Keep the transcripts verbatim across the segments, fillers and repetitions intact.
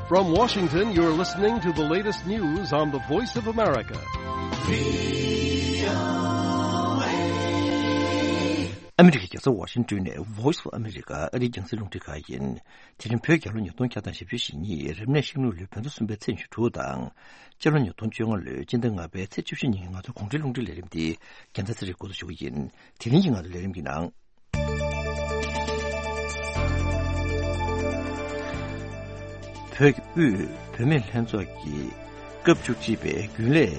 From Washington, you're listening to the latest news on the Voice of America. ཨ་མི་རི་ཀའི་རྒྱལ་ས་ཝ་ཤིང་ཏོན་ནས་Voice of America ཨ་རིའི་རྒྱང་སྲིང་རླུང་འཕྲིན་ཁང་ཡིན། དེ་རིང་བོད་རྒྱལ་ལོ་ཉིས་སྟོང་བརྒྱ་དང་བཞི་བཅུ་ཞེ་གཉིས་རབ་གནས་ཤིང་ལུག་ལོའི་བོད་ཟླ་གསུམ་པའི་ཚེས་ཉི་ཤུ་དྲུག་དང་། སྤྱི་ལོ་ཉིས་སྟོང་བཅོ་ལྔ་ལོའི་སྤྱི་ཟླ་ལྔ་པའི་ཚེས་བཅུ་བཞི་ཉིན་གྱི་ང་ཚོའི་གོང་འཕེལ་རླུང་འཕྲིན་ལས་རིམ་འདི་རྒྱལ་མཚན་ཚེ་རིང་འགོ་འཛུགས་ཞུ་གི་ཡིན། དེ་རིང་གི་ང་ཚོའི་ལས་རིམ་གྱི་ནང་། བོད་ཀྱི་དབུས་བུད་མེད་ལྷན་ཚོགས་ཀྱི་སྐབས་བཅུ་གཅིག་པའི་རྒྱུན་ལས་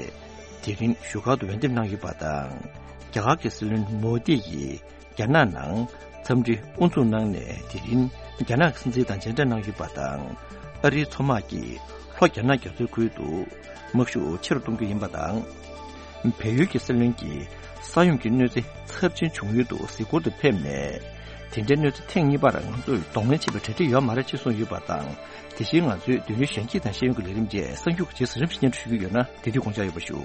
དེ་རིང་བཞུགས་སྒར་དུ་འོས་འདེམས་གནང་ཡོད་པ་དང་། རྒྱ་གར་གྱི་སྲིད་བློན་མོ་དི་ཡིས་རྒྱ་ནག་ནང་འཚམས་འདྲི་དབུ་འཛུགས་གནང་ནས་དེ་རིང་རྒྱ་ནག་གི་སྲིད་འཛིན་དང་མཇལ་འཕྲད་གནང་ཡོད་པ་དང་། ཨ་རིའི་མཚོ་དམག་གིས་ལྷོ་རྒྱ་ནག་རྒྱ་མཚོའི་ཁུལ་དུ་དམག་ཤུགས་ཆེ་རུ་གཏོང་རྒྱུ་ཡིན་པ་དང་། བལ་ཡུལ་གྱི་སྲིད་བློན་གྱིས་ས་ཡོམ་གྱི་གནོད་འཚེ་ཚབས་ཆེན་བྱུང་ཡུལ་དུ་གཟིགས་སྐོར་དུ་ཕེབས་ནས། དེ་འདྲའི་གནོད་འཚེ་ཐེངས་གཉིས་པར་ང་ཚོས་གདོང་ལེན་བྱེད་པའི་གྲ་སྒྲིག་ཡོད་མ་རེད་ཅེས་གསུངས་ཡོད་པ་དང་། དེ་བཞིན་ང་ཚོའི་མདུན་ལམ་གཞན་གྱི་དང་ཤེས་ཡོན་གྱི་ལས་རིམ་བཅས་གསར་འགྱུར་གྱི་རྗེས་སུ་རིམ་བཞིན་སྙན་སྒྲོན་ཞུ་གི་ཡོད་ན་དེ་དུས་དགོངས་འཇགས་ཡོད་པ་ཞུ།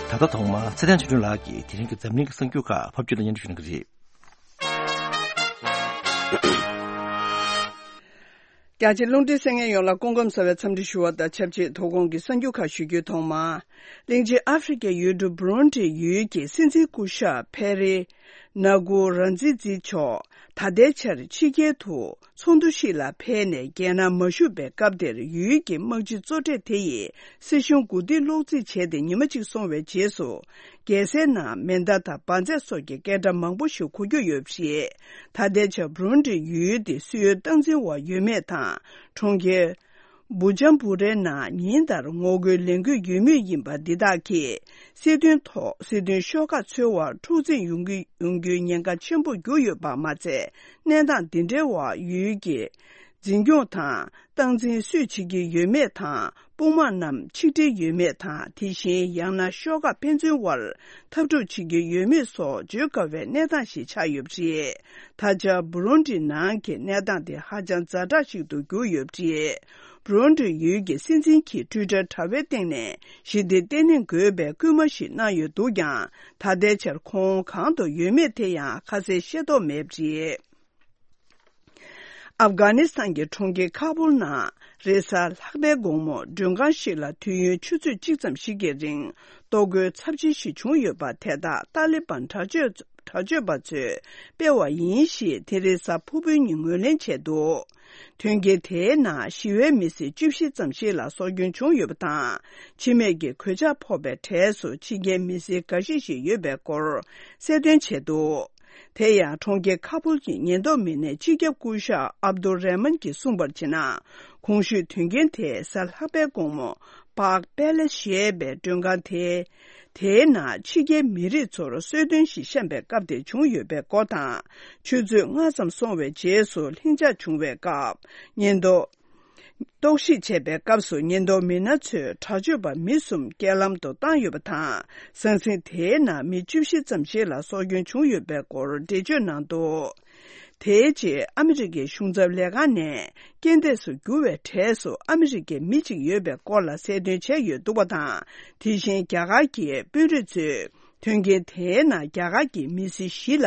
ད་ལྟ་ཐོག་མར་ཚེ་བརྟན་ཆོས་སྒྲོན་ལགས་ཀྱིས་དེ་རིང་གི་འཛམ་གླིང་གི་གསར་འགྱུར་ཁག་ཕབ་སྒྱུར་དང་སྙན་སྒྲོན་ཞུ་གནང་གི་རེད། རྒྱ་ཆེ་རླུང་འཕྲིན་གསན་མཁན་ཡོངས་ལ་སྐུ་ཁམས་བཟང་བའི་འཚམས་འདྲི་ཞུ་བ་དང་ཆབས་ཅིག་དོ་དགོང་གི་གསར་འགྱུར་ཁག་ཞུ་རྒྱུའི་ཐོག་མར། གླིང་ཆེན་ཨ་ཧྥེ་རི་ཁའི་ཡུལ་གྲུ་བུ་རུན་ཌི་ཡུལ་གྱི་སྲིད་འཛིན་སྐུ་ཞབས་ཕེ་རེ་ན་གུ་ར་ཛི་ཛི་མཆོག་ད་ལྟའི་ཆར་ཕྱི་རྒྱལ་དུ་ཚོགས་འདུ་ཞིག་ལ་ཕེབས་ནས་རྒྱལ་ནང་མ་བཞུགས་པའི་སྐབས་དེར་ཡུལ་གྱི་དམག་སྤྱི་གཙོ་གྲས་དེ་ཡིས་སྲིད་གཞུང་གོ་སྒྲིག་གློག་རྫིས་བྱས་ཏེ་ཉི་མ་གཅིག་སོང་བའི་རྗེས་སུ། རྒྱལ་སའི་ནང་མེ་མདའ་དང་འབར་རྫས་སོགས་ཀྱི་སྐད་སྒྲ་མང་པོ་ཞིག་གོ་རྒྱུ་ཡོད་པ་རེད། ད་ལྟའི་ཆར་བུ་རུན་ཌི་ཡུལ་དེ་སྲིད་འོས་སྟངས་འཛིན་འོག་ཡོད་མེད་དང་། གྲོང་ཁྱེར་བུ་ཇམ་བུ་རའི་ནང་ཉིན་ལྟར་ངོ་རྒོལ་ལས་འགུལ་ཡོད་མུས་ཡིན་པ་འདི་དག་གིས་སྲིད་དོན་ཐོག་སྲིད་དོན་ཤོག་ཁག་འཚོལ་བར་འཁྲུག་འཛིང་ཡོང་གི་ཡོང་རྒྱུའི་ཉེན་ཁ་ཆེན་པོ་གྱུར་ཡོད་པ་མ་ཚད། གནས་སྟངས་འདི་འདྲའི་འོག་ཡུལ་གྱི་འཛིན་སྐྱོང་དང་སྟངས་འཛིན་སུས་བྱེད་ཀྱི་ཡོད་མེད་དང་། དཔུང་དམག་རྣམས་ཆིག་སྒྲིལ་ཡོད་མེད་དང་། དེ་བཞིན་ཡང་ན་ཤོག་ཁག་ཕན་ཚུན་དབར་འཐབ་འཁྲུག་བྱེད་ཀྱི་ཡོད་མེད་སོགས་བརྗོད་དཀའ་བའི་གནས་སྟངས་ཤིག་ཆགས་ཡོད་པ་རེད། ད་ཆ་བུ་རུན་ཌི་ནང་གི་གནས་སྟངས་དེ་ཧ་ཅང་ཛ་དྲག་ཞིག་ཏུ་གྱུར་ཡོད་པ་རེད། བུ་རུན་ཌི་ཡུལ་གྱི་སྲིད་འཛིན་གྱིས་ཊུའི་ཊར་དྲ་བའི་སྟེང་ནས་ཞི་བདེ་བརྟན་ལྷིང་དགོས་པའི་སྐུལ་མ་ཞིག་གནང་ཡོད་འདུག་ཀྱང་། ད་ལྟའི་ཆར་ཁོང་གང་དུ་ཡོད་མེད་དེ་ཡང་ཁ་གསལ་ཤེས་རྟོགས་མེད་པ་རེད། ཨབ་གྷ་ནི་སི་ཐན་གྱི་གྲོང་ཁྱེར་ཁ་པུལ་ནང་རེས་གཟའ་ལྷག་པའི་དགོང་མོ་མགྲོན་ཁང་ཞིག་ལ་དུས་ཡུན་ཆུ་ཚོད་གཅིག་ཙམ་ཞིག་གི་རིང་གཏོར་རྒོལ་ཚབས་ཆེན་ཞིག་བྱུང་ཡོད་པ་དེ་དག་ཏཱ་ལི་བན་དྲག་སྤྱོད་དྲག་སྤྱོད་པ་ཚོས་སྤེལ་བ་ཡིན་ཞེས་དེ་རིང་གཟའ་ཕུར་བུའི་ཉིན་ངོས་ལེན་བྱས་འདུག་དོན་རྐྱེན་དེའི་ནང་ཞི་བའི་མི་སེར་བཅུ་བཞི་ཙམ་ཞིག་ལ་སྲོག་སྐྱོན་བྱུང་ཡོད་པ་དང་། འཆི་རྨས་ཀྱི་གོད་ཆག་ཕོག་པའི་གྲས་སུ་ཕྱི་རྒྱལ་མི་སེར་འགའ་ཤས་ཤིག་ཡོད་པའི་སྐོར་གསལ་སྟོན་བྱས་འདུག་དེ་ཡང་གྲོང་ཁྱེར་ཁ་པུལ་གྱི་ཉེན་རྟོག་མི་སྣས་སྤྱི་ཁྱབ་སྐུ་ཞབས་ཨབ་དུ་རེ་མན་གྱིས་གསུངས་པར་བྱས་ན། གོང་ཞུས་དོན་རྐྱེན་དེ་གཟའ་ལྷག་པའི་དགོང་མོ་པཱག་པེ་ལེ་སི་ཞེས་པའི་མགྲོན་ཁང་དེ་དེའི་ནང་ཕྱི་རྒྱལ་མི་རིགས་ཚོར་གསོལ་སྟོན་ཞིག་བཤམས་པའི་སྐབས་དེར་བྱུང་ཡོད་པའི་སྐོར་དང་། ཆུ་ཚོད་ལྔ་ཙམ་སོང་བའི་རྗེས་སུ་ལྷིང་འཇགས་བྱུང་བའི་སྐབས་ཉེན་རྟོག་རྟོག་ཞིབ་བྱས་པའི་སྐབས་སུ་ཉེན་རྟོག་མི་སྣ་ཚོས་དྲག་སྤྱོད་པ་མི་གསུམ་རྐྱེན་ལམ་དུ་བཏང་ཡོད་པ་དང་། ཟང་ཟིང་དེའི་ནང་མི་བཅུ་བཞི་ཙམ་ཞིག་ལ་སྲོག་སྐྱོན་བྱུང་ཡོད་པའི་སྐོར་འགྲེལ་བརྗོད་གནང་འདུག་དེའི་རྗེས་ཨ་མི་རི་ཀའི་གཞུང་ཚབ་ལས་ཁང་ནས་རྐྱེན་འདས་སུ་གྱུར་བའི་གྲས་སུ་ཨ་མི་རི་ཀའི་མི་གཅིག་ཡོད་པའི་སྐོར་ལ་གསལ་སྟོན་བྱས་ཡོད་འདུག་པ་དང་། དེ་བཞིན་རྒྱ་གར་གྱི་དཔོན་རིགས་ཚོས། དོན་རྐྱེན་དེའི་ནང་རྒྱ་གར་གྱི་མི་སེར་བཞི་ལ་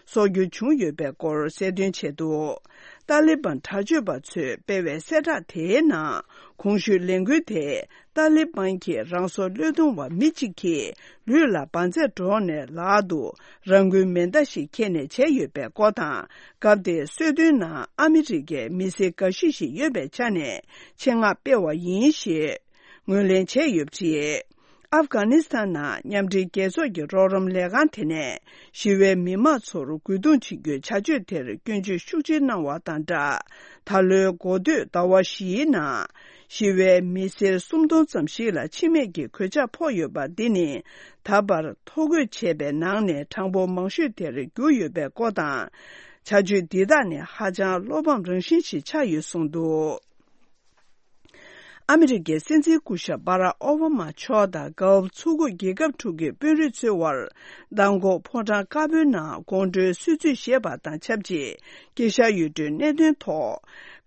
སྲོག་སྐྱོན་བྱུང་ཡོད་པའི་སྐོར་གསལ་སྟོན་བྱས་འདུག་ཏཱ་ལི་བན་དྲག་སྤྱོད་པ་ཚོས་སྤེལ་བའི་གསལ་བསྒྲགས་དེའི་ནང་གོང་ཞུས་ལས་འགུལ་དེ་ཏཱ་ལི་བན་གྱི་རང་སྲོག་བློས་གཏོང་བ་མི་གཅིག་གིས་ལུས་ལ་འབར་རྫས་སྒྲོག་ནས་ལག་ཏུ་རང་འཁུལ་མེ་མདའ་ཞིག་འཁྱེར་ནས་བྱས་ཡོད་པའི་སྐོར་དང་། སྐབས་དེའི་གསོལ་སྟོན་ནང་ཨ་མི་རི་ཀའི་མི་སེར་འགའ་ཤས་ཤིག་ཡོད་པའི་ཆ་ནས་ཆེད་མངགས་སྤེལ་བ་ཡིན་ཞེས་ངོས་ལེན་བྱས་ཡོད་པ་རེད། ཨབ་གྷ་ནི་སི་ཐན་ནང་མཉམ་འབྲེལ་རྒྱལ་ཚོགས་ཀྱི་རོགས་རམ་ལས་ཁང་དེ་ནས་ཞི་བའི་མི་མང་ཚོར་རྒོལ་རྡུང་བྱེད་རྒྱུའི་བྱ་སྤྱོད་དེར་སྐྱོན་བརྗོད་ཤུགས་ཆེ་གནང་བ་དང་སྦྲགས། ད་ལོའི་འགོ་སྟོད་ཟླ་བ་བཞིའི་ནང་ཞི་བའི་མི་སེར་སུམ་སྟོང་ཙམ་ཞིག་ལ་འཆི་རྨས་ཀྱི་གོད་ཆག་ཕོག་ཡོད་པ་འདི་ནི་ད་བར་ཐོ་འགོད་བྱས་པའི་ནང་ནས་གྲངས་འབོར་མང་ཤོས་དེར་གྱུར་ཡོད་པའི་སྐོར་དང་། བྱ་སྤྱོད་འདི་དག་ནི་ཧ་ཅང་བློ་ཕམ་རང་བཞིན་ཞིག་ཆགས་ཡོད་གསུངས་འདུག་ཨ་མི་རི་ཀའི་སྲིད་འཛིན་སྐུ་ཞབས་སྦ་རག་ཨོ་བྷ་མ་མཆོག་དང་དགའ་འོབ་མཚོ་ཁུག་རྒྱལ་ཁབ་དྲུག་གི་དཔོན་རིགས་ཚོའི་དབར་མདང་དགོང་ཕོ་བྲང་དཀར་པོའི་ནང་དགོང་དྲོའི་གསོལ་ཚིགས་བཞེས་པ་དང་ཆབས་ཅིག་དཀྱིལ་ཤར་ཡུལ་གྲུའི་གནད་དོན་ཐོག་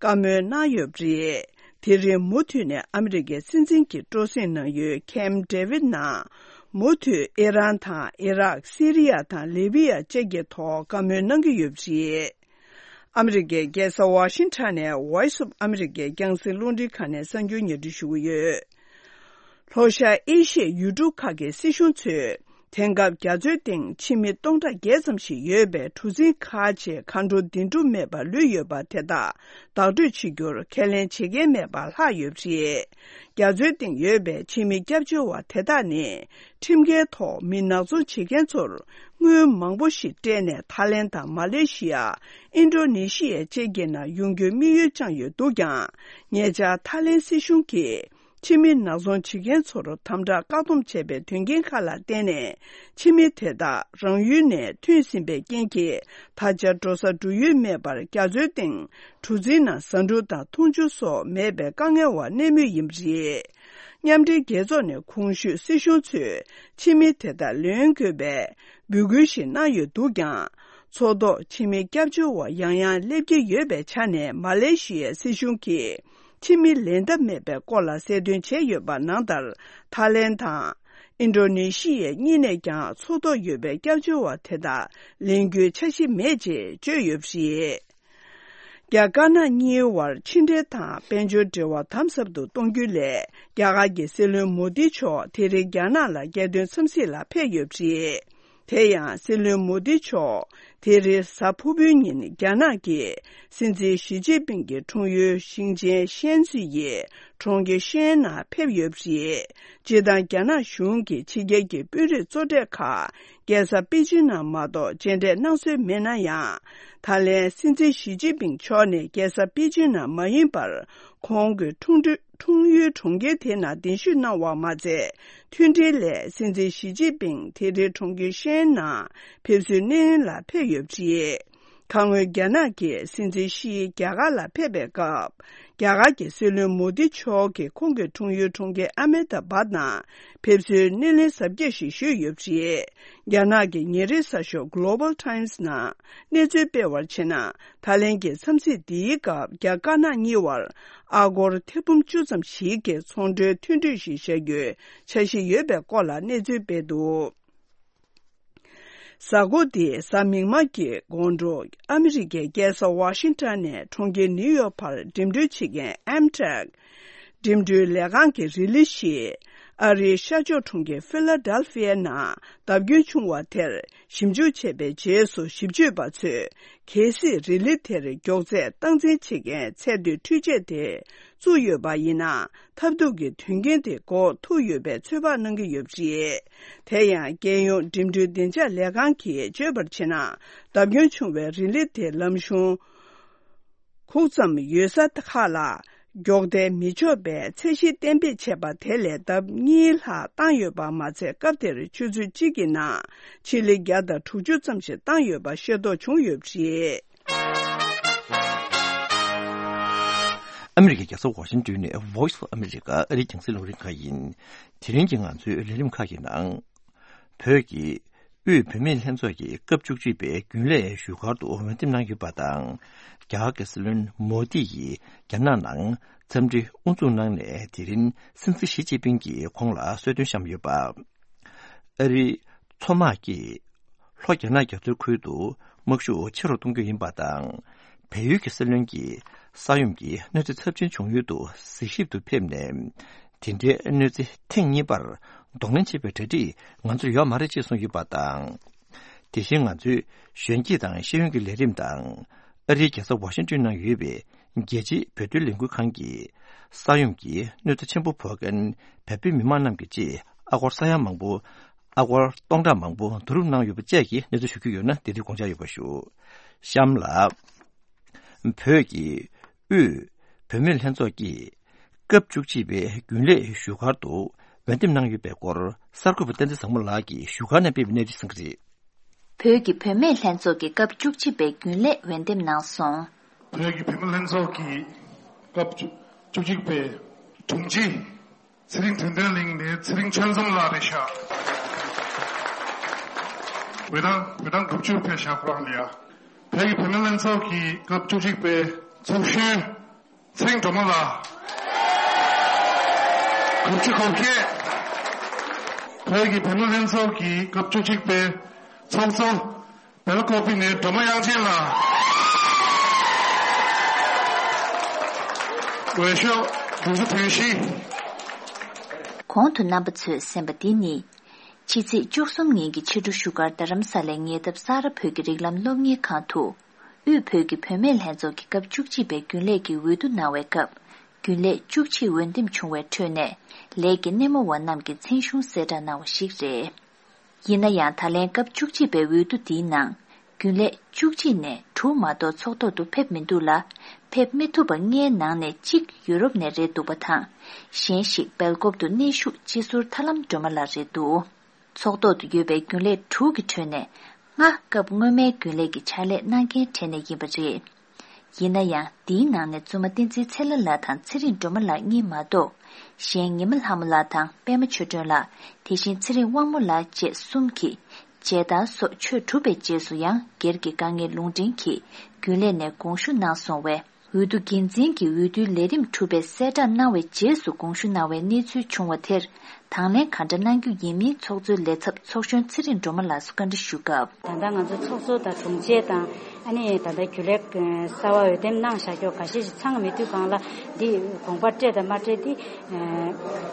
བཀའ་མོལ་གནང་ཡོད་པ་རེད། དེ་རིང་མུ་མཐུད་ནས་ཨ་མི་རི་ཀའི་སྲིད་འཛིན་གྱི་སྤྲོ་གསེང་གནང་ཡུལ་ཁེམ་ཌེ་ཝིད་ནང་ མུ་མཐུད་ཨི་རན་དང་ཨི་རག་སི་རི་ཡ་དང་ལི་བི་ཡ་བཅས་ཀྱི་ཐོག་བཀའ་མོལ་གནང་གི་ཡོད་པ་རེད། ཨ་མི་རི་ཀའི་རྒྱལ་ས་ཝ་ཤིང་ཊོན་ནས་Voice of America རྒྱང་སྲིང་རླུང་འཕྲིན་ཁང་ནས་གསར་འགྱུར་སྙན་སྒྲོན་ཞུ་གི་ཡོད། ལྷོ་ཤར་ཨེ་ཤི་ཡའི་ཡུལ་གྲུ་ཁག་གི་སྲིད་གཞུང་ཚོས། དེང་སྐབས་རྒྱ་མཚོའི་སྟེང་ཕྱི་མི་སྟོང་ཕྲག་བརྒྱད་ཙམ་ཞིག་ཡོད་པའི་གྲུ་གཟིངས་ཁག་ཅིག་མཁའ་འགྲོ་འདི་འགྲུབ་མེད་པར་ལུས་ཡོད་པ་དེ་དག་བདག་སྤྲོད་བྱེད་རྒྱུར་ཁས་ལེན་བྱེད་མཁན་མེད་པར་ལྷག་ཡོད་པ་རེད། རྒྱ་མཚོའི་སྟེང་ཡོད་པའི་ཕྱི་མི་སྐྱབས་བཅོལ་བ་དེ་དག་ནི། ཁྲིམས་འགལ་ཐོག་མི་ནག་ཚོང་བྱེད་མཁན་ཚོར་དངུལ་མང་པོ་ཞིག་སྤྲད་ནས་ཐའི་ལེན་དང་མ་ལེ་ཤི་ཡ། ཨིན་ཌོ་ནེ་ཤི་ཡ་བཅས་ཀྱི་ནང་ཡོང་རྒྱུའི་དམིགས་ཡུལ་བཅངས་ཡོད་འདུག་ཀྱང་། ཉེ་ཆར་ཐའི་ལེན་སྲིད་གཞུང་གིས། ཕྱི་མི་ནག་ཚོང་བྱེད་མཁན་ཚོར་དམ་དྲག་བཀག་སྡོམ་བྱས་པའི་དོན་རྐྱེན་ཁག་ལ་བརྟེན་ནས། ཕྱི་མི་དེ་དག་རང་ཡུལ་ནས་ཐོན་ཟིན་པའི་རྐྱེན་གྱིས། ད་ཆ་འགྲོ་ས་འགྲོ་ཡུལ་མེད་པར་རྒྱ་མཚོའི་སྟེང་གྲུ་གཟིངས་ནང་ཟ་འབྲུ་དང་འཐུང་ཆུ་སོགས་མེད་པའི་དཀའ་ངལ་བར་གནས་མུས་ཡིན་པ་རེད། མཉམ་འབྲེལ་རྒྱལ་ཚོགས་ནས་གོང་ཞུས་སྲིད་གཞུང་ཚོས་ཕྱི་མི་དེ་དག་ལེན་དགོས་པའི་འབོད་སྐུལ་ཞིག་གནང་ཡོད་འདུག་ཀྱང་། མཚོ་ཐོག་ཕྱི་མི་སྐྱབས་བཅོལ་བ་ཡང་ཡང་སླེབས་ཀྱི་ཡོད་པའི་ཆ་ནས་མ་ལེ་ཤི་ཡའི་སྲིད་གཞུང་གིས། ཕྱི་མི་ལེན་ཐབས་མེད་པའི་སྐོར་ལ་གསལ་སྟོན་བྱས་ཡོད་པ་ནང་ལྟར། ཐའི་ལེན་དང་། ཨིན་ཌོ་ནེ་ཤི་ཡའི་གཉིས་ནས་ཀྱང་མཚོ་ཐོག་ཡོད་པའི་སྐྱབས་བཅོལ་བ་དེ་དག་ལེན་རྒྱུའི་འཆར་གཞི་མེད་ཅེས་བརྗོད་ཡོད་པ་རེད། རྒྱ་དཀར་ནག་གཉིས་བར་ཕྱི་འབྲེལ་དང་དཔལ་འབྱོར་འབྲེལ་བ་དམ་ཟབ་ཏུ་གཏོང་རྒྱུའི་སླད། རྒྱ་གར་གྱི་སྲིད་བློན་མོ་དི་མཆོག་དེ་རིང་རྒྱ་ནག་ལ་རྒྱལ་དོན་འཚམས་གཟིགས་ལ་ཕེབས་ཡོད་པ་རེད། དེ་ཡང་སྲིད་བློན་མོ་དི་མཆོག་དེ་རིང་གཟའ་ཕུར་བུའི་ཉིན་རྒྱ་ནག་གི་སྲིད་འཛིན་ཞི་ཅིན་ཕིང་གི་འཁྲུངས་ཡུལ་ཞིང་ཆེན་ཤན་ཙི་ཡི་གྲོང་ཁྱེར་ཤན་ནང་ཕེབས་ཡོད་པ་རེད། སྤྱིར་བཏང་རྒྱ་ནག་གཞུང་གིས་ཕྱི་རྒྱལ་གྱི་དཔོན་རིགས་གཙོ་གྲས་ཁག་རྒྱལ་ས་པེ་ཅིན་ནང་མ་གཏོགས་མཇལ་འཕྲད་གནང་སྲོལ་མེད་ན་ཡང་། ད་ལན་སྲིད་འཛིན་ཞི་ཅིན་ཕིང་མཆོག་ནས་རྒྱལ་ས་པེ་ཅིན་ནང་མ་ཡིན་པར། ཁོང་གི་འཁྲུངས་འཁྲུངས་ཡུལ་གྲོང་ཁྱེར་དེ་ནང་གདན་ཞུ་གནང་བ་མ་ཚད། མཐུན་སྒྲིལ་སླད་སྲིད་འཛིན་ཞི་ཅིན་ཕིང་དེ་རིང་གྲོང་ཁྱེར་ཤན་ནང་ཕེབས་བསུའི་སྣེ་ལེན་ལ་ཕེབས་ཡོད་པ་རེད། ཁ་སྔོན་རྒྱ་ནག་གི་སྲིད་འཛིན་ཞི་རྒྱ་གར་ལ་ཕེབས་པའི་སྐབས། རྒྱ་གར་གྱི་སྲིད་བློན་མོ་དི་མཆོག་གིས་ཁོང་གི་འཁྲུངས་ཡུལ་གྲོང་ཁྱེར་ཨ་མེ་ད་བཱད་ནང་ཕེབས་བསུའི་སྣེ་ལེན་གཟབ་རྒྱས་ཤིག་ཞུས་ཡོད་པ་རེད། རྒྱ་ནག་གི་ཉིན་རེའི་གསར་ཤོག་Global Times ནང་གནས་ཚུལ་སྤེལ་བར་བྱས་ན། ད་ལན་གྱི་འཚམས་གཟིགས་འདིའི་སྐབས་རྒྱ་དཀར་ནག་གཉིས་བར་ཨ་སྒོར་ཐེར་འབུམ་བཅུ་ཙམ་ཞིག་གི་ཚོང་འབྲེལ་མཐུན་གྲོས་ཤིག་བཞག་རྒྱུའི་འཆར་གཞི་ཡོད་པའི་སྐོར་ལ་གནས་ཚུལ་སྤེལ་འདུག་གཟའ་འཁོར་འདིའི་གཟའ་མིག་དམར་གྱི་དགོང་དྲོ། ཨ་མི་རི་ཀའི་རྒྱལ་ས་ཝ་ཤིང་ཊོན་ནས་གྲོང་ཁྱེར་ནིའུ་ཡོག་བར་འགྲིམ་འགྲུལ་བྱེད་མཁན་ཨེམ་ཊྲེག་འགྲིམ་འགྲུལ་ལས་ཁང་གི་རི་ལི་ཞིག་ཨ་རིའི་ཤར་ཕྱོགས་གྲོང་ཁྱེར་ཕི་ལ་ཌེལ་ཕི་ཡའི་ནང་བརྡབ་སྐྱོན་བྱུང་བ་དེར་ཞིབ་འཇུག་བྱས་པའི་རྗེས་སུ། ཞིབ་དཔྱོད་པ་ཚོས་གལ་སྲིད་རི་ལི་དེར་མགྱོགས་ཚད་སྟངས་འཛིན་བྱེད་མཁན་ཚད་མཐོའི་འཕྲུལ་ཆས་དེ་བཙུགས་ཡོད་པ་ཡིན་ན། ཐབས་སྡུག་གི་དོན་རྐྱེན་དེ་འགོག་ཐུབ་ཡོད་པའི་ཚོད་དཔག་གནང་གི་ཡོད་པ་རེད། དེ་ཡང་། རྒྱལ་ཡོངས་འགྲིམ་འགྲུལ་བདེ་འཇགས་ལས་ཁང་གིས་བརྗོད་པར་བྱས་ན། བརྡབ་སྐྱོན་བྱུང་བའི་རི་ལི་དེ་ལམ་གཞུང་ཁུག་ཙམ་ཡོད་ས་ཁག་ལ་མགྱོགས་ཐལ་མི་ཆོག་པའི་ཚད་གཞི་གཏན་འབེབས་བྱས་པ་དེ་ལས་ལྡབ་གཉིས་ལྷག་བཏང་ཡོད་པ་མ་ཚད། སྐབས་དེར་ཆུ་ཚོད་གཅིག་གི་ནང་ཆི་ལི་བརྒྱ་དང་དྲུག་ཅུ་ཙམ་ཞིག་བཏང་ཡོད་པ་ཤེས་རྟོགས་བྱུང་ཡོད་པ་རེད། ཨ་མི་རི་ཀའི་རྒྱལ་ས་ཝ་ཤིང་ཏོན་ནས་Voice of America ཨ་རིའི་རྒྱང་སྲིང་རླུང་འཕྲིན་ཁང་ཡིན། དེ་རིང་གི་ང་ཚོའི་ལས་རིམ་ཁག་གི་ནང་། བོད་ཀྱི་དབུས་བུད་མེད་ལྷན་ཚོགས་ཀྱི་སྐབས་བཅུ་གཅིག་པའི་རྒྱུན་ལས་བཞུགས་སྒར་དུ་འོས་འདེམས་གནང་ཡོད་པ་དང་། རྒྱ་གར་གྱི་སྲིད་བློན་མོ་དི་ཡིས་རྒྱ་ནག་ནང་འཚམས་འདྲི་དབུ་འཛུགས་གནང་ནས། དེ་རིང་སྲིད་འཛིན་ཞི་ཅིན་ཕིང་གིས་ཁོང་ལ་གསོལ་སྟོན་བཤམས་ཡོད་པ། ཨ་རིའི་མཚོ་དམག་གིས་ལྷོ་རྒྱ་ནག་རྒྱ་མཚོའི་ཁུལ་དུ་དམག་ཤུགས་ཆེ་རུ་གཏོང་རྒྱུ་ཡིན་པ་དང་། བལ་ཡུལ་གྱི་སྲིད་བློན་གྱིས་ས་ཡོམ་གྱི་གནོད་འཚེ་ཚབས་ཆེན་བྱུང་ཡུལ་དུ་གཟིགས་ཞིབ་ཏུ་ཕེབས་ནས། དེ་འདྲའི་གནོད་འཚེ་ཐེངས་གཉིས་པར་གདོང་ལེན་བྱེད་པའི་གྲ་སྒྲིག་ང་ཚོར་ཡོད་མ་རེད་ཅེས་གསུངས་ཡོད་པ་དང་། དེ་བཞིན་ང་ཚོའི་གཞོན་སྐྱེས་དང་ཤེས་ཡོན་གྱི་ལས་རིམ་དང་། ཨ་རིའི་རྒྱལ་ས་ཝ་ཤིང་ཏོན་ནང་ཡོད་པའི་རྒྱལ་སྤྱིའི་བོད་དོན་ལས་འགུལ་ཁང་གིས་ས་ཡོམ་གྱི་གནོད་འཚེ་ཆེན་པོ་ཕོག་མཁན་བོད་པའི་མི་མང་རྣམས་ཀྱི་ཆེད་ཨ་སྒོར་ས་ཡ་མང་པོ། ཨ་སྒོར་སྟོང་ཕྲག་མང་པོ་བསྡུ་རུབ་གནང་ཡོད་པ་བཅས་ཀྱི་གནས་ཚུལ་ཞུ་རྒྱུ་ཡོད་ན། དེ་རིང་དགོངས་འཇགས་ཡོད་པ་ཞུ། གཤམ་ལ། བོད་ཀྱི་དབུས་བུད་མེད་ལྷན་ཚོགས་ཀྱིས་སྐབས་བཅུ་གཅིག་པའི་རྒྱུན་ལས་བཞུགས་སྒར་དུ་འོས་འདེམས་གནང་ཡོད་པའི་སྐོར་གསར་འགོད་པ་བསྟན་འཛིན་བཟང་མོ་ལགས་ཀྱིས་བཞུགས་སྒར་ནས་སྤེལ་བའི་གནས་ཚུལ་གསན་གྱི་རེད། བོད་ཀྱི་བུད་མེད་ལྷན་ཚོགས་ཀྱི་སྐབས་བཅུ་གཅིག་པའི་རྒྱུན་ལས་འོས་འདེམས་གནང་སོང་། བོད་ཀྱི་བུད་མེད་ལྷན་ཚོགས་ཀྱི་སྐབས་བཅུ་གཅིག་པའི་དྲུང་ཆེ་ཚེ་རིང་དོན་ལྡན་གླིང་ནས་ཚེ་རིང་ཆོས་འཛོམས་ལགས་རེད་ཤག་འོས་གྲངས་འོས་གྲངས་དགུ་བཅུ་ཕེབས་ཤག་ཁོ་རང་ལ་ཡ། བོད་ཀྱི་བུད་མེད་ལྷན་ཚོགས་ཀྱི་སྐབས་བཅུ་གཅིག་པའི་ཚོགས་གཞོན། ཚེ་རིང་སྒྲོལ་མ་ལགས། དགུ་བཅུ་གོ་བརྒྱད། བོད་ཀྱི་བུད་མེད་ལྷན་ཚོགས་ཀྱི་སྐབས་བཅུ་གཅིག་པའི་ཚོགས་གཙོ་སྦེལ་ཀོབ་ནས་སྒྲོལ་མ་དབྱངས་ཅན་ལགས། འོས་ཤོག་དྲུག་ཅུ་དོན་བཞི། གོང་དུ་རྣམ་པ་ཚོས་གསན་པ་འདི་ནི། ཕྱི་ཚེས་བཅུ་གསུམ་ཉིན་གྱི་ཕྱི་དྲོ་བཞུགས་སྒར་རྡ་རམ་ས་ལའི་ཉེ་འདབས་ས་རཱ་བོད་ཀྱི་རིགས་ལམ་སློབ་གཉེར་ཁང་དུ། དབུས་བོད་ཀྱི་བུད་མེད་ལྷན་ཚོགས་ཀྱི་སྐབས་བཅུ་གཅིག་པའི་རྒྱུན་ལས་ཀྱི་འོས་བསྡུ་གནང་བའི་སྐབས། རྒྱུན་ལས་བཅུ་གཅིག་འོས་འདེམས་བྱུང་བའི་ཁྲོད་ནས། ལས་ཀྱི་སྣེ་མོ་བ་རྣམས་ཀྱི་མཚན་གཞུང་གསལ་བསྒྲགས་གནང་བ་ཞིག་རེད། ཡིན་ན་ཡང་། ད་ལན་སྐབས་བཅུ་གཅིག་པའི་འོས་བསྡུ་འདིའི་ནང་། རྒྱུན་ལས་བཅུ་གཅིག་ནས་དྲུག་མ་གཏོགས་ཚོགས་ཐོག་ཏུ་ཕེབས་མི་འདུག་ལ། ཕེབས་མི་ཐུབ་པ་ལྔའི་ནང་ནས་གཅིག་ཡུ་རོབ་ནས་རེད་འདུག་པ་དང་། གཞན་ཞིག་སྦེལ་ཀོབ་ཏུ་གནས་བཞུགས་སྤྱི་ཟུར་ཐར་ལམ་སྒྲོལ་མ་ལགས་རེད་འདུག། ཚོགས་ཐོག་ཏུ་ཡོད་པའི་རྒྱུན་ལས་དྲུག་གི་ཁྲོད་ནས། ལྔ་སྐབས་སྔོན་མའི་རྒྱུན་ལས་ཀྱི་ཕྱག་ལས་གནང་མཁན་གྲས་ནས་ཡིན་པ་རེད། ཡིན་ན་ཡང་། འདིའི་ནང་ནས་བཙུན་མ་བསྟན་འཛིན་ཚེ་ལྷ་ལགས་དང་ཚེ་རིང་སྒྲོལ་མ་ལགས་གཉིས་མ་གཏོགས། གཞན་ཉི་མ་ལྷ་མོ་ལགས་དང་པད་མ་ཆོས་སྒྲོན་ལགས། དེ་བཞིན་ཚེ་རིང་དབང་མོ་ལགས་བཅས་གསུམ་གྱིས། མཇལ་དར་སོགས་ཆོས་གྲུབ་པའི་རྗེས་སུ་ཡང་སྒེར་གྱི་དཀའ་ངལ་ལུང་འདྲེན་གྱིས་རྒྱུན་ལས་ནས་དགོངས་ཞུ་གནང་སོང་བས། འོས་བསྡུ་འགན་འཛིན་གྱི་འོས་བསྡུའི་ལས་རིམ་གྲུབ་པའི་གསལ་བསྒྲགས་གནང་བའི་རྗེས་སུ་དགོངས་ཞུ་གནང་བའི་གནས་ཚུལ་བྱུང་བ་དེར། དང་ལེན་ག་འདྲ་གནང་རྒྱུ་ཡིན་མིན་ཚོགས་གཙོའི་ལས་ཚབ་ཚོགས་གཞོན་ཚེ་རིང་སྒྲོལ་མ་ལགས་སུ་བཀའ་འདྲི་ཞུ་སྐབས། ད་ལྟ་ང་ཚོ་ཚོགས་གཙོ་དང་དྲུང་ཆེ་དང་། ཨ་ནི་ད་ལྟ་རྒྱུན་ལས་གསར་པ་འོས་འདེམས་གནང་བཞག་ཀྱོག་འགའ་ཤས་ཤིག་ཚང་མི་འདུག་གང་ལ་འདི་དགོངས་པ་སྤྲད་དང་མ་སྤྲད་འདི།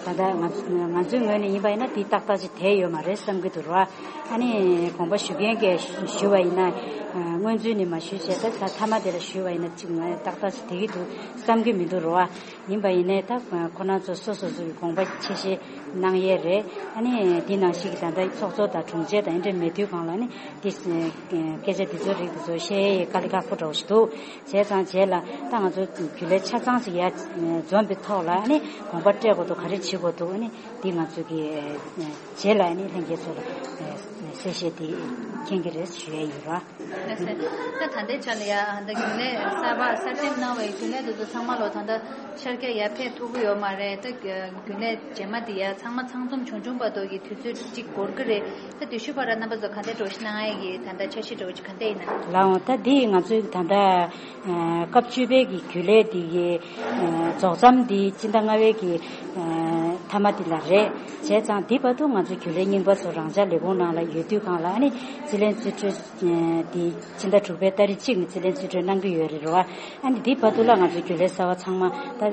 ད་ལྟ་ང་ང་ཚོའི་ངོས་ནས་ཡིན་པ་ཡིན་ན་འདི་ཏག་ཏག་ཅིག་བསྡད་ཡོད་མ་རེད་བསམ་གྱི་འདུག་ར། ཨ་ནི་དགོངས་པ་ཞུ་མཁན་གྱིས་ཞུ་བ་ཡིན་ན། སྔོན་ཚུད་ནས་མ་ཞུས་བྱས་ད་ད་མཐའ་མ་དེ་ལ་ཞུས་པ་ཡིན་ན་ཅིག་ང་ཏག་ཏག་ཅིག་བསྡད་ཀྱི་འདུག་བསམ་གྱི་མི་འདུག་ར། ཡིན་པ་ཡིན་ནའི་ད་ཁོ་རང་ཚོ་སོ་སོ་སོ་གི་དགོངས་པ་ཆེ་བཞེས་གནང་ཡས་རེད། ཨ་ནི་འདི་ནང་བཞིན་གྱི་ད་ལྟ་ཚོགས་གཙོ་དང་དྲུང་ཆེ་དང་ཨེ་འདྲ་མེད་དུས་གང་ལ་ནི་འདི་སྐད་ཆ་འདི་ཚོ་རིགས་འདི་ཚོ་བཤད་ཡས་དཀའ་ལས་ཁག་པོ་འདྲ་བོ་ཞིག་འདུག། བྱས་ཙང་རྗེས་ལ་ད་ང་ཚོ་རྒྱུན་ལས་ཆ་ཚང་ཞིག་ཡར་འཛོམས་པའི་ཐོག་ལ་ཨ་ནི་དགོངས་པ་སྤྲད་དགོས་འདུག། ག་རེ་བྱེད་དགོས་འདུག། ཨ་ནི་འདི་ང་ཚོ་གི་རྗེས་ལ་ཨ་ནི་ལྷན་རྒྱས་ཚོ་ལ་གསལ་བཤད་འདི་མཁྱེན་གྱི་རེད་ཞུ་ཡས་ཡིན་ར། ལགས་སོ། ད་ད་ལྟའི་ཆ་ལ་ཡ་ད་རྒྱུན་ལས་གསར་པ་གསར་འདེམས་གནང་བའི་རྒྱུན་ལས་དེ་ཚོ་ཚང་མ་ལོ་ད་ལྟ་ཤར་རྒྱག་ཡར་ཕེབས་ཐུབ་ཀྱི་ཡོད་མ་རེད། ད་རྒྱུན་ལས་རྗེས་མ་དེ་ཡ་ཚང་མ་ཚང་འཛོམས་བྱུང་བྱུང་བར་དུ་གི་དུས་ཚོད་གཅིག་འགོར་གི་རེད། ད་དུས་ཤུ་བར་རྣམ་པ་ཚོ་ག་འདྲ་འགྲོ་ཞིག་གནང་ཡ་གི་ད་ལྟ་འཆར་གཞི་འགྲོ་གི་ག་འདྲ་ཡིན་ན། ལགས་འོང་། ད་འདི་ང་ཚོའི་ད་ལྟ་སྐབས་བཅུ་པའི་གི་རྒྱུན་ལས་འདི་གི་རྫོགས་མཚམས་འདི་སྤྱི་ཟླ་ལྔ་པའི་གི་མཐའ་མ་འདི་ལ་རེད། བྱས་ཙང་འདི་བར་དུ་ང་ཚོའི་རྒྱུན་ལས་རྙིང་པ་ཚོ་རང་འཇགས་ལས་ཁུངས་ནང་ལ་ཡོད་དུས་གང་ལ་ཨ་ནི་རྩིས་ལེན་རྩིས་སྤྲོད་འདི་ཕྱི་ཟླ་དྲུག་པའི་ཏ་རིག་གཅིག་ནས་རྩིས་ལེན་རྩིས་སྤྲོད་གནང་གི་ཡོད་རེད་རོ། ཨ་ནི་འདི་བར་དུ་ལ་ང་ཚོའི་རྒྱུན་ལས་གསར་པ་ཚང་མ་ད་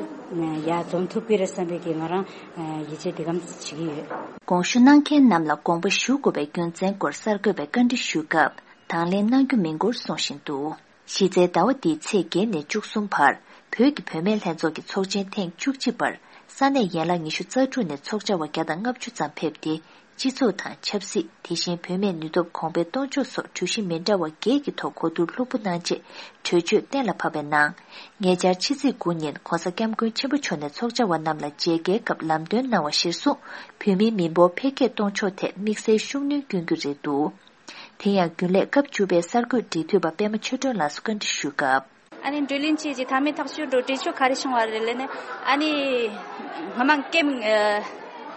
ཡར་འཛོམས་ཐུབ་ཀྱི་རེད་བསམ་པའི་གི་ང་རང་ཡིད་ཆེས་འདི་གམ་བྱེད་ཀྱི་ཡོད། དགོངས་ཞུ་གནང་མཁན་རྣམས་ལ་དགོངས་པ་ཞུ་དགོས་པའི་རྒྱུ་མཚན་སྐོར་གསར་འགོད་པས་བཀའ་འདྲི་ཞུས་སྐབས། དང་ལེན་གནང་རྒྱུ་མིན་སྐོར་གསུངས་བཞིན་འདུག། གཞི་རྩའི་ཟླ་བ་འདིའི་ཚེས་བརྒྱད་ནས་བཅུ་གསུམ་བར་བོད་ཀྱི་བུད་མེད་ལྷན་ཚོགས་ཀྱི་ཚོགས་ཆེན་ཐེངས་བཅུ་གཅིག་པར་ས་གནས་ཡན་ལག་ཉི་ཤུ་རྩ་དྲུག་ནས་ཚོགས་བཅར་བ་བརྒྱ་དང་ལྔ་བཅུ་ཙམ་ཕེབས་ཏེ། སྤྱི་ཚོགས་དང་ཆབ་སྲིད། དེ་བཞིན་བུད་མེད་ནུས་སྟོབས་གོང་འཕེལ་གཏོང་ཕྱོགས་སོགས་གྲོས་གཞི་མི་འདྲ་བ་བརྒྱད་ཀྱི་ཐོག་གོ་བསྡུར་ལྷུག་པོ་གནང་རྗེས་གྲོས་ཆོད་གཏན་ལ་ཕབ་པའི་ནང་། ཉེ་ཆར་ཕྱི་ཚེས་དགུ་ཉིན་༧གོང་ས་༧སྐྱབས་མགོན་ཆེན་པོ་མཆོག་ནས་ཚོགས་བཅར་བ་རྣམས་ལ་མཇལ་ཁའི་སྐབས་ལམ་སྟོན་གནང་བ་གཞིར་བཟུང་། བོད་མིའི་མི་འབོར་འཕེལ་རྒྱས་གཏོང་ཕྱོགས་ཐད་དམིགས་བསལ་ཤུགས་སྣོན་བསྐྱོན་རྒྱུ་རེད་འདུག། དེ་ཡང་རྒྱུན་ལས་སྐབས་བཅུ་པའི་གསར་འགོད་འབྲེལ་མཐུད་པ་པད་མ་ཆོས་སྒྲོན་ལགས་སུ་བཀའ་འདྲི་ཞུས་སྐབས། ཨ་ནི་བགྲོ་གླེང་བྱས་རྗེས་མཐའ་མའི་ཐག་གཅོད་འགྲོ་གྲོས་ཆོད་ག་རེ་བྱུང་བ་རེད་ལབ་ན། ཨ་ནི་སྔ་མ་ཀེམ་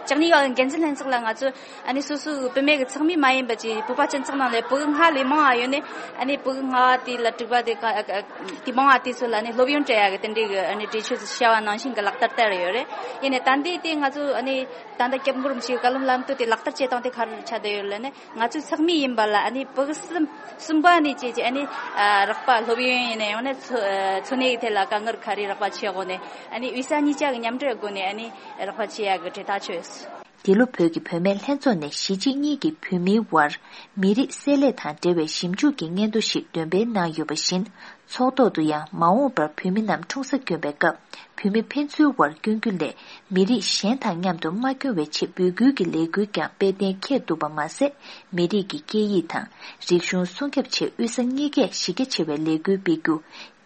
བཅུ་གཉིས་པ་འགན་འཛིན་ལྷན་ཚོགས་ལ་ང་ཚོ་ཨ་ནི་སོ་སོའི་བུད་མེད་ཀྱི་ཚོགས་མི་མ་ཡིན་པ་ཅིག་བོད་པ་སྤྱི་ཚོགས་ནང་ལ་ཕྲུ་གུ་ལྔ་ལས་མང་བ་ཡོད་ནས། ཨ་ནི་ཕྲུ་གུ་ལྔ་བ་དེ་ལ་དྲུག་པ་དེ་ག་དེ་མང་བ་དེ་ཚོ་ལ་ཨ་ནི་སློབ་ཡོན་སྤྲད་ཡག་གི་དེ་འདྲའི་གི་ཨ་ནི་གྲོས་ཆོད་བྱ་བ་ནང་བཞིན་གི་ལག་བསྟར་བསྟར་ཡོད་རེད། ཡིན་ནའི་ད་ལྟའི་དེ་ང་ཚོ་ཨ་ནི་ད་ལྟ་སྐྱབས་མགོན་རིན་པོ་ཆེའི་བཀའ་སློབ་ལམ་སྟོན་དེ་ལག་བསྟར་བྱེད་སྟངས་དེ་ག་རེ་ཆགས་བསྡད་ཡོད་ལབ་ན། ང་ཚོའི་ཚོགས་མི་ཡིན་པ་ལ་ཨ་ནི་ཕྲུ་གུ་གསུམ་གསུམ་པ་ནས་བྱས་རྗེས་ཨ་ནི་རོགས་པ་སློབ་ཡོན་ཡིན་ནའི་ཡང་ན་འཚོ་འཚོ་གནས་ཀྱི་ཐད་ལ་དཀའ་ངལ་ག་རེ་རོགས་པ་བྱེད་དགོས་ནའི་ཨ་ནི་དབུས་ས་གཉིས་ཆ་གི་མཉམ་འབྲེལ་སྒོ་ནས་ཨ་ནི་རོགས་པ་བྱེད་ཡག་གི་གྲོས་ཐག་ཆོད་ཡོད། འདི་ལོ་བོད་ཀྱི་བུད་མེད་ལྷན་ཚོགས་ནས་གཞིས་བྱེས་གཉིས་ཀྱི་བོད་མིའི་དབར་མི་རིགས་བསྲེ་ལྷད་དང་འབྲེལ་བའི་ཞིབ་འཇུག་གི་སྙན་ཐོ་ཞིག་འདོན་སྤེལ་གནང་ཡོད་པ་བཞིན། ཚོགས་ཐོག་ཏུ་ཡང་མ་འོངས་པར་བོད་མི་རྣམས་འཁྲུངས་ས་དགོན་པའི་སྐབས་བོད་མི་ཕན་ཚུན་དབར་བསྐྱོན་རྒྱུ་ལས་མི་རིགས་གཞན་དང་མཉམ་དུ་མ་བསྐྱོན་པའི་ཆེད་འབོད་སྐུལ་གྱི་ལས་འགུལ་ཀྱང་སྤེལ་གཏན་འཁེལ་འདུག་པ་མ་ཟད། མི་རིགས་ཀྱི་སྐད་ཡིག་དང་རིག་གཞུང་སྲུང་སྐྱོབ་ཆེད་དབུས་ས་གཉིས་ཀས་གཞི་རྒྱ་ཆེ་བའི་ལས་འགུལ་སྤེལ་རྒྱུ།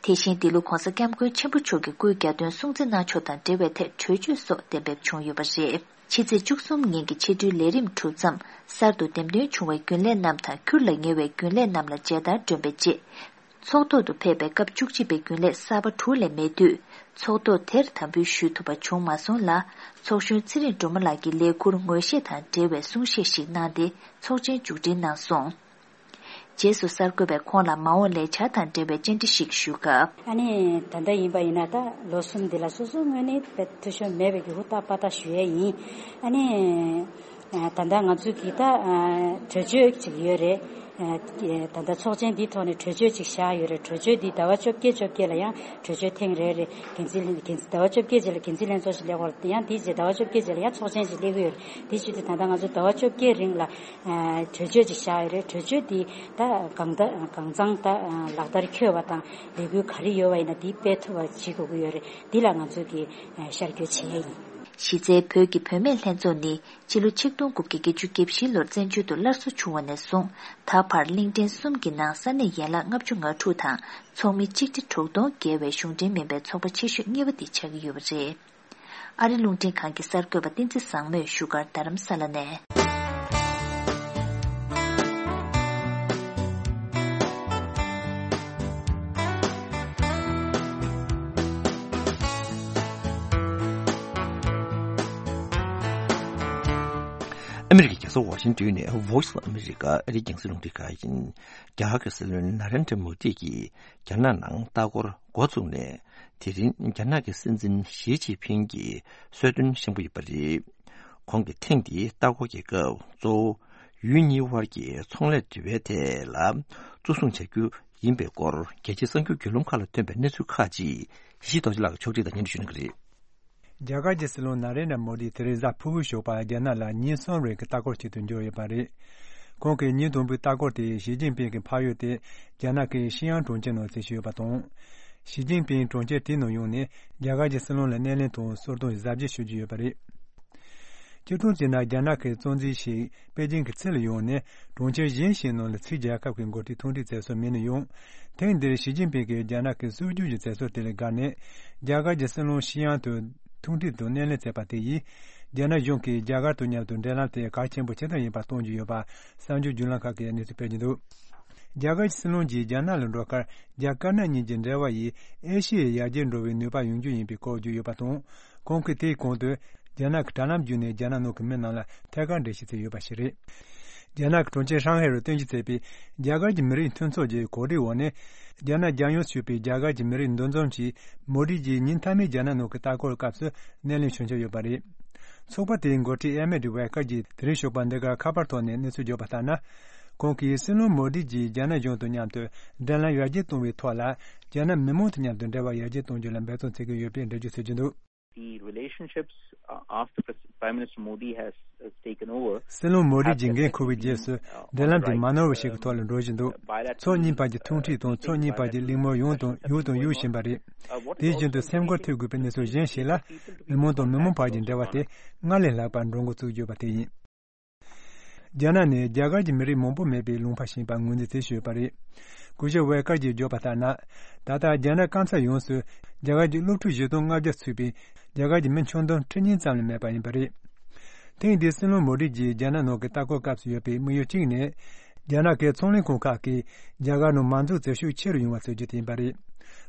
དེ་བཞིན་འདི་ལོ་༧གོང་ས་༧སྐྱབས་མགོན་ཆེན་པོ་མཆོག་གི་སྐུའི་གྱ་སྟོན་སྲུང་བརྩི་གནང་ཕྱོགས་དང་འབྲེལ་བའི་ཐད་གྲོས་ཆོད་སོགས་གཏན་འབེབས་བྱུང་ཡོད་པ་རེད། ཕྱི་ཚེས་བཅུ་གསུམ་ཉིན་གྱི་ཕྱི་དྲོའི་ལས་རིམ་གྲུབ་མཚམས། གསར་དུ་འདེམས་ཐོན་བྱུང་བའི་རྒྱུན་ལས་རྣམས་དང་ཁུར་ལ་ཉེ་བའི་རྒྱུན་ལས་རྣམས་ལ་མཇལ་དར་སྒྲོན་པའི་རྗེས། ཚོགས་ཐོག་ཏུ་ཕེབས་པའི་སྐབས་བཅུ་གཅིག་པའི་རྒྱུན་ལས་གསར་པ་དྲུག་ལས་མེད་དུས། ཚོགས་ཐོག་དེར་དམ་འབུལ་ཞུ་ཐུབ་པ་བྱུང་མ་སོང་ལ། ཚོགས་གཞོན་ཚེ་རིང་སྒྲོལ་མ་ལགས་ཀྱིས་ལས་ཁུར་ངོས་བཞེས་དང་འབྲེལ་བའི་གསུང་བཤད་ཞིག་གནང་སྟེ་ཚོགས་ཆེན་མཇུག་སྒྲིལ་གནང་སོང་། རྗེས་སུ་གསར་འགོད་པས་ཁོང་ལ་མ་འོངས་ལས་འཆར་དང་འབྲེལ་བའི་བཅར་འདྲི་ཞིག་ཞུས་སྐབས། ཨ་ནི་ད་ལྟ་ཡིན་པ་ཡིན་ན་ད་ལོ་གསུམ་འདི་ལ་སོ་སོའི་ངོས་ནས་དཔེ་འཐུས་ཤོར་མེད་པའི་གི་ཧུར་ཐག་པ་ཐག་ཞུ་ཡས་ཡིན། ཨ་ནི་ ད་ལྟ་ང་ཚོ་གི་ད་གྲོས་ཆོད་ཅིག་ཡོད་རེད། ད་ལྟ་ཚོགས་ཆེན་འདིའི་ཐོག་ནས་གྲོས་ཆོད་ཅིག་བཞག་ཡོད་རེད། གྲོས་ཆོད་འདི་ཟླ་བ་བཅོ་བརྒྱད་བཅོ་བརྒྱད་ལ་ཡང་གྲོས་ཆོད་ཐེངས་རེ་རེ་འགན་འཛིན་ལྷན་འགན་འཛིན་ཟླ་བ་བཅོ་བརྒྱད་རྗེས་ལ་འགན་འཛིན་ལྷན་ཚོགས་ཤིག་སླེབས་ཡོད་རེད། ཡང་དེའི་རྗེས་ཟླ་བ་བཅོ་བརྒྱད་རྗེས་ལ་ཡང་ཚོགས་ཆེན་ཞིག་སླེབས་ཀྱི་ཡོད་རེད། དེ་བྱས་དུས་ད་ལྟ་ང་ཚོ་ཟླ་བ་བཅོ་བརྒྱད་རིང་ལ་གྲོས་ཆོད་ཅིག་བཞག་ཡོད་རེད། གྲོས་ཆོད་འདི་ད་གང་ལྟ་གང་ཚང་ད་ལག་བསྟར་འཁྱོལ་བ་དང་ལས་འགུལ་ག་རེ་ཡོད་པ་ཡིན་ན་འདི་སྤེལ་ཐུབ་པ་བྱེད་དགོས་ཀྱི་ཡོད་རེད། འདི་ལ་ང་ཚོ་གི་ཤར་བསྐྱོད་བྱེད་ཡ་ཡིན། གཞི་རྩའི་བོད་ཀྱི་བུད་མེད་ལྷན་ཚོགས་ནི་ཕྱི་ལོ་ཆིག་སྟོང་དགུ་བརྒྱ་བརྒྱད་ཅུ་གྱ་བཞི་ལོར་བཙན་བྱོལ་དུ་སླར་གསོ་བྱུང་བ་ནས་བཟུང་ད་བར་གླིང་ཕྲན་གསུམ་གྱི་ནང་ས་གནས་ཡན་ལག་ལྔ་བཅུ་ང་དྲུག་དང་ཚོགས་མི་ཆིག་ཁྲི་དྲུག་སྟོང་བརྒལ་བའི་གཞུང་འབྲེལ་མིན་པའི་ཚོགས་པ་ཆེ་ཤོས་གཉིས་པ་དེ་ཆགས་ཀྱི་ཡོད་པ་རེད། ཨ་རི་རླུང་འཕྲིན་ཁང་གི་གསར་འགོད་པ་བསྟན་འཛིན་བཟང་མོས་བཞུགས་སྒར་རྡ་རམ་ས་ལ་ནས། ཨ་མི་རི་ཀའི་རྒྱལ་ས་ཝ་ཤིང་ཏོན་ནས་Voice of America ཨ་རིའི་རྒྱང་སྲིང་རླུང་འཕྲིན་ཁང་ཡིན། རྒྱ་གར་གྱི་སྲིད་བློན་ན་རེན་དྲ་མོ་དི་གིས་རྒྱ་ནག་ནང་ལྟ་སྐོར་འགོ་བཙུགས་ནས། དེ་རིང་རྒྱ་ནག་གི་སྲིད་འཛིན་ཞི་ཅིན་ཕིང་གིས་གསོལ་སྟོན་བཤམས་ཀྱི་ཡོད་པ་རེད། ཁོང་གིས་ཐེངས་འདིའི་ལྟ་སྐོར་གྱི་སྐབས་གཙོ་བོ་ཡུལ་གཉིས་དབར་གྱི་ཚོང་ལས་འབྲེལ་བའི་ཐད་ལ་གཙོ་བཟུང་བྱ་རྒྱུ་ཡིན་པའི་སྐོར་རྒྱལ་སྤྱིའི་གསར་འགྱུར་བརྒྱུད་ལམ་ཁག་ལ་ཐོན་པའི་གནས་ཚུལ་ཁག་ཅིག་ཡེ་ཤེས་རྡོ་རྗེ་ལགས་ཀྱིས་ཕྱོགས་སྒྲིག་དང་སྙན་སྒྲོན་ཞུ་གནང་གི་རེད། རྒྱ་གར་གྱི་སྲིད་བློན་ན་རེན་དྲ་མོ་དི་དེ་རིང་གཟའ་ཕུར་བུའི་ཞོགས་པར་རྒྱ་ནག་ལ་ཉིན་གསུམ་རིང་གི་ལྟ་སྐོར་ཆེད་དུ་འབྱོར་ཡོད་པ་རེད། ཁོང་གི་ཉིན་དང་པོའི་ལྟ་སྐོར་དེ་ཞི་ཅིན་ཕིང་གི་ཕ་ཡུལ་དེ་རྒྱ་ནག་གི་ཤི་ཡང་གྲོང་ཁྱེར་ནང་གཟིགས་ཞུས་ཡོད་པ་དང་། ཞི་ཅིན་ཕིང་གྲོང་ཁྱེར་དེའི་ནང་ཡོང་ནས་རྒྱ་གར་གྱི་སྲིད་བློན་ལ་སྣེ་ལེན་དང་གསོལ་སྟོན་གཟབ་རྒྱས་ཞུ་རྒྱུ་ཡོད་པ་རེད། སྤྱིར་བཏང་བྱས་ན་རྒྱ་ནག་གི་གཙོ་འཛིན་ཞིག་པེ་ཅིང་གི་ཚུལ་ལ་ཡོང་ནས་གྲོང་ཁྱེར་གཞན་ཞིག་ནང་ལ་ཕྱིའི་རྒྱལ་ཁབ་ཀྱི་འགོ་ཁྲིད་ཐུག་འཕྲད་མཛད་སྲོལ་མེད་ནས་ཡོང་། ཐེངས་འདིར་ཞི་ཅིན་ཕིང་གིས་རྒྱ་ནག་གི་སྲོལ་རྒྱུན་གྱི་མཛད་སྲོལ་དེ་ལ་དགའ་ནས་རྒྱ་གར་གྱི་སྲིད་བློན་ཞི་ཡང་དུ་ཐུག་འཕྲད་དང་སྣེ་ལེན་མཛད་པ་དེ་ཡིས་རྒྱ་ནག་གཞུང་གིས་རྒྱ་གར་དང་མཉམ་དུ་འབྲེལ་ལམ་དེ་གལ་ཆེན་པོ་ཇི་ལྟར་ཡིན་པ་སྟོན་རྒྱུ་ཡོད་པ་གསར་འགྱུར་བརྒྱུད་ལམ་ཁག་གིས་གནས་ཚུལ་སྤེལ་གྱི་འདུག་རྒྱ་གར་གྱི་སྲིད་བློན་གྱིས་རྒྱ་ནག་ལ་འགྲོ་ཁར་རྒྱ་དཀར་ནག་གཉིས་ཀྱི་འབྲེལ་བ་ཡིས་ཨེ་ཤི་ཡའི་ཡར་རྒྱས་འགྲོ་བའི་ནུས་པ་ཡོང་རྒྱུ་ཡིན་པའི་སྐོར་བརྗོད་ཡོད་པ་དང་། ཁོང་གིས་དེའི་གོང་དུ་རྒྱ་ནག་གི་དྲ་ལམ་བརྒྱུད་ནས་རྒྱ་ནག་ནང་གི་མི་རྣམས་ལ་ཐད་ཀར་འགྲེལ་བཤད་བྱས་ཡོད་པ་ཞིག་རེད། རྒྱ་ནག་གི་གྲོང་ཁྱེར་ཧྲང་ཧའེ་རུ་སྟོན་ཆ་བྱས་པའི་རྒྱ་གར་གྱི་མི་རིགས་མཐུན་ཚོགས་ཀྱི་གོ་སྒྲིག་འོག་ནས་རྒྱ་ནག་རྒྱལ་ཡོངས་སུ་ཞུགས་པའི་རྒྱ་གར་གྱི་མི་རིགས་འདུ་འཛོམས་ཀྱིས་མོ་དི་ཇི་ཉིན་མཐའ་མའི་རྒྱ་ནག་ནང་གི་ལྟ་སྐོར་སྐབས་སུ་སྣེ་ལེན་ཞུ་འཆར་ཡོད་པ་རེད། ཚོགས་པ་དེའི་འགོ་ཁྲིད་ཨེ་མེ་ཏི་ཝེ་ཀར་གྱིས་དེ་རིང་ཞོགས་པ་འདི་གར་ཁ་པར་ཐོག་ནས་གནས་ཚུལ་བརྗོད་པ་ལྟར་ན། ཁོང་གིས་སྲིད་བློན་མོ་དི་ཇིས་རྒྱ་ནག་གཞུང་དང་མཉམ་དུ་འབྲེལ་ལམ་ཡར་རྒྱས་གཏོང་བའི་ཐོག་ལ་རྒྱ་ནག་མི་མང་དང་མཉམ་དུ་འབྲེལ་བ་ཡར་རྒྱས་གཏོང་རྒྱུ་ལ་འབད་བརྩོན་བྱེད་ཀྱི་ཡོད་པའི་འགྲེལ་བརྗོད་བྱེད་ཀྱི་འདུག The relationship, uh, after Pres- Prime Minister Modi has, has taken over སྲིད་བློན་མོ་དི་ཇི་འགན་འཁུར་བའི་རྗེས་སུ་འབྲེལ་ལམ་དེ་མ་ནོར་བ་ཞིག་གི་ཐོག་ལ་འགྲོ་བཞིན་འདུག་ཕྱོགས་གཉིས་བར་གྱི་ཐུག་འཕྲད་དང་ཕྱོགས་གཉིས་བར་གྱི་གླེང་མོལ་ཡང་དང་ཡང་དང་ཡང་བཞིན་པ་རེད། དེ་བཞིན་དུ་སེམས་ཁུར་ཐེབས་དགོས་པའི་གནས་ཚུལ་གཞན་ཞིག་ལ། མི་མང་དང་མི་མང་བར་གྱི་འབྲེལ་བ་དེ་སྔར་ལས་ལྷག་པར་འགྲོ་འགོ་བཙུགས་ཡོད་པ་དེ་ཡིན། རྒྱ་ནག་ནི་རྒྱ་གར་གྱི་མི་རིགས་མང་པོ་མེད་པའི་ལུང་པ་ཞིག་ཡིན་པ་ངོས་འཛིན་བྱེད་བཞིན་ཡོད་པ་རེད། སྐུ་ཞབས་ཝེ་ཀར་གྱིས་བརྗོད་པ་ལྟར་ན། ད་ལྟ་རྒྱ་ནག་སྐམ་ས་ཡོངས་སུ་རྒྱ་གར་གྱི་སློབ་ཕྲུག་བཞི་སྟོང་ལྔ་བརྒྱ་ཚུད་པའི་རྒྱ་གར་གྱི་མི་ཆུང་དུང་ཁྲི་གཉིས་ཙམ་ལས་མེད་པ་ཡིན་པ་རེད། ཐེངས་འདིའི་སྲིད་བློན་མོ་དི་ཇིས་རྒྱ་ནག་ནང་གི་ལྟ་སྐོར་སྐབས་སུ་ཡོད་པའི་དམིགས་ཡུལ་གཅིག་ནི། རྒྱ་ནག་གི་ཚོང་ལས་ཁང་ཁག་གིས་རྒྱ་གར་ནང་མ་འཛུགས་བྱེད་ཤུགས་ཆེ་རུ་ཡོང་བ་བྱེད་རྒྱུ་དེ་ཡིན་པ་རེད།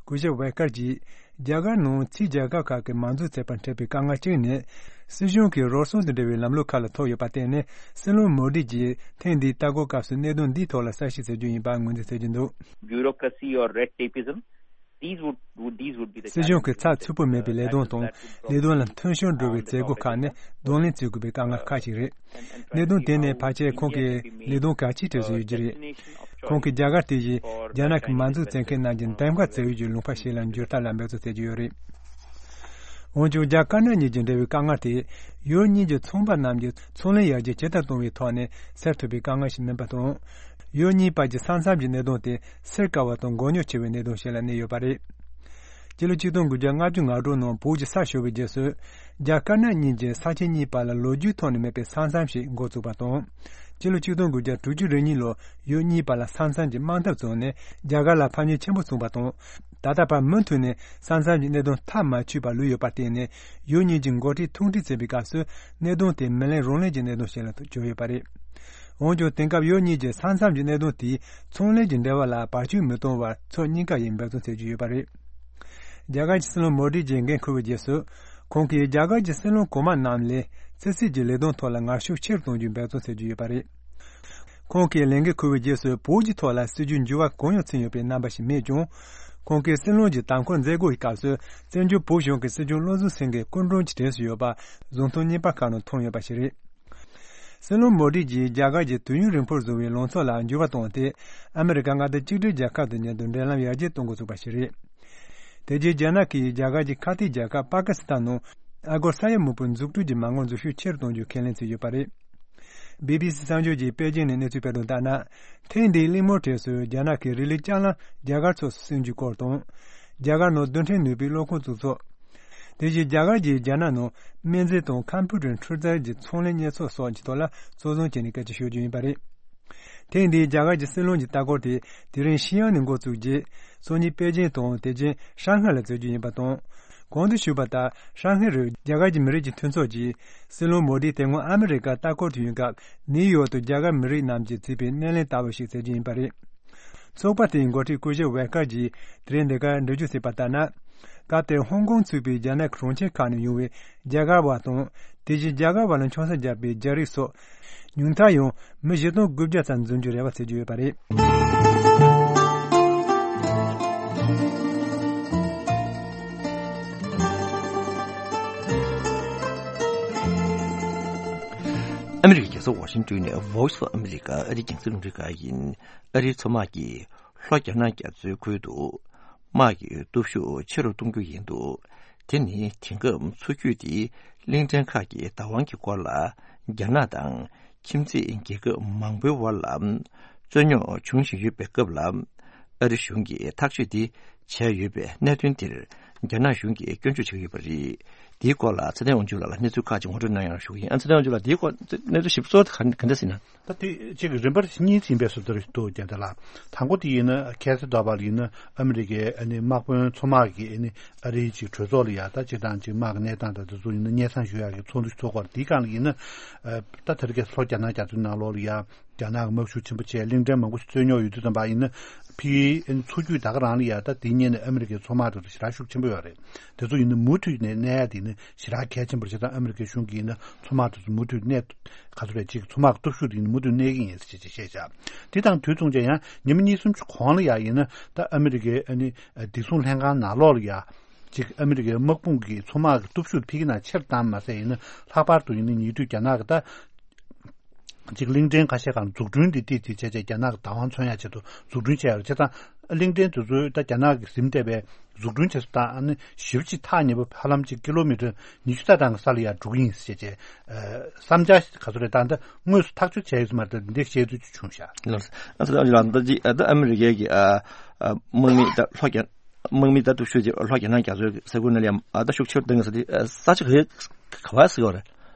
སྐུ་ཞབས་ཝེ་ཀར་གྱིས། རྒྱ་གར་ནང་ཕྱིའི་རྒྱལ་ཁབ་ཁག་གིས་མ་འཛུགས་བྱེད་པར་འཕྲད་པའི་དཀའ་ངལ་གཅིག་ནི། སྲིད་གཞུང་གི་རོགས་སྐྱོར་དང་འབྲེལ་བའི་ལམ་ལུགས་ཁག་ལ་ཐུག་ཡོད་པར་བརྟེན་ནས་སྲིད་བློན་མོ་དི་ཇིས་ཐེངས་འདིའི་ལྟ་སྐོར་སྐབས་སུ་གནད་དོན་འདིའི་ཐོག་ལ་གསལ་བཤད་བྱ་རྒྱུ་ཡིན་པ་ངོས་འཛིན་བྱེད་ཀྱི་འདུག Bureaucracy or red tapeism, these would, would, these would be the སྲིད་གཞུང་གི་ཚགས་ཚུད་པོ་མེད་པའི་ལས་དོན་དང་ལས་དོན་ལ་མཐུན་སྦྱོར་འགྲོ་བའི་མཛད་སྒོ་ཁག་ནི་གདོང་ལེན་བྱེད་དགོས་པའི་དཀའ་ངལ་ཁག་ཅིག་རེད། གནད་དོན་དེ་ནི་ཕལ་ཆེར་ཁོང་གི་ལས་དོན་གལ་ཆེའི་གྲས་སུ་ཡོད་ཀྱི་རེད། ཁོང་གིས་རྒྱ་གར་དེ་བཞིན་རྒྱ་ནག་གི་མ་འཛུགས་བྱེད་མཁན་རྣམས་ཀྱི་འདེམས་ཀ་བྱ་ཡུལ་གྱི་ལུང་པ་ཞིག་ལ་འགྱུར་ཐབས་ལ་འབད་བརྩོན་བྱེད་ཀྱི་ཡོད་རེད། འོན་ཀྱང་རྒྱ་དཀར་ནག་གཉིས་ཀྱི་འབྲེལ་བའི་དཀའ་ངལ་དེ་ཡུལ་གཉིས་ཀྱི་ཚོང་པ་རྣམས་ཀྱི་ཚོང་ལས་ཡར་རྒྱས་ཇི་ལྟར་གཏོང་བའི་ཐོག་ནས་སེལ་ཐུབ་པའི་དཀའ་ངལ་ཞིག་མིན་པ་དང་། ཡུལ་གཉིས་བར་གྱི་ས་མཚམས་ཀྱི་གནད་དོན་དེ་སེལ་དཀའ་བ་དང་མགོ་རྙོག་ཆེ་བའི་གནད་དོན་ཞིག་ལ་གནས་ཡོད་པ་རེད། སྤྱི་ལོ་ཆིག་སྟོང་དགུ་བརྒྱ་ལྔ་བཅུ་ང་དྲུག་ནང་བོད་ཀྱི་ས་ཞུ་བའི་རྗེས་སུ། རྒྱ་དཀར་ནག་གཉིས་ཀྱི་ས་ཆ་གཉིས་བར་ལ་ལོ་རྒྱུས་ཐོག་ནས་མེད་པའི་ས་མཚམས་ཤིག་འགོ་བཙུགས་པ་དང་། སྤྱི་ལོ་ཆིག་སྟོང་དགུ་བརྒྱ་དྲུག་ཅུ་རེ་གཉིས་ལོར་ཡུལ་གཉིས་བར་ལ་ས་མཚམས་ཀྱི་དམག་འཐབ་བྱུང་ནས་རྒྱ་གར་ལ་ཕམ་ཉེས་ཆེན་པོ་བྱུང་བ་དང་། ད་ལྟ་བར་མུ་མཐུད་ནས་ས་མཚམས་ཀྱི་གནད་དོན་ཐག་མ་ཆོད་པར་ལུས་ཡོད་པར་བརྟེན་ནས་ཡུལ་གཉིས་ཀྱི་འགོ་ཁྲིད་ཐུག་འཕྲད་བྱེད་པའི་སྐབས་སུ་གནད་དོན་དེ་མི་ལན་རང་ལན་གྱི་གནད་དོན་ཞིག་ལ་གྱུར་ཡོད་པ་རེད། འོན་ཀྱང་དེང་སྐབས་ཡུལ་གཉིས་ཀྱི་ས་མཚམས་ཀྱི་གནད་དོན་དེས་ཚོང་ལས་ཀྱི་འབྲེལ་བ་ལ་བར་ཆད་མི་གཏོང་བར་ཕྱོགས་གཉིས་ཀ་ཡིས་འབད་བརྩོན་བྱེད་ཀྱི་ཡོད་པ་རེད། རྒྱ་གར་གྱི་སྲིད་བློན་མོ་དི་ཇིས་འགན་འཁུར་བའི་རྗེས་སུ། ཁོང་གིས་རྒྱ་གར་གྱི་སྲིད་བློན་གོང་མ་རྣམས་ལས་ཕྱི་སྲིད་ཀྱི་ལས་དོན་ཐོག་ལ་ངར་ཤུགས་ཆེ་རུ་གཏོང་རྒྱུའི་འབད་བརྩོན་བྱེད་ཀྱི་ཡོད་པ་རེད། ཁོང་གིས་ལས་འགན་འཁུར་བའི་རྗེས་སུ་བོད་ཀྱི་ཐོག་ལ་སྲིད་ཇུས་འགྱུར་བ་གང་ཡང་ཕྱིན་ཡོད་པའི་རྣམ་པ་ཞིག་མེད་ཀྱང་། ཁོང་གིས་སྲིད་བློན་གྱི་དམ་འཁོར་མཛད་སྒོའི་སྐབས་སུ་བཙན་བྱོལ་བོད་གཞུང་གི་སྲིད་སྐྱོང་བློ་བཟང་སེང་གེ་སྐུ་མགྲོན་གྱི་གྲས་སུ་ཡོད་པ་གཟེངས་རྟགས་གཉིས་པ་ཁག་ནང་ཐོན་ཡོད་པ་ཞིག་རེད། སྲིད་བློན་མོ་དི་གྱིས་རྒྱ་གར་གྱི་དུས་ཡུན་རིང་པོར་བཟུང་བའི་ལངས་ཕྱོགས་ལ་འགྱུར་བ་བཏང་སྟེ། ཨ་མི་རི་ཀ་མངའ་སྡེ་གཅིག་སྒྲིལ་རྒྱལ་ཁབ་དང་མཉམ་དུ་འབྲེལ་ལམ་ཡར་རྒྱས་གཏོང་འགོ་ཚུགས་པ་ཞིག་རེད། དེ་རྗེས་རྒྱ་ནག་གིས་རྒྱ་གར་གྱི་ཁ་གཏད་རྒྱལ་ཁབ་པ་ཀི་སི་ཐན་ནང་ཨ་སྒོར་ས་ཡ་མང་པོའི་འཛུགས་སྐྲུན་གྱི་མ་དངུལ་འཛུལ་ཞུགས་ཆེ་རུ་གཏོང་རྒྱུའི་ཁས་ལེན་བྱས་ཡོད་པ་རེད། བི་བི་སི་གསར་འགྱུར་གྱིས་པེ་ཅིང་ནས་གནས་ཚུལ་སྤེལ་དོན་ལྟར་ན། ཐེངས་འདིའི་གླེང་མོལ་གྲས་སུ་རྒྱ་ནག་གིས་རི་ལི་ལྕགས་ལམ་རྒྱ་གར་ཕྱོགས་སུ་སྲུང་རྒྱུའི་སྐོར་དང་། རྒྱ་གར་ནང་རྡུལ་ཕྲན་ནུས་པའི་གློག་ཁང་བཙུགས་ཕྱོགས། དེ་བཞིན་རྒྱ་གར་གྱིས་རྒྱ་ནག་ནང་སྨན་རྫས་དང་ཁམ་ཕུ་ཊར་འཕྲུལ་རྩལ་གྱི་ཚོང་ལས་གཉེར་ཕྱོགས་སོགས་ཀྱི་ཐོག་ལ་གཙོ་བཟུང་བྱས་ནས་སྐད་ཆ་ཤོད་རྒྱུ་ཡིན་པ་རེད། ཐེངས་འདིའི་རྒྱ་གར་གྱི་སྲིད་བློན་གྱི་ལྟ་སྐོར་དེ་དེ་རིང་ཤི་ཡང་ནས་འགོ་བཙུགས་རྗེས། སང་ཉིན་པེ་ཅིང་དང་དེ་རྗེས་ཧྲང་ཧའེ་ལ་འཛུལ་རྒྱུ་ཡིན་པ་དང་། གོང་དུ་ཞུས་པ་ལྟར། ཧྲང་ཧའེ་རུ་རྒྱ་གར་གྱི་མི་རིགས་ཀྱི་མཐུན་ཚོགས་ཀྱིས་སྲིད་བློན་མོ་དི་དེ་སྔོན་ཨ་མི་རི་ཀར་ལྟ་སྐོར་དུ་ཡོང་སྐབས། ནིའུ་ཡོག་ཏུ་རྒྱ་གར་མི་རིགས་རྣམས་ཀྱིས་བྲིས་པའི་སྣེ་ལེན་ལྟ་བུ་ཞིག་མཛད་རྒྱུ་ཡིན་པ་རེད། ཚོགས་པ་དེའི་འགོ་ཁྲིད་སྐུ་ཞབས་ཝེ་ཀར་གྱིས་དེ་རིང་འདི་གར་འགྲེལ་བརྗོད་བྱས་པ་ལྟར་ན། སྐབས་དེར་ཧོང་ཀོང་ཚུད་པའི་རྒྱ་ནག་གི་གྲོང་ཁྱེར་ཁག་ནས་ཡོང་བའི་རྒྱ་གར་བ་དང་། དེ་བཞིན་རྒྱ་གར་བ་ལ་ཆང་ས་བརྒྱབ་པའི་རྒྱ་རིགས་སོགས། ཉུང་མཐར་ཡང་མི་བཞི་སྟོང་དགུ་བརྒྱ་ཙམ་འཛོམས་རྒྱུའི་རེ་བ་བྱེད་ཀྱི་ཡོད་པ་རེད། ཨ་མི་རི་ཀའི་རྒྱལ་ས་ཝ་ཤིང་ཏོན་ནས་Voice of America ཨ་རིའི་རྒྱང་སྲིང་རླུང་འཕྲིན་ཁང་ཡིན། ཨ་རིའི་མཚོ་དམག་གིས་ལྷོ་རྒྱ་ནག་རྒྱ་མཚོའི་ཁུལ་དུ་དམག་གི་སྟོབས་ཤུགས་ཆེ་རུ་གཏོང་རྒྱུ་ཡིན་འདུག་དེ་ནི་དེང་སྐབས་མཚོ་རྒྱུད་དེའི་གླིང་ཕྲན་ཁག་གི་བདག་དབང་གི་སྐོར་ལ་རྒྱ་ནག་དང་ཁྱིམ་མཚེས་རྒྱལ་ཁབ་མང་པོའི་དབར་ལ་རྩོད་རྙོག་འབྱུང་བཞིན་ཡོད་པའི་སྐབས་ལ། ཨ་རི་གཞུང་གིས་ཐག་གཅོད་འདི་བྱས་ཡོད་པའི་གནད་དོན་འདིར་རྒྱ་ནག་གཞུང་གིས་སྐྱོན་བརྗོད་བྱེད་ཀྱི་ཡོད་པ་རེད། འདིའི་སྐོར་ལ་ཚེ་བརྟན་དབང་ཕྱུག་ལགས་ལ་གནས་ཚུལ་ཁག་ཅིག་ངོ་སྤྲོད་གནང་ཡག་ཞུ་གི་ཡིན། ཨ་ཚེ་བརྟན་དབང་ཕྱུག་ལགས། འདིའི་སྐོར་གནས་ཚུལ་ཞིབ་གསལ་ག་ག་འདྲ་ཟེར་ན། ད་དེ་གཅིག་རིམ་པར་གཉིས་ཟིན་པའི་བཟོ་ལྟ་རེད་འདུག་རྒྱ་ནག་ལ། དང་པོ་དེ་ཡིན་ན་ཁ་སང་ཟླ་བ་ལ་ཡིན་ན་ཨ་མི་རི་ཀའི་ཨ་ནི་དམག་དཔོན་མཚོ་དམག་གིས་ཨ་ནི་ཨ་རིའི་ཅིག་གྲོས་ཚོགས་ལ་ཡ་ད་སྤྱིར་བཏང་ཅིག་དམག་གི་གནས་སྟངས་དང་དེ་ཚོ་ཡིན་ན་སྙན་སེང་ཞུ་ཡག་གི་ཚོགས་འདུ་ཞིག་ཚོགས་སྐོར་དེའི་སྒང་ལ་ཡིན་ན། ཨ་ད་དེ་རིང་ཁ་སང་ལྷོ་རྒྱ་ནག་རྒྱ་མཚོའི་ནང་ལོགས་ལ་ཡ་རྒྱ་ནག་གི་དམག་ཤུགས་ཆེན་པོ་བྱས། གླིང་ཕྲན་མང་པོ་ཞིག་རྩོད་རྙོག་ཡོད་དུས་ཙམ་པ་ཡིན་ན་ཕ་གིའི་མཚོ་རྒྱུད་ད་ག་རང་ལ་ཡ་ད་དེའི་སྔོན་ནས་ཨ་མི་རི་ཀའི་མཚོ་དམག་དེ་ཚོ་ཞེ་དྲག་ཤུགས་ཆེན་པོ་ཡོད་རེད། དེ་ཚོ་ཡིན་ན་མུ་མཐུད་ནས་གནས་ཡ་དེ་ནི་ཞེ་དྲག་གལ་ཆེན་པོ་རེད། བྱས་ཙང་ཨ་མི་རི་ཀའི་གཞུང་གིས་ཡིན་ན་མཚོ་དམག་དེ་ཚོ་མུ་མཐུད་གནས། ག་ཚོད་རེད། ཅིག་མཚོ་དམག་གི་སྟོབས་ཤུགས་དེ་ཡིན་ན་མུ་མཐུད་གནས་ཀྱི་ཡིན་ཟེར་བྱས་བཤད་བཞག་དེ་དང་དུས་མཚུངས་ཀྱང་ཡང་ཉི་མ་གཉིས་གསུམ་གྱི་གོང་ལ་ཡ་ཡིན་ན་ད་ཨ་མི་རི་ཀའི་ཨ་ནི་བདེ་སྲུང་ལྷན་ཁང་ནང་ལོགས་ལ་ཡ། ཅིག་ཨ་མི་རི་ཀའི་དམག་དཔུང་གི་མཚོ་དམག་གི་སྟོབས་ཤུགས་ཕ་གི་ནང་ཆེར་བཏང་མ་ཟད་ཡིན་ན་ལྷག་པར་དུ་ཡིན་ན་ཉེ་དུས་རྒྱ་ནག་གི་ད། ཅིག་གླིང་ཕྲན་ཁ་ཤས་སྒང་འཛུགས་སྐྲུན་འདི་ཏིག་ཏིག་བྱས་བྱས་རྒྱ་ནག་གི་བདག་དབང་མཚོན་ཡག་ཆེད་དུ་འཛུགས་སྐྲུན་བྱས་ཡོད་རེད། བྱས་ཙང་གླིང་ཕྲན་དེ་ཚོའི་ད་རྒྱ་ནག་གིས་ཟིན་བསྡད་པའི་འཛུགས་སྐྲུན་བྱེད་ས་དང་ཨ་ནི་ཞེ་པོ་ཅིག་ཐག་ཉེ་པོ་ཧ་ལམ་ཅིག་ཀི་ལོ་མི་ཊར་ཉི་ཤུ་རྩ་གྲངས་ཀྱི་ས་ལ་ཡར་འགྲོ་གི་ཡིན་ཟེར་བྱས་བྱས་བསམ་འཆར་ག་ཚོད་རེད། ད་ལྟ་དངོས་སུ་ཐག་གཅོད་བྱས་ཡོད་ས་མ་རེད། ད་འདི་འདྲའི་བཤད་ཚུལ་ཅིག་བྱུང་ཤག་ལགས་སོ། ཨ་ཚ་ལགས་ལགས། ད་ཅིག་ཨ་ད་ཨ་མི་རི་ཀའི་གི་ཨ་ཨ་དམག་མི་ད་ལྷོ་རྒྱ་དམག་མི་ད་སྟོབས་ཤུགས་ཅིག་ལྷོ་རྒྱ་ནག་རྒྱ་མཚོའི་ས་ཁུལ་ནང་ལ་ཡང་ཨ་ད་ཤུགས་ཆེར་བཏང་གི་ས་དེ་ས་ཆ་ག་ག་བ་ཟེར་གི་རེད།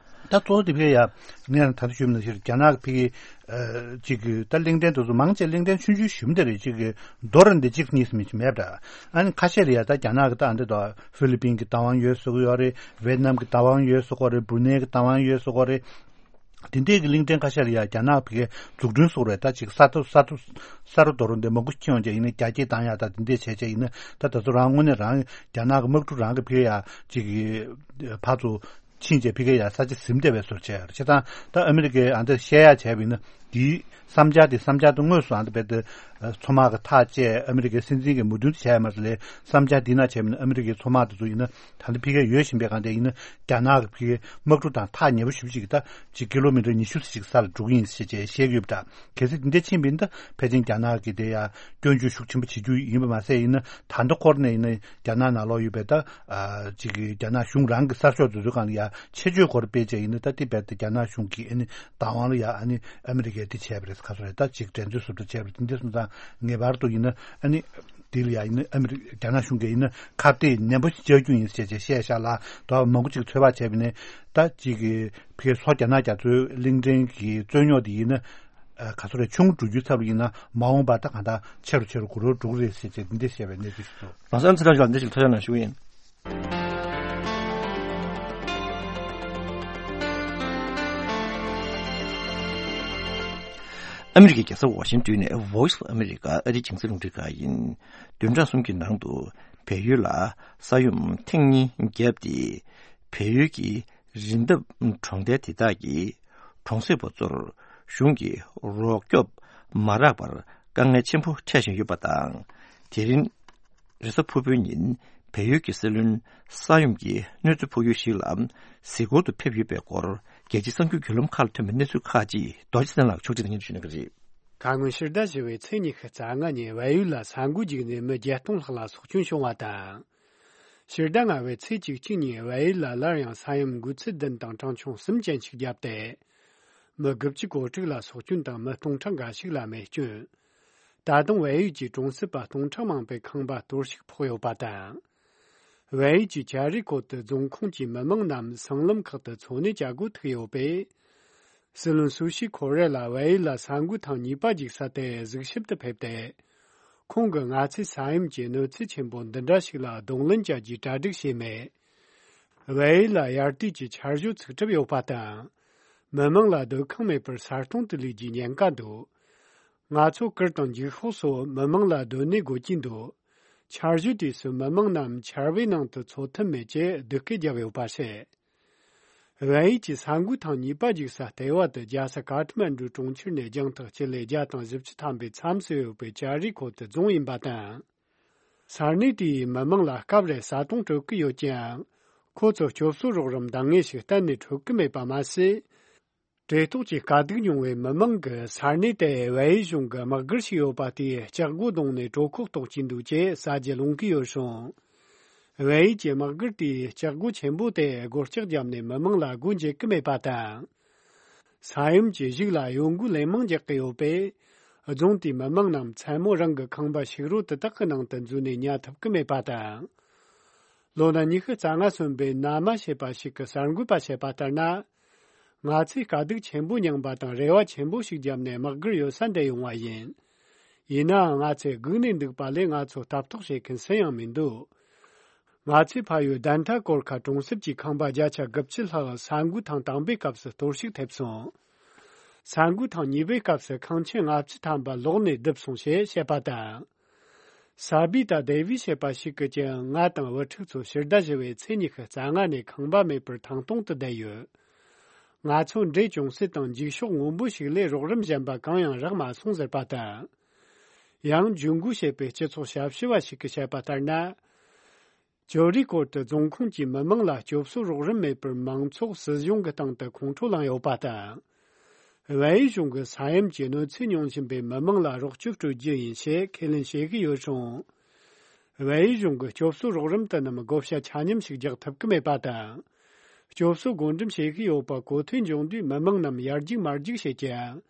ད་གཙོ་བོ་དེ་ཕ་གི་ཡ་ངས་ད་ལྟ་ཞུས་པ་ནང་བཞིན་རྒྱ་ནག་གི་ཕ་གི་ཨ་ཅིག་གི་ད་གླིང་ཕྲན་དེ་ཚོ་མང་ཆེ་གླིང་ཕྲན་ཆུང་ཆུང་ཞིག་མ་རེད། ཅིག་གི་རྡོ་ར་འདི་གཅིག་གཉིས་སུ་མེད་ཅིག་མེད་པ་འདྲ། ཨ་ནི་ཁ་ཤས་ལ་ཡ་ད་རྒྱ་ནག་གི་ད་ཨ་འདི་ད་ཧྥི་ལི་པིན་གི་བདག་དབང་ཡོད་ཟེར་གི་ཡོད་རེད། ཝེ་ཏི་ནམ་གི་བདག་དབང་ཡོད་ཟེར་གི་ཡོད་རེད། བུ་ནེ་གི་བདག་དབང་ཡོད་ཟེར་གི་ཡོད་རེད། དེ་འདྲའི་གི་གླིང་ཕྲན་ཁ་ཤས་ལ་ཡ་རྒྱ་ནག་ཕ་གིའི་འཛུགས་སྐྲུན་སོགས་རེད། ད་ཅིག་ས་རྡོ་ས་རྡོ་ས་རུ་རྡོ་རུ་འདི་མང་པོ་ཁྱེར་ཡོང་བྱས་ཡིན་ན་རྒྱ་སྐྱེད་བཏང་ཡག་ད་དེ་འདྲས་བྱས་བྱས་ཡིན་ན་ད་ད་ཚོ་རང་དངོས་གནས་རང་རྒྱ་ནག་གི་དམག་གྲུ་རང་གི་ཕ་གི་ཡ་ཅིག་གི་ཕར་ཚུར་ཕྱིན་བྱས་ཕ་གི་ཡ་ས་ཆ་ཟིན་བསྡད་པའི་བཟོ་བྱས་ཡོད་རེད། བྱས་ཙང་ད་ཨ་མི་རི་ཀས་ཨ་འདི་བཤད་ཡག་བྱས་པ་ཡིན་ན་དེའི་བསམ་འཆར་དེ་བསམ་འཆར་དེ་དངོས་སུ་ཨ་འདི་རྦད་དེ་མཚོ་དམག་གི་ཐག་བཅད་ཨ་མི་རི་ཀའི་སྲིད་འཛིན་གྱིས་མོས་མཐུན་བྱས་ཡོད་མ་རེད་ལས། བསམ་འཆར་འདི་ན་བྱས་པ་ཡིན་ན་ཨ་མི་རི་ཀའི་མཚོ་དམག་དེ་ཚོ་ཡིན་ན། ད་ལྟ་ཕ་གིར་ཡོད་བཞིན་པའི་སྒང་དེ་ཡིན་ན་རྒྱ་ནག་གི་ཕ་གིའི་དམག་གྲུ་དང་ཐག་ཉེ་པོ་ཞེ་པོ་ཅིག་གི་ད་ཅིག་ཀི་ལོ་མི་ཊར་ཉི་ཤུ་ཙམ་ཅིག་ས་ལ་འགྲོ་གི་ཡིན་ཞེས་བྱས་བཤད་ཀྱི་ཡོད་པ་འདྲ། གལ་སྲིད་དེ་འདྲ་ཕྱིན་པ་ཡིན་ན་ད་ཕལ་ཆེར་རྒྱ་ནག་གི་དེ་ཡ་སྐྱོན་བརྗོད་ཤུགས་ཆེན་པོ་བྱེད་རྒྱུ་ཡིན་པ་མ་ཟད་ཡིན་ན་ད་ལྟ་འཁོར་ནས་ཡིན་ན་རྒྱ་ནག་ནང་ལོགས་ཡོད་པའི་ད་ཨ་ཅིག་གི་རྒྱ་ནག་གཞུང་རང་གི་གསར་ཤོག་དེ་ཚོའི་སྒང་ལ་ཡ་ཆེད་བརྗོད་སྐོར་སྤེལ་བྱས་ཡིན་ན་ད་དེ་རྦད་དེ་རྒྱ་ནག་གཞུང་གིས་ཨ་ནི་བདག་དབང་ལ་ཡ་ཨ་ནི་ཨ་མི་རི་ཀས་དེ་བྱས་པ་རེད། ག་ཚོད་རེད། ད་ཅིག་འགྲན་རྩོད་བཟོ་འདྲ་བྱས་པ་རེད། དེ་འདྲ་སོང་ཙང་ངེས་པར་དུ་ཡིན་ན་ཨ་ནི། དེ་ལ་ཡང་ཡིན་ན་ཨ་མི་རི་རྒྱ་ནག་གཞུང་གིས་ཡིན་ན་ཁ་གཏད་ནན་པོ་ཞིག་བཅག་རྒྱུ་ཡིན་ཟེར་བྱས་བཤད་བཞག་ལ། དོ་མང་པོ་ཅིག་ཚོད་དཔག་བྱས་པ་ཡིན་ན་ད་ཅིག་གི་ཕ་གིའི་ལྷོ་རྒྱ་ནག་རྒྱ་མཚོའི་གླིང་ཕྲན་གྱི་རྩོད་རྙོག་དེ་ཡིན་ན་ཨ་ག་ཚོད་རེད། ཆུང་ངུ་འགྲོ་རྒྱུའི་ཚབ་ལ་ཡིན་ན་མ་འོངས་པར་ད་གང་ལྟར་ཆེ་རུ་ཆེ་རུ་འགྲོ་རུ་འགྲོ་གི་རེད་ཟེར་བྱས་འདི་འདྲ་བཤད་པའི་གནས་ཚུལ་ཞིག་འདུག་ལགས་སོ། ཨ་ཚེ་རིང་ལགས་འདི་ཞིག་ཐུགས་རྗེ་གནང་ཞུ་གི་ཡིན། ཨ་མི་རི་ཀའི་རྒྱལ་ས་ཝ་ཤིང་ཏོན་ནས་Voice of America ཨ་རིའི་རྒྱང་སྲིང་རླུང་འཕྲིན་ཁང་ཡིན། བདུན་ཕྲག་གསུམ་གྱི་ནང་དུ་བལ་ཡུལ་ལ་ས་ཡོམ་ཐེངས་གཉིས་བརྒྱབ་སྟེ། བལ་ཡུལ་གྱི་རི་འདབས་གྲོང་རྡལ་དེ་དག་གི་གྲོང་གསེབ་པ་ཚོར་གཞུང་གིས་རོགས་སྐྱོབ་མ་རག་པར་དཀའ་ངལ་ཆེན་པོ་འཕྲད་བཞིན་ཡོད་པ་དང་། དེ་རིང་རེས་གཟའ་ཕུར་བུའི་ཉིན་བལ་ཡུལ་གྱི་སྲིད་བློན་ས་ཡོམ་གྱི་གནོད་འཚེ་ཕོག་ཡུལ་ཞིག་ལ་གཟིགས་སྐོར་དུ་ཕེབས་ཡོད་པའི་སྐོར་ རྒྱལ་སྤྱིའི་གསར་འགྱུར་བརྒྱུད་ལམ་ཁག་ལ་ཐོན་པའི་གནས་ཚུལ་ཁག་ཅིག་རྡོ་རྗེ་བཙན་ལགས་ཕྱོགས་སྒྲིག་དང་སྙན་ཞུ་གནང་གི་རེད། ཁ་སྔོན་ཕྱི་ཟླ་བཞི་པའི་ཚེས་ཉི་ཤུ་རྩ་ལྔ་ཉིན་བལ་ཡུལ་ལ་ས་འགུལ་བརྒྱུད་ནས་མི་བརྒྱད་སྟོང་ལྷག་ལ་སྲོག་སྐྱོན་བྱུང་བ་དང་། ཕྱི་ཟླ་ལྔ་པའི་ཚེས་བཅུ་གཅིག་ཉིན་བལ་ཡུལ་ལ་སླར་ཡང་ས་ཡོམ་འགོས་ཚད་བདུན་དང་གྲངས་ཆུང་གསུམ་ཅན་ཞིག་བརྒྱབ་སྟེ། མི་དགུ་བཅུ་གོ་དྲུག་ལ་སྲོག་སྐྱོན་དང་མི་སྟོང་ཕྲག་འགའ་ཞིག་ལ་རྨས་སྐྱོན། ད་དུང་བལ་ཡུལ་གྱི་གྲོང་གསེབ་པ་སྟོང་ཕྲག་མང་པོའི་ཁང་པ་གཏོར་བཤིག་ཕོག་ཡོད་པ་དང་། བལ་ཡུལ་གྱི་ཅཱ་རི་ཀོ་ཏི་རྫོང་ཁོངས་ཀྱི་མི་མང་རྣམས་སྲང་ལམ་ཁག་ཏུ་འཚོ་གནས་བྱ་སྒོ་ཐུག་ཡོད་པས། སྲིད་བློན་སུ་ཤི་ཁོ་རེ་ལ་བལ་ཡུལ་ལ་ས་འགུལ་ཐེངས་གཉིས་པ་འཇིགས་ས་དེ་གཟིགས་ཞིབ་ཏུ་ཕེབས་ཏེ། ཁོང་གིས་ང་ཚོས་ས་ཡོམ་གྱི་གནོད་འཚེ་ཆེན་པོ་འདི་འདྲ་ཞིག་ལ་གདོང་ལེན་བྱ་རྒྱུའི་གྲ་སྒྲིག་བྱས་མེད། བལ་ཡུལ་ལ་དབྱར་དུས་ཀྱི་ཆར་ཞོད་ཚུགས་གྲབས་ཡོད་པ་དང་། མི་མང་ལ་སྡོད་ཁང་མེད་པར་ས་སྟོང་དུ་ལུས་རྒྱུའི་ཉེན་ཁ་འདུག་ང་ཚོ་གུར་དང་འགྱིག་ཤོག་སོགས་མི་མང་ལ་སྡོད་གནས་དགོས་ཀྱི་འདུག་ཆར་ཞོད་དུས་སུ་མི་མང་རྣམས་ཆར་པའི་ནང་དུ་འཚོ་ཐུབ་མེད་ཅེས་སྡུག་སྐད་བརྒྱབ་ཡོད་པ་རེད། བལ་ཡུལ་གྱི་ས་འགུལ་ཐེངས་གཉིས་པ་འཇིགས་ས་ལྟེ་བ་དེ་རྒྱལ་ས་ཀ་ཐ་མན་ཌུ་གྲོང་ཁྱེར་ནས་རྒྱང་ཐག་སྤྱི་ལེ་བརྒྱ་དང་བཞི་བཅུ་ཐམ་པའི་མཚམས་སུ་ཡོད་པའི་ཅཱ་རི་ཀོ་ཏི་རྫོང་ཡིན་པ་དང་། ས་གནས་དེའི་མི་མང་ལ་སྐབས་རེ་ས་དོང་དཀྲོལ་གི་ཡོད་ཀྱང་། ཁོ་ཚོ་སྐྱོབ་གསོ་རོགས་རམ་འདང་ངེས་ཤིག་གཏན་ནས་འཕྲོད་ཀྱི་མེད་པ་མ་ཟད། བྲེལ་ཐོག་གི་དཀའ་སྡུག་མྱོང་བའི་མི་མང་གིས་ས་གནས་དེར་བལ་ཡུལ་གཞུང་གི་དམག་སྒར་ཞིག་ཡོད་པ་དེའི་ལྕགས་སྒོ་བརྡུངས་ནས་གྲོད་ཁོག་ལྟོགས་ཀྱིན་འདུག་ཅེས་ཟ་རྒྱུ་སློང་གི་ཡོད་རུང་། བལ་ཡུལ་གྱི་དམག་སྒར་དེའི་ལྕགས་སྒོ་ཆེན་པོ་དེ་སྒོ་ལྕགས་བརྒྱབ་ནས་མི་མང་ལ་སྒོ་འབྱེད་ཀྱི་མེད་པ་དང་། ས་ཡོམ་གྱི་གཞུག་ལ་གཡོ་འགུལ་ལན་མང་རྒྱག་གི་ཡོད་པས། རྫོང་དེའི་མི་མང་རྣམས་མཚན་མོ་རང་གི་ཁང་པ་ཕྱུགས་རོ་དེ་དག་གི་ནང་དུ་འཛུལ་ནས་ཉལ་ཐུབ་ཀྱི་མེད་པ་དང་། ལོ་ན་ཉི་ཤུ་རྩ་ལྔ་སོན་པའི་ན་མ་ཞེས་པ་ཞིག་གིས་གསར་འགོད་པར་བཤད་པ་ལྟར་ན། ང་ཚོས་དཀའ་སྡུག་ཆེན་པོ་མྱངས་པ་དང་རེ་བ་ཆེན་པོ་ཞིག་བརྒྱབ་ནས་དམག་སྒར་ཡོད་ས་འདིར་ཡོང་བ་ཡིན། ཡིན་ནའང་ང་ཚོས་སྒུག་ནས་འདུག་པ་ལས་ང་ཚོ་ལྟ་རྟོག་བྱེད་མཁན་སུ་ཡང་མི་འདུག་ང་ཚོའི་ཕ་ཡུལ་དན་ཐ་གོར་ཁ་གྲོང་གསེབ་ཀྱི་ཁང་པ་བརྒྱ་ཆ་དགུ་བཅུ་ལྷག་ས་འགུལ་ཐེངས་དང་པོའི་སྐབས་སུ་གཏོར་བཤིག་ཐེབས་སོང་། ས་འགུལ་ཐེངས་གཉིས་པའི་སྐབས་སུ་ཁང་ཆེན་ལྔ་བཅུ་ཐམ་པ་ལོག་ནས་བརྡིབས་སོང་ཞེས་བཤད་པ་དང་། ས་བི་ཏ་དེ་བི་ཞེས་པ་ཞིག་གིས་ཀྱང་ང་དང་བུ་ཕྲུག་ཚོ་ཕྱི་ཟླ་བཞི་པའི་ཚེས་ཉི་ཤུ་རྩ་ལྔ་ནས་ཁང་པ་མེད་པར་ཐང་སྟོང་དུ་བསྡད་ཡོད། ང་ཚོ་འདྲེ་ཅུང་ཟད་དང་འགྱིག་ཤོག་སྔོན་པོ་ཞིག་ལས་རོགས་རམ་གཞན་པ་གང་ཡང་རག་མ་སོང་ཟེར་པ་དང་། ཡང་ཇུན་གུ་ཞེས་པའི་སྤྱི་ཚོགས་ཞབས་ཞུ་བ་ཞིག་གིས་བཤད་པ་ལྟར་ན། ཇོ་རི་ཀོར་ཏི་རྫོང་ཁོངས་ཀྱི་མི་མང་ལ་སྐྱོབ་གསོ་རོགས་རམ་མེད་པར་མང་ཚོགས་སྲིད་གཞུང་གི་སྟེང་དུ་ཁོང་ཁྲོ་ལངས་ཡོད་པ་དང་། བལ་ཡུལ་གཞུང་གིས་ས་ཡོམ་གྱི་གནོད་འཚེ་མྱོང་བཞིན་པའི་མི་མང་ལ་རོགས་སྐྱོབ་སྤྲོད་རྒྱུ་ཡིན་ཞེས་ཁས་ལེན་བྱེད་ཀྱི་ཡོད་ཀྱང་། བལ་ཡུལ་གཞུང་གིས་སྐྱོབ་གསོ་རོགས་རམ་དེ་རྣམས་བགོ་བཤའ་ཆ་མཉམ་ཞིག་རྒྱག་ཐུབ་ཀྱི་མེད་པ་དང་། སྐྱོབ་གསོ་བགོ་འགྲེམས་བྱེད་ཀྱི་ཡོད་པ་གོ་ཐོས་འབྱུང་དུས་མི་མང་རྣམས་ཡར་རྒྱུག་མར་རྒྱུག་བྱེད་ཀྱང་།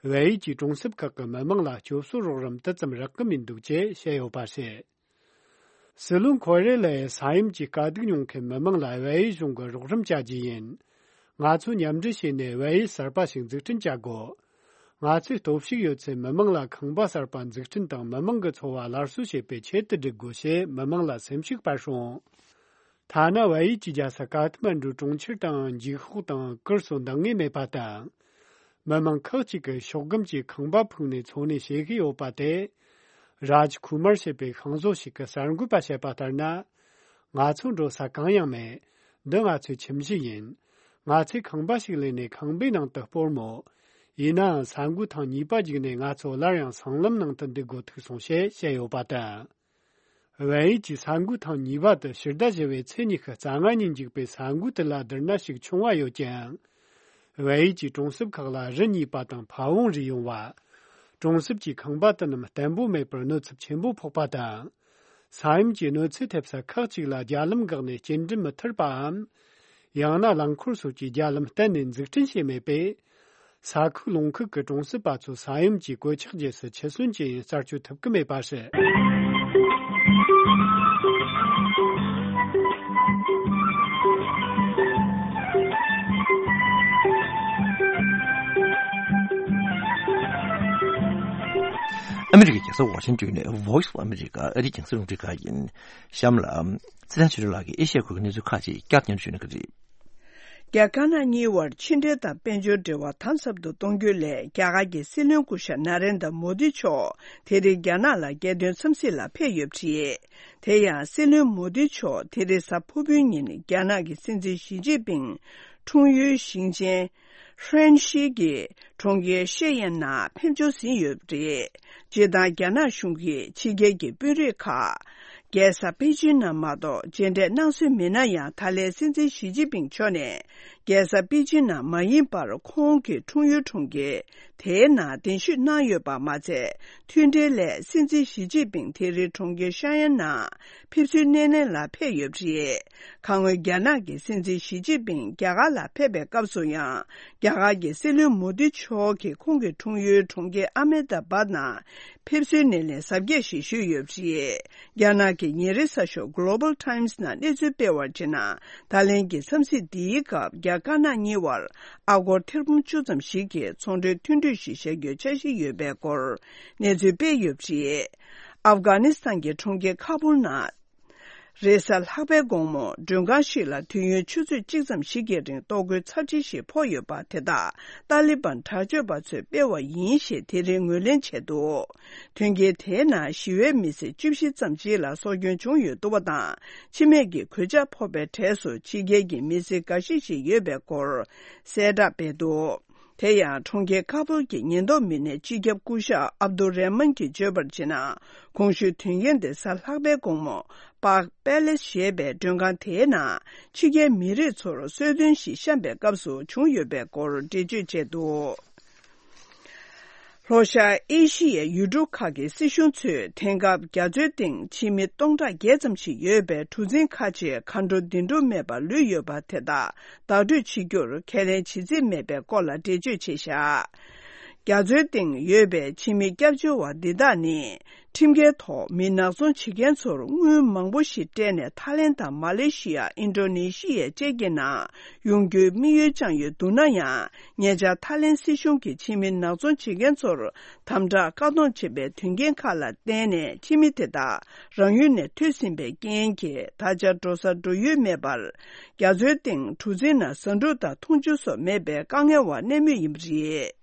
བལ་ཡུལ་གྱི་གྲོང་གསེབ་ཁག་གི་མི་མང་ལ་སྐྱོབ་གསོ་རོགས་རམ་དེ་ཙམ་རག་གི་མི་འདུག་ཅེས་བཤད་ཡོད་པ་རེད། སྲིད་བློན་ཁོ་རེ་ལས་ས་ཡོམ་གྱི་དཀའ་སྡུག་མྱོང་མཁན་མི་མང་ལ་བལ་ཡུལ་གཞུང་གིས་རོགས་རམ་བྱ་རྒྱུ་ཡིན། ང་ཚོས་མཉམ་འབྲེལ་བྱས་ནས་བལ་ཡུལ་གསར་པ་ཞིག་འཛུགས་སྐྲུན་བྱ་དགོས། ང་ཚོས་སྟོབས་ཤུགས་ཡོད་ཚད་མི་མང་ལ་ཁང་པ་གསར་པ་འཛུགས་སྐྲུན་དང་མི་མང་གི་འཚོ་བ་སླར་གསོ་བྱེད་པའི་ཆེད་དུ་སྒྲིག་དགོས་ཞེས་མི་མང་ལ་སེམས་ཤུགས་སྤར་སོང་། ཐ་ན་བལ་ཡུལ་གྱི་རྒྱལ་ས་ཀ་ཐ་མན་ཌུ་གྲོང་ཁྱེར་དང་འགྱིག་ཤོག་དང་གུར་སོགས་འདང་ངེས་མེད་པ་དང་། མི་མང་ཁག་ཅིག་གིས་ཤོག་སྒམ་གྱི་ཁང་པ་ཕུག་ནས་འཚོ་གནས་བྱེད་ཀྱི་ཡོད་པ་དེ། རཱཇ་ཁུ་མར་ཞེས་པའི་ཤིང་བཟོ་ཞིག་གིས་གསར་འགོད་པར་བཤད་པ་ལྟར་ན། ང་ཚོ་འགྲོ་ས་གང་ཡང་མེད། འདི་ང་ཚོའི་ཁྱིམ་གཞིས་ཡིན། ང་ཚོས་ཁང་པ་ཞིག་ལེན་ནས་ཁང་པའི་ནང་དུ་སྤོར་མོད། ཡིན་ནའང་ས་འགུལ་ཐེངས་གཉིས་པ་བརྒྱུད་ནས་ང་ཚོ་སླར་ཡང་སྲང་ལམ་ནང་དུ་འདུག་དགོས་ཐུག་སོང་ཞེས་བཤད་ཡོད་པ་དང་། བལ་ཡུལ་གྱི་ས་འགུལ་ཐེངས་གཉིས་པ་དེ་ཕྱི་ཟླ་བཞི་པའི་ཚེས་ཉི་ཤུ་རྩ་ལྔ་ཉིན་འཇིགས་པའི་ས་འགུལ་དེ་ལ་བསྡུར་ན་ཞིག་ཆུང་བ་ཡོད་ཀྱང་། བལ་ཡུལ་གྱི་གྲོང་གསེབ་ཁག་ལ་རི་རྙེད་པ་དང་ཕ་བོང་རི་ཡོང་བ། གྲོང་གསེབ་ཀྱི་ཁང་པ་དེ་རྣམས་བརྟན་པོ་མེད་པར་གནོད་ཚབས་ཆེན་པོ་ཕོག་པ་དང་། ས་ཡོམ་གྱི་གནོད་འཚེ་ཐེབས་ས་ཁག་ཅིག་ལ་རྒྱ་ལམ་འགག་ནས་སྐྱེལ་འདྲེན་མི་ཐར་པའམ། ཡང་ན་རླངས་འཁོར་སོགས་ཀྱི་རྒྱ་ལམ་གཏན་ནས་འཛུགས་སྐྲུན་བྱས་མེད་པས། ས་ཁུལ་ལུང་ཁུལ་གྱི་གྲོང་གསེབ་པ་ཚོ་ས་ཡོམ་གྱི་གོད་ཆག་རྗེས་སུ་འཆི་གསོན་ཅི་ཡིན་རྩད་གཅོད་ཐུབ་ཀྱི་མེད་པ་རེད། ཨ་མི་རི་ཀའི་རྒྱལ་ས་ཝ་ཤིང་ཏོན་ནས་Voice of America ཨ་རིའི་རྒྱང་སྲིང་རླུང་འཕྲིན་ཁང་ཡིན། གཤམ་ལ། ཚེ་བརྟན་ཆོས་སྒྲོན་ལགས་ཀྱིས་ཨེ་ཤ་ཡའི་ཁུལ་གྱི་གནས་ཚུལ་ཁག་ཅིག་བསྐྱར་སྙན་ཞུ་གནང་གི་རེད། རྒྱ་དཀར་ནག་གཉིས་དབར་ཕྱི་འབྲེལ་དང་དཔལ་འབྱོར་འབྲེལ་བ་དམ་ཟབ་ཏུ་གཏོང་རྒྱུའི་སླད་རྒྱ་གར་གྱི་སྲིད་བློན་སྐུ་ཞབས་ན་རེན་དྲ་མོ་དི་མཆོག་དེ་རིང་རྒྱ་ནག་ལ་རྒྱལ་དོན་འཚམས་གཟིགས་ལ་ཕེབས་ཡོད་པ་རེད། དེ་ཡང་སྲིད་བློན་མོ་དི་མཆོག་དེ་རིང་གཟའ་ཕུར་བུའི་ཉིན་རྒྱ་ནག་གི་སྲིད་འཛིན་ཞི་ཅིན་ཕིང་འཁྲུངས་ཡུལ་ཞིང་ཆེན་ཧྲན་ཤི་གི་གྲོང་ཁྱེར་ཤེ་ཡན་ནང་ཕེབས་འབྱོར་ཟིན་ཡོད་པ་རེད། སྤྱིར་བཏང་རྒྱ་ནག་གཞུང་གིས་ཕྱི་རྒྱལ་གྱི་དཔོན་རིགས་ཁག་རྒྱལ་ས་པེ་ཅིན་ནང་མ་གཏོགས་མཇལ་འཕྲད་གནང་སྲོལ་མེད་ན་ཡང་ད་ལན་སྲིད་འཛིན་ཞི་ཅིན་ཕིང་མཆོག་ནས་ རྒྱལ་ས་པེ་ཅིན་ནང་མ་ཡིན་པར་ཁོང་གི་འཁྲུངས་ཡུལ་གྲོང་ཁྱེར་དེའི་ནང་གདན་ཞུས་གནང་ཡོད་པ་མ་ཚད། མཐུན་འབྲེལ་སླད་སྲིད་འཛིན་ཞི་ཅིན་ཕིང་དེ་རིང་གྲོང་ཁྱེར་ཤ་ཡན་ནང་ཕེབས་བསུའི་སྣེ་ལེན་ལ་ཕེབས་ཡོད་པ་རེད། ཁ་སྔོན་རྒྱ་ནག་གི་སྲིད་འཛིན་ཞི་ཅིན་ཕིང་རྒྱ་གར་ལ་ཕེབས་པའི་སྐབས་སུ་ཡང་། རྒྱ་གར་གྱི་སྲིད་བློན་མོ་དི་མཆོག་གིས་ཁོང་གི་འཁྲུངས་ཡུལ་གྲོང་ཁྱེར་ཨ་མེ་ད་བཱད་ནང་ཕེབས་བསུའི་སྣེ་ལེན་གཟབ་རྒྱས་ཤིག་ཞུས་ཡོད་པ་རེད། རྒྱ་ནག་གི་ཉིན་རེའི་གསར་ཤོག་Global Times ནང་གནས་ཚུལ་སྤེལ་བར་བྱས་ན། ད་ལན་གྱི་འཚམས་གཟིགས་འདིའི་སྐབས་རྒྱ་དཀར་ནག་གཉིས་བར་ཨ་སྒོར་ཐེར་འབུམ་བཅུ་ཙམ་ཞིག་གི་ཚོང་འབྲེལ་མཐུན་གྲོས་ཤིག་བཞག་རྒྱུའི་འཆར་གཞི་ཡོད་པའི་སྐོར་གནས་ཚུལ་སྤེལ་ཡོད་པ་རེད། ཨབ་གྷ་ནི་སི་ཐན་གྱི་གྲོང་ཁྱེར་ཁ་པུར་ནང་། རེས་གཟའ་ལྷག་པའི་དགོང་མོ་མགྲོན་ཁང་ཞིག་ལ་དུས་ཡུན་ཆུ་ཚོད་གཅིག་ཙམ་ཞིག་གི་རིང་གཏོར་རྒོལ་ཚབས་ཆེ་ཞིག་ཕོག་ཡོད་པ་དེ་དག་ཏཱ་ལི་བན་དྲག་སྤྱོད་པ་ཚོས་སྤེལ་བ་ཡིན་ཞེས་དེ་རིང་ངོས་ལེན་བྱས་འདུག་མཐུན་རྐྱེན་དེའི་ནང་ཞི་བའི་མི་སེར་བཅུ་བཞི་ཙམ་ཞིག་ལ་སྲོག་སྐྱོན་བྱུང་ཡོད་འདུག་པ་དང་། འཆི་རྨས་ཀྱི་གོད་ཆག་ཕོག་པའི་གྲས་སུ་ཕྱི་རྒྱལ་གྱི་མི་སེར་འགའ་ཤས་ཤིག་ཡོད་པའི་སྐོར་གསལ་བསྒྲགས་སྤེལ་འདུག་དེ་ཡང་གྲོང་ཁྱེར་ཁ་པུར་གྱི་ཉེན་རྟོག་མི་སྣའི་སྤྱི་ཁྱབ་སྐུ་ཞབས་ཨབ་དུ་རེ་མན་གྱིས་བརྗོད་པར་བྱས་ན། གོང་ཞུས་དོན་རྐྱེན་དེ་གཟའ་ལྷག་པའི་དགོང་མོ་པཱག་པེ་ལེ་སི་ཞེས་པའི་མགྲོན་ཁང་དེའི་ནང་ཕྱི་རྒྱལ་མི་རིགས་ཚོར་གསོལ་སྟོན་ཞིག་བཤམས་པའི་སྐབས་སུ་བྱུང་ཡོད་པའི་སྐོར་འགྲེལ་བརྗོད་བྱས་འདུག་ལྷོ་ཤར་ཨེ་ཤི་ཡའི་ཡུལ་གྲུ་ཁག་གི་སྲིད་གཞུང་ཚོས་དེང་སྐབས་རྒྱ་མཚོའི་སྟེང་ཕྱི་མི་སྟོང་ཕྲག་བརྒྱད་ཙམ་ཞིག་ཡོད་པའི་གྲུ་གཟིངས་ཁག་ཅིག་མཁའ་འགྲོ་བདེ་འགྲོ་མེད་པར་ལུས་ཡོད་པ་དེ་དག་བདག་སྤྲོད་བྱེད་རྒྱུར་ཁས་ལེན་བྱེད་རྩིས་མེད་པའི་སྐོར་ལ་འགྲེལ་བརྗོད་བྱས་བཞག་རྒྱ་མཚོའི་སྟེང་ཡོད་པའི་ཕྱི་མི་སྐྱབས་བཅོལ་བ་འདི་དག་ནི། ཁྲིམས་འགལ་ཐོག་མི་ནག་ཚོང་བྱེད་མཁན་ཚོར་དངུལ་མང་པོ་ཞིག་སྤྲད་ནས་ཐའི་ལེན་དང་མ་ལེ་ཤི་ཡ། ཨིན་ཌོ་ནེ་ཤི་ཡ་བཅས་ཀྱི་ནང་ཡོང་རྒྱུའི་དམིགས་ཡུལ་བཅངས་ཡོད་འདུག་ན་ཡང་། ཉེ་ཆར་ཐའི་ལེན་སྲིད་གཞུང་གིས་ཕྱི་མི་ནག་ཚོང་བྱེད་མཁན་ཚོར་དམ་དྲག་བཀག་སྡོམ་བྱེད་པའི་དོན་རྐྱེན་ཁག་ལ་བརྟེན་ནས། ཕྱི་མི་དེ་དག་རང་ཡུལ་ནས་ཐོན་ཟིན་པའི་རྐྱེན་གྱིས། ད་ཆ་འགྲོ་ས་འགྲོ་ཡུལ་མེད་པར། རྒྱ་མཚོའི་སྟེང་གྲུ་གཟིངས་ནང་ཟ་འབྲུ་དང་འཐུང་ཆུ་སོགས་མེད་པའི་དཀའ་ངལ་བ་གནས་མུས་ཡིན་པ་རེད།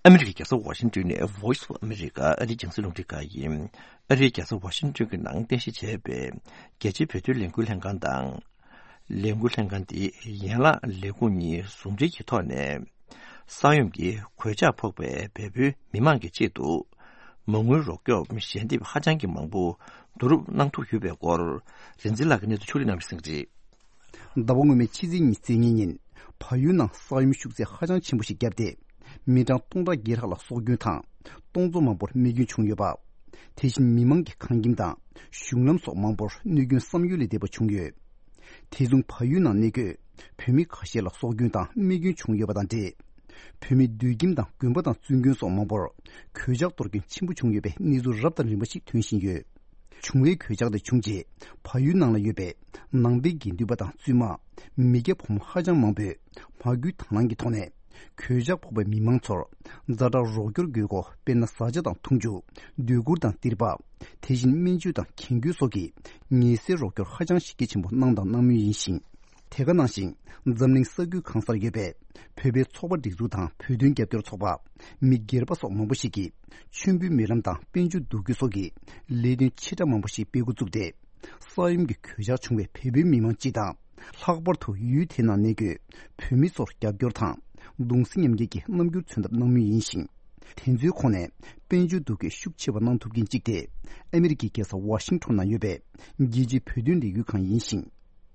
ཨ་མི་རི་ཀའི་རྒྱལ་ས་ཝ་ཤིང་ཏོན་ནས་Voice of America ཨ་རིའི་རྒྱང་སྲིང་རླུང་འཕྲིན་ཁང་ཡིན། ཨ་རིའི་རྒྱལ་ས་ཝ་ཤིང་ཏོན་གྱི་ནང་རྟེན་གཞི་བྱས་པའི་རྒྱལ་སྤྱིའི་བོད་དོན་ལས་འགུལ་ལྷན་ཁང་དང་། ལས་འགུལ་ལྷན་ཁང་འདིས་ཡན་ལག་ལས་ཁུངས་གཉིས་ཟུང་འབྲེལ་གྱི་ཐོག་ནས། ས་ཡོམ་གྱི་གོད་ཆག་ཕོག་པའི་བལ་པོའི་མི་མང་གི་ཆེད་དུ། མ་དངུལ་རོགས་སྐྱོབ་ཞལ་འདེབས་ཧ་ཅང་གི་མང་པོ་བསྡུ་རུབ་གནང་ཐུབ་ཡོད་པའི་སྐོར། རིན་འཛིན་ལགས་ཀྱིས་གནས་ཚུལ་ཕྱོགས་སྒྲིག་གནང་བ་གསན་གྱི་རེད། ཟླ་བ་སྔོན་མའི་ཕྱི་ཚེས་ཉི་ཤུ་རྩ་གཉིས་ཉིན། བལ་ཡུལ་ནང་ས་ཡོམ་ཤུགས་ཚད་ཧ་ཅང་ཆེན་པོ་ཞིག་བརྒྱབ་སྟེ། མི་གྲངས་སྟོང་ཕྲག་བརྒྱད་ལྷག་ལ་སྲོག་སྐྱོན་དང་། སྟོང་ཚོ་མང་པོར་རྨས་སྐྱོན་བྱུང་ཡོད་པ། དེ་བཞིན་མི་མང་གི་ཁང་ཁྱིམ་དང་གཞུང་ལམ་སོགས་མང་པོར་གནོད་སྐྱོན་བསམ་ཡུལ་ལས་འདས་པ་བྱུང་ཡོད། དེ་མཚུངས་བལ་ཡུལ་ནང་གནས་འཁོད་བོད་མི་ཁ་ཤས་ལ་སྲོག་སྐྱོན་དང་རྨས་སྐྱོན་བྱུང་ཡོད་པ་དང་འབྲེལ། བོད་མིའི་སྡོད་ཁྱིམ་དང་དགོན་པ་དང་བཙུན་དགོན་སོགས་མང་པོར་གོད་ཆག་གཏོར་སྐྱོན་ཆེན་པོ་བྱུང་ཡོད་པའི་གནས་ཚུལ་རབ་དང་རིམ་པ་ཞིག་ཐོན་བཞིན་ཡོད། བྱུང་བའི་གོད་ཆག་དེ་བྱུང་རྗེས་བལ་ཡུལ་ནང་ལ་ཡོད་པའི་ནང་པའི་དགེ་འདུན་པ་དང་བཙུན་མ། མི་སྐྱ་ཕོ་མོ་ཧ་ཅང་མང་པོས་མ་སྐུལ་དང་བླངས་ཀྱི་ཐོག་ནས། གོད་ཆག་ཕོག་པའི་མི་མང་ཚོར་ཛ་དྲག་རོགས་སྐྱོར་དགོས་སྐོར། དཔེར་ན་བཟའ་བཅའ་དང་འཐུང་ཆུ། སྡོད་གུར་དང་ཏིར་པ། དེ་བཞིན་སྨན་བཅོས་དང་རྒྱན་གོས་སོགས་ཀྱི་ངལ་སེལ་རོགས་སྐྱོར་ཧ་ཅང་གཞི་རྒྱ་ཆེན་པོ་གནང་དང་གནང་མུས་ཡིན་ཞིང་། དེ་ག་ནང་བཞིན་འཛམ་གླིང་ས་ཁུལ་གང་སར་ཡོད་པའི་བོད་པའི་ཚོགས་པ་སྒྲིག་འཛུགས་དང་བོད་དོན་རྒྱབ་སྐྱོར་ཚོགས་པ། མི་སྒེར་པ་སོགས་མང་པོ་ཞིག་གིས་མཆོད་འབུལ་སྨོན་ལམ་དང་དཔལ་འབྱོར་བསྡུ་སྐུལ་སོགས་ཀྱི་ལས་དོན་ཆེ་ཕྲ་མང་པོ་ཞིག་སྤེལ་འགོ་བཙུགས་ཏེ། ས་ཡོམ་གྱི་གོད་ཆག་བྱུང་བའི་བལ་པོའི་མི་མང་སྤྱི་དང་། ལྷག་པར་དུ་ཡུལ་དེའི་ནང་གནས་འཁོད་བོད་མི་ཚོར་རྒྱབ་སྐྱོར་དང་གདུང་སེམས་མཉམ་སྐྱེད་ཀྱི་རྣམ་འགྱུར་མཚོན་ཐབས་གནང་མུས་ཡིན་ཞིང་། དེ་ཚོའི་ཁོངས་ནས་དཔལ་འབྱོར་བསྡུ་སྐྱེད་ཤུགས་ཆེ་བ་གནང་ཐུབ་མཁན་གཅིག་དེ། ཨ་མི་རི་ཀའི་རྒྱལ་ས་ཝ་ཤིང་ཊོན་ནང་ཡོད་པའི་རྒྱལ་སྤྱིའི་བོད་དོན་ལས་འགུལ་ཁང་ཡིན་ཞིང་།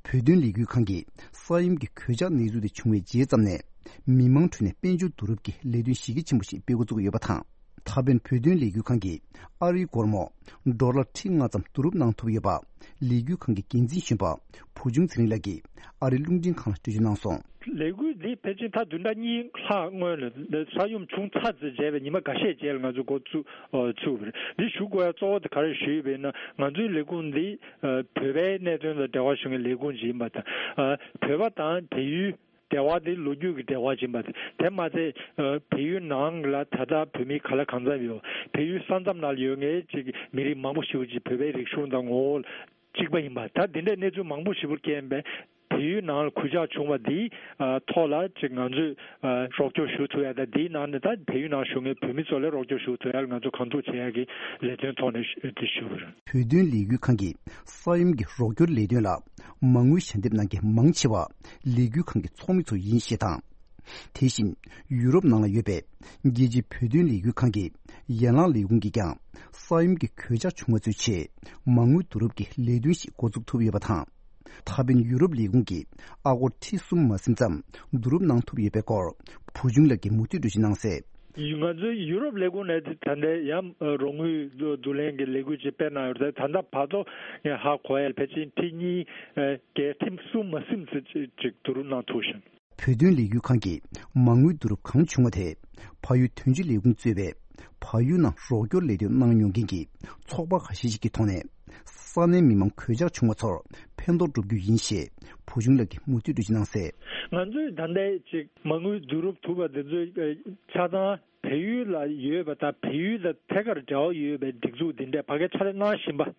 བོད་དོན་ལས་འགུལ་ཁང་གིས་ས་ཡོམ་གྱི་གོད་ཆག་གནས་ཚུལ་དེ་བྱུང་བའི་རྗེས་ཙམ་ནས། མི་མང་ཁྲོད་ནས་དཔལ་འབྱོར་བསྡུ་རུབ་ཀྱི་ལས་དོན་གཞི་རྒྱ་ཆེན་པོ་ཞིག་སྤེལ་འགོ་བཙུགས་ཡོད་པ་དང་། ད་ཕན་བོད་དོན་ལས་འགུལ་ཁང་གིས་ཨ་རིའི་སྒོར་མོ་ཌོ་ལར་ཁྲི་ལྔ་ཙམ་བསྡུ་རུབ་གནང་ཐུབ་ཡོད་པ། ལས་འགུལ་ཁང་གི་འགན་འཛིན་གཞོན་པ་བུ་ཆུང་ཚེ་རིང་ལགས་ཀྱིས་ཨ་རིའི་རླུང་འཕྲིན་ཁང་ལ་འགྲེལ་བརྗོད་གནང་སོང་། ལས་འགུལ་འདི་ཕལ་ཆེར་ད་བདུན་ཕྲག་གཉིས་ལྷག་སྔོན་ལ་ས་ཡོམ་བྱུང་ཚར་ཙམ་བྱས་པའི་ཉི་མ་འགའ་ཤས་རྗེས་ལ་ང་ཚོ་འགོ་བཙུགས་ཨ་བཙུགས་པ་རེད། འདི་ཞུ་དགོས་ཡ་གཙོ་བོ་དེ་ག་རེ་ཞུས་པ་ཡིན་ན། ང་ཚོའི་ལས་ཁུངས་འདི་ཨ་བོད་པའི་གནད་དོན་ལ་འབྲེལ་བ་ཞུ་མཁན་ལས་ཁུངས་ཅིག་ཡིན་པ་དང་། ཨ་བོད་པ་དང་བལ་ཡུལ་འབྲེལ་བ་དེ་ལོ་རྒྱུས་ཀྱི་འབྲེལ་བ་ཡིན་པ་དེ་མ་ཚད། ཨ་བལ་ཡུལ་ནང་ལ་ད་ལྟ་བོད་མི་ག་ལ་གང་འཚམ་ཡོད། བལ་ཡུལ་ས་མཚམས་ནང་ལ་ཡོད་མཁན་ཅིག་མི་རིགས་མང་པོ་ཞིག་ཅིག་བོད་པའི་རིག་གཞུང་དང་ངོ་བོ་གཅིག་པ་ཡིན་པ། ད་འདི་འདྲའི་གནས་ཚུལ་མང་པོ་ཞིག་པུར་སྐྱེལ་བས། བལ་ཡུལ་ནང་ལ་གུས་ཕྱག་བྱུང་བ་འདིའི་ཨ་ཐོག་ལ་ཅིག་ང་ཚོས་ཨ་རོགས་སྐྱོར་ཞུ་ཐུབ་ཡ་དང་། འདིའི་ནང་ནས་ད་བལ་ཡུལ་ནང་བཞུགས་མཁན་བོད་མི་ཚོ་ལ་རོགས་སྐྱོར་ཞུ་ཐུབ་ཡ་ལ་ང་ཚོ་གང་ཐུབ་བྱེད་ཡ་གི་ལས་དོན་ཐོག་ནས་ཞུ་དེ་ཞུ་བ་རེད། བོད་དོན་ལས་འགུལ་ཁང་གིས་ས་ཡོམ་གྱི་རོགས་སྐྱོར་ལས་དོན་ལ་མ་དངུལ་ཞལ་འདེབས་གནང་མཁན་མང་ཆེ་བ་ལས་འགུལ་ཁང་གི་ཚོགས་མི་ཚོ་ཡིན་ཞེས་དང་། དེ་བཞིན་ཡུ་རོབ་ནང་ལ་ཡོད་པའི་རྒྱལ་སྤྱིའི་བོད་དོན་ལས་འགུལ་ཁང་གི་ ཡན་ལག་ལས་ཁུངས་ཀྱིས་ཀྱང་ས་ཡོམ་གྱི་གོད་ཆག་བྱུང་བ་ཚོའི་ཆེད་མ་དངུལ་བསྡུ་རུབ་ཀྱི་ལས་དོན་ཞིག་འགོ་འཛུགས་ཐུབ་ཡོད་པ་དང་། ད་ཕན་ཡུ་རོབ་ལས་ཁུངས་ཀྱིས་ཨ་སྒོར་ཁྲི་གསུམ་མ་ཟིན་ཙམ་བསྡུ་རུབ་གནང་ཐུབ་ཡོད་པའི་སྐོར་བུ་ཆུང་ལགས་ཀྱིས་མུ་མཐུད་འགྲེལ་བརྗོད་གནང་གསལ། ང་ཚོའི་ཡུ་རོབ་ལས་ཁུངས་ནས་ད་ལྟ་ཡང་རོགས་དངུལ་བསྡུ་ལེན་གྱི་ལས་འགུལ་ཅིག་སྤེལ་གནང་ཡོད་རེད། ད་ལྟ་བར་དུ་ངས་ཧ་གོ་ཡ་ཕལ་ཆེར་ཁྲི་གཉིས་བརྒལ་ཁྲི་གསུམ་མ་ཟིན་ཙམ་ཅིག་བསྡུ་རུབ་གནང་ཐུབ་ཤག་བོད་དོན་ལས་འགུལ་ཁང་གིས་མ་དངུལ་བསྡུ་རུབ་གང་བྱུང་བ་དེ་བལ་ཡུལ་དོན་གཅོད་ལས་ཁུངས་གཙོས་པའི་བལ་ཡུལ་ནང་རོགས་སྐྱོར་ལས་དོན་གནང་མྱོང་མཁན་གྱི་ཚོགས་པ་ཁ་ཤས་ཤིག་གི་ཐོག་ནས་ས་གནས་མི་མང་གོད་ཆག་བྱུང་བ་ཚོར་ཕན་ཐོགས་སྒྲུབ་རྒྱུ་ཡིན་ཞེས་བུ་ཆུང་ལགས་ཀྱིས་མུ་མཐུད་འགྲེལ་བརྗོད་གནང་གསལ། ང་ཚོས་ད་ལྟའི་ཅིག་མ་དངུལ་བསྡུ་རུབ་ཐུབ་པ་འདི་ཚོའི་ཆ་ཚང་བལ་ཡུལ་ལ་ཡོད་པ་དང་བལ་ཡུལ་དང་ཐད་ཀར་འབྲེལ་བ་ཡོད་པའི་སྒྲིག་འཛུགས་འདི་འདྲས་ཕ་གིར་ཕྱག་ལས་གནང་བཞིན་པ།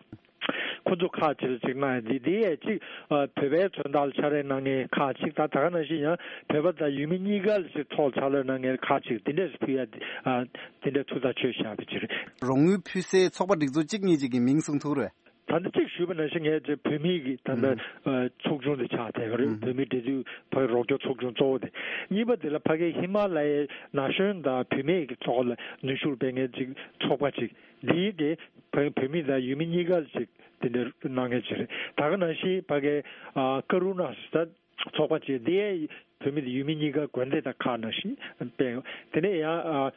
ཁོ་ཚོ་ཁག་ཅིག་ལ་ཅིག་གནང་ཡ་འདི་འདི་ཡས་ཅིག་ཨ། བོད་པའི་མཚོན་རྟགས་ལ་ཕྱག་ལས་གནང་མཁན་ཁག་ཅིག་དང་ད་ག་ནང་བཞིན་ཡང་བོད་པ་དང་ཡུལ་མི་གཉིས་ཀ་ལ་ཅིག་ཐོག་ཕྱག་ལས་གནང་མཁན་ཁག་ཅིག་འདི་འདྲས་ཕུལ་ཡ་འདི་ཨ། འདི་འདྲས་ཐུགས་ཐག་ཆོད་བཞག་པ་ཅིག་རེད། རོགས་དངུལ་ཕུལ་སའི་ཚོགས་པ་སྒྲིག་འཛུགས་གཅིག་གཉིས་ཅིག་གི་མིང་གསུང་ཐུབ་རེད། ད་ལྟ་གཅིག་ཞུས་པ་ནང་བཞིན་ངས་ཅིག་བོད་མི་གི་ད་ལྟ་ཨ། ཚོགས་ཆུང་དེ་ཆགས་བསྡད་ཡོད་རེད། བོད་མིའི་འབྲེལ་མཐུད་བོད་རོགས་སྐྱོར་ཚོགས་ཆུང་གཙོ་བོ་དེ། གཉིས་པ་དེ་ལ་ཕ་གིའི་ཧི་མ་ལ་ཡའི་ན་གཞོན་དང་བུད་མེད་ཀྱི་ཐོག་ལ་ནུས་ཤུགས་སྤེལ་མཁན་ཅིག་ཚོགས་པ་ཅིག་འདིའི་གི་བོད་བོད་མི་དང་ཡུལ་མི་གཉིས་ཀ་ལ་ཅིག་དེ་འདྲ་གནང་མཁན་ཅིག་རེད། ད་ག་ནང་བཞིན་ཕ་གིའི་ཨ། ཀ་རུ་ན་ཟེར་ཚོགས་པ་ཅིག་འདི་ཡང་བོད་མི་དང་ཡུལ་མི་གཉིས་ཀ་དགོན་སྡེ་དང་ཁག་ནང་བཞིན་སྤེལ་ཡོད། དེ་ནས་ཡང་ཨ།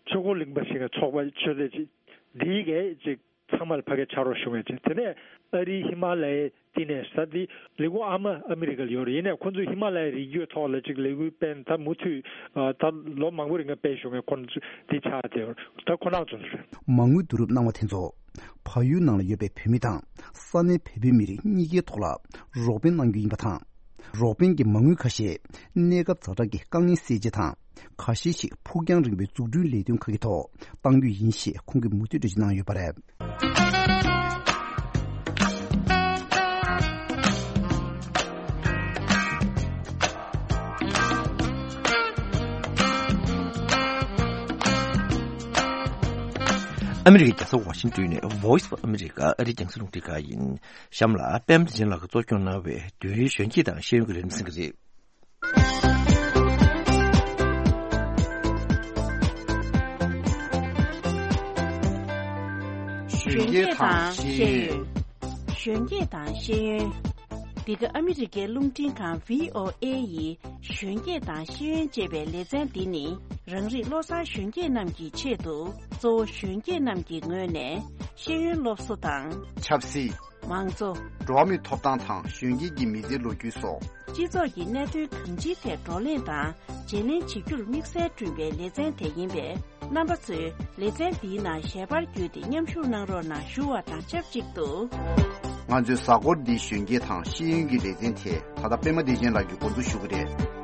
ཆོས་འཁོར་གླིང་པ་ཞིག་གི་ཚོགས་པ་ཆོས་སྡེ་ཅིག་འདིའི་གི་ཅིག་ཚང་མ་ལ་ཕ་གིར་ཕྱག་རོགས་ཞུ་མཁན་ཅིག་དེ་ནས་ཨ་རིའི་ཧི་མ་ལ་ཡའི་བསྟི་གནས་ཟེར་འདི་ལས་ཁུངས་ཨ་མ་ཨ་མི་རི་ཀ་ལ་ཡོད་རེད། ཡིན་ནའི་ཁོང་ཚོས་ཧི་མ་ལ་ཡའི་རི་རྒྱུད་ཐོག་ལ་ཅིག་ལས་འགུལ་སྤེལ་ད་མུ་མཐུད་ད་ལོ་མང་པོ་རིང་ལ་སྤེལ་བཞུགས་མཁན་ཁོང་ཚོ་འདི་ཆགས་བསྡད་ཡོད་རེད། ད་ཁོ་རང་ཚོ་རེད། མ་དངུལ་བསྡུ་རུབ་གནང་བ་དེ་ཚོ་བལ་ཡུལ་ནང་ལ་ཡོད་པའི་བོད་མི་དང་ས་གནས་བོད་པའི་མི་རིགས་གཉིས་ཀའི་ཐོག་ལ་རོགས་ཕན་གནང་རྒྱུ་ཡིན་པ་དང་། རོགས་ཕན་གྱི་མ་དངུལ་ཁ་ཤས་གནས་སྐབས་ཛ་དྲག་གི་དཀའ་ངལ་སེལ་ཆེད་དང་། ཁ་ཤས་ཤིག་ཕུགས་རྒྱང་རིང་པོའི་འཛུགས་སྐྲུན་ལས་དོན་ཁག་གི་ཐོག་གཏང་རྒྱུ་ཡིན་ཞེས་ཁོང་གིས་མུ་མཐུད་འགྲེལ་བརྗོད་གནང་ཡོད་པ་རེད། ཨ་མི་རི་ཀའི་རྒྱལ་ས་ཝ་ཤིང་ཏོན་ནས་Voice of America ཨ་རིའི་རྒྱང་སྲིང་རླུང་འཕྲིན་ཁང་ཡིན། གཤམ་ལ་པད་མ་བདེ་ཆེན་ལགས་ཀྱིས་གཙོ་སྐྱོང་གནང་བའི་བོད་ཡུལ་གཞོན་སྐྱེས་དང་ཤེས་ཡོན་གྱི་ལས་རིམ་གསན་གྱི་རེད། གཞོན་སྐྱེས་དང་ཤེས་ཡོན། གཞོན་སྐྱེས་དང་ཤེས་ཡོན། འདི་ག་ཨ་མི་རི་ཀའི་རླུང་འཕྲིན་ཁང་བྷི་ཨོ་ཨེ་ཡི་གཞོན་སྐྱེས་དང་ཤེས་ཡོན་ཅེས་པའི་ལེ་ཚན་འདི་ནི། རང་རིགས་བློ་བཟང་གཞོན་སྐྱེས་རྣམས་ཀྱི་ཆེད་དུ། གཙོ་བོ་གཞོན་སྐྱེས་རྣམས་ཀྱི་ངོས་ནས་ཤེས་ཡོན་སློབ་གསོ་དང་། ཆབ་སྲིད། མང་གཙོ། འགྲོ་བ་མིའི་ཐོབ་ཐང་དང་གཞོན་སྐྱེས་ཀྱི་མི་ཚེའི་ལོ་རྒྱུས་སོགས། སྤྱི་ཚོགས་ཀྱི་གནད་དོན་གང་ཅིའི་ཐད་བགྲོ་གླེང་དང་བརྗེ་ལེན་བྱེད་རྒྱུར་དམིགས་བསལ་བསྐྲུན་པའི་ལེ་ཚན་དེ་ཡིན་པས། རྣམ་པ་ཚོས་ལེ་ཚན་འདིའི་ནང་ཞལ་པར་བརྒྱུད་དེ་མཉམ་ཞུགས་གནང་རོགས་གནང་ཞུ་བ་དང་ཆབས་ཅིག་ཏུ། ང་ཚོའི་གཟའ་འཁོར་འདིའི་གཞོན་སྐྱེས་དང་ཤེས་ཡོན་གྱི་ལེ་ཚན་དེ་ད་ལྟ་པད་མ་བདེ་ཆེན་ལགས་ཀྱིས་འགོ་འཛུགས་ཞུ་གི་རེད།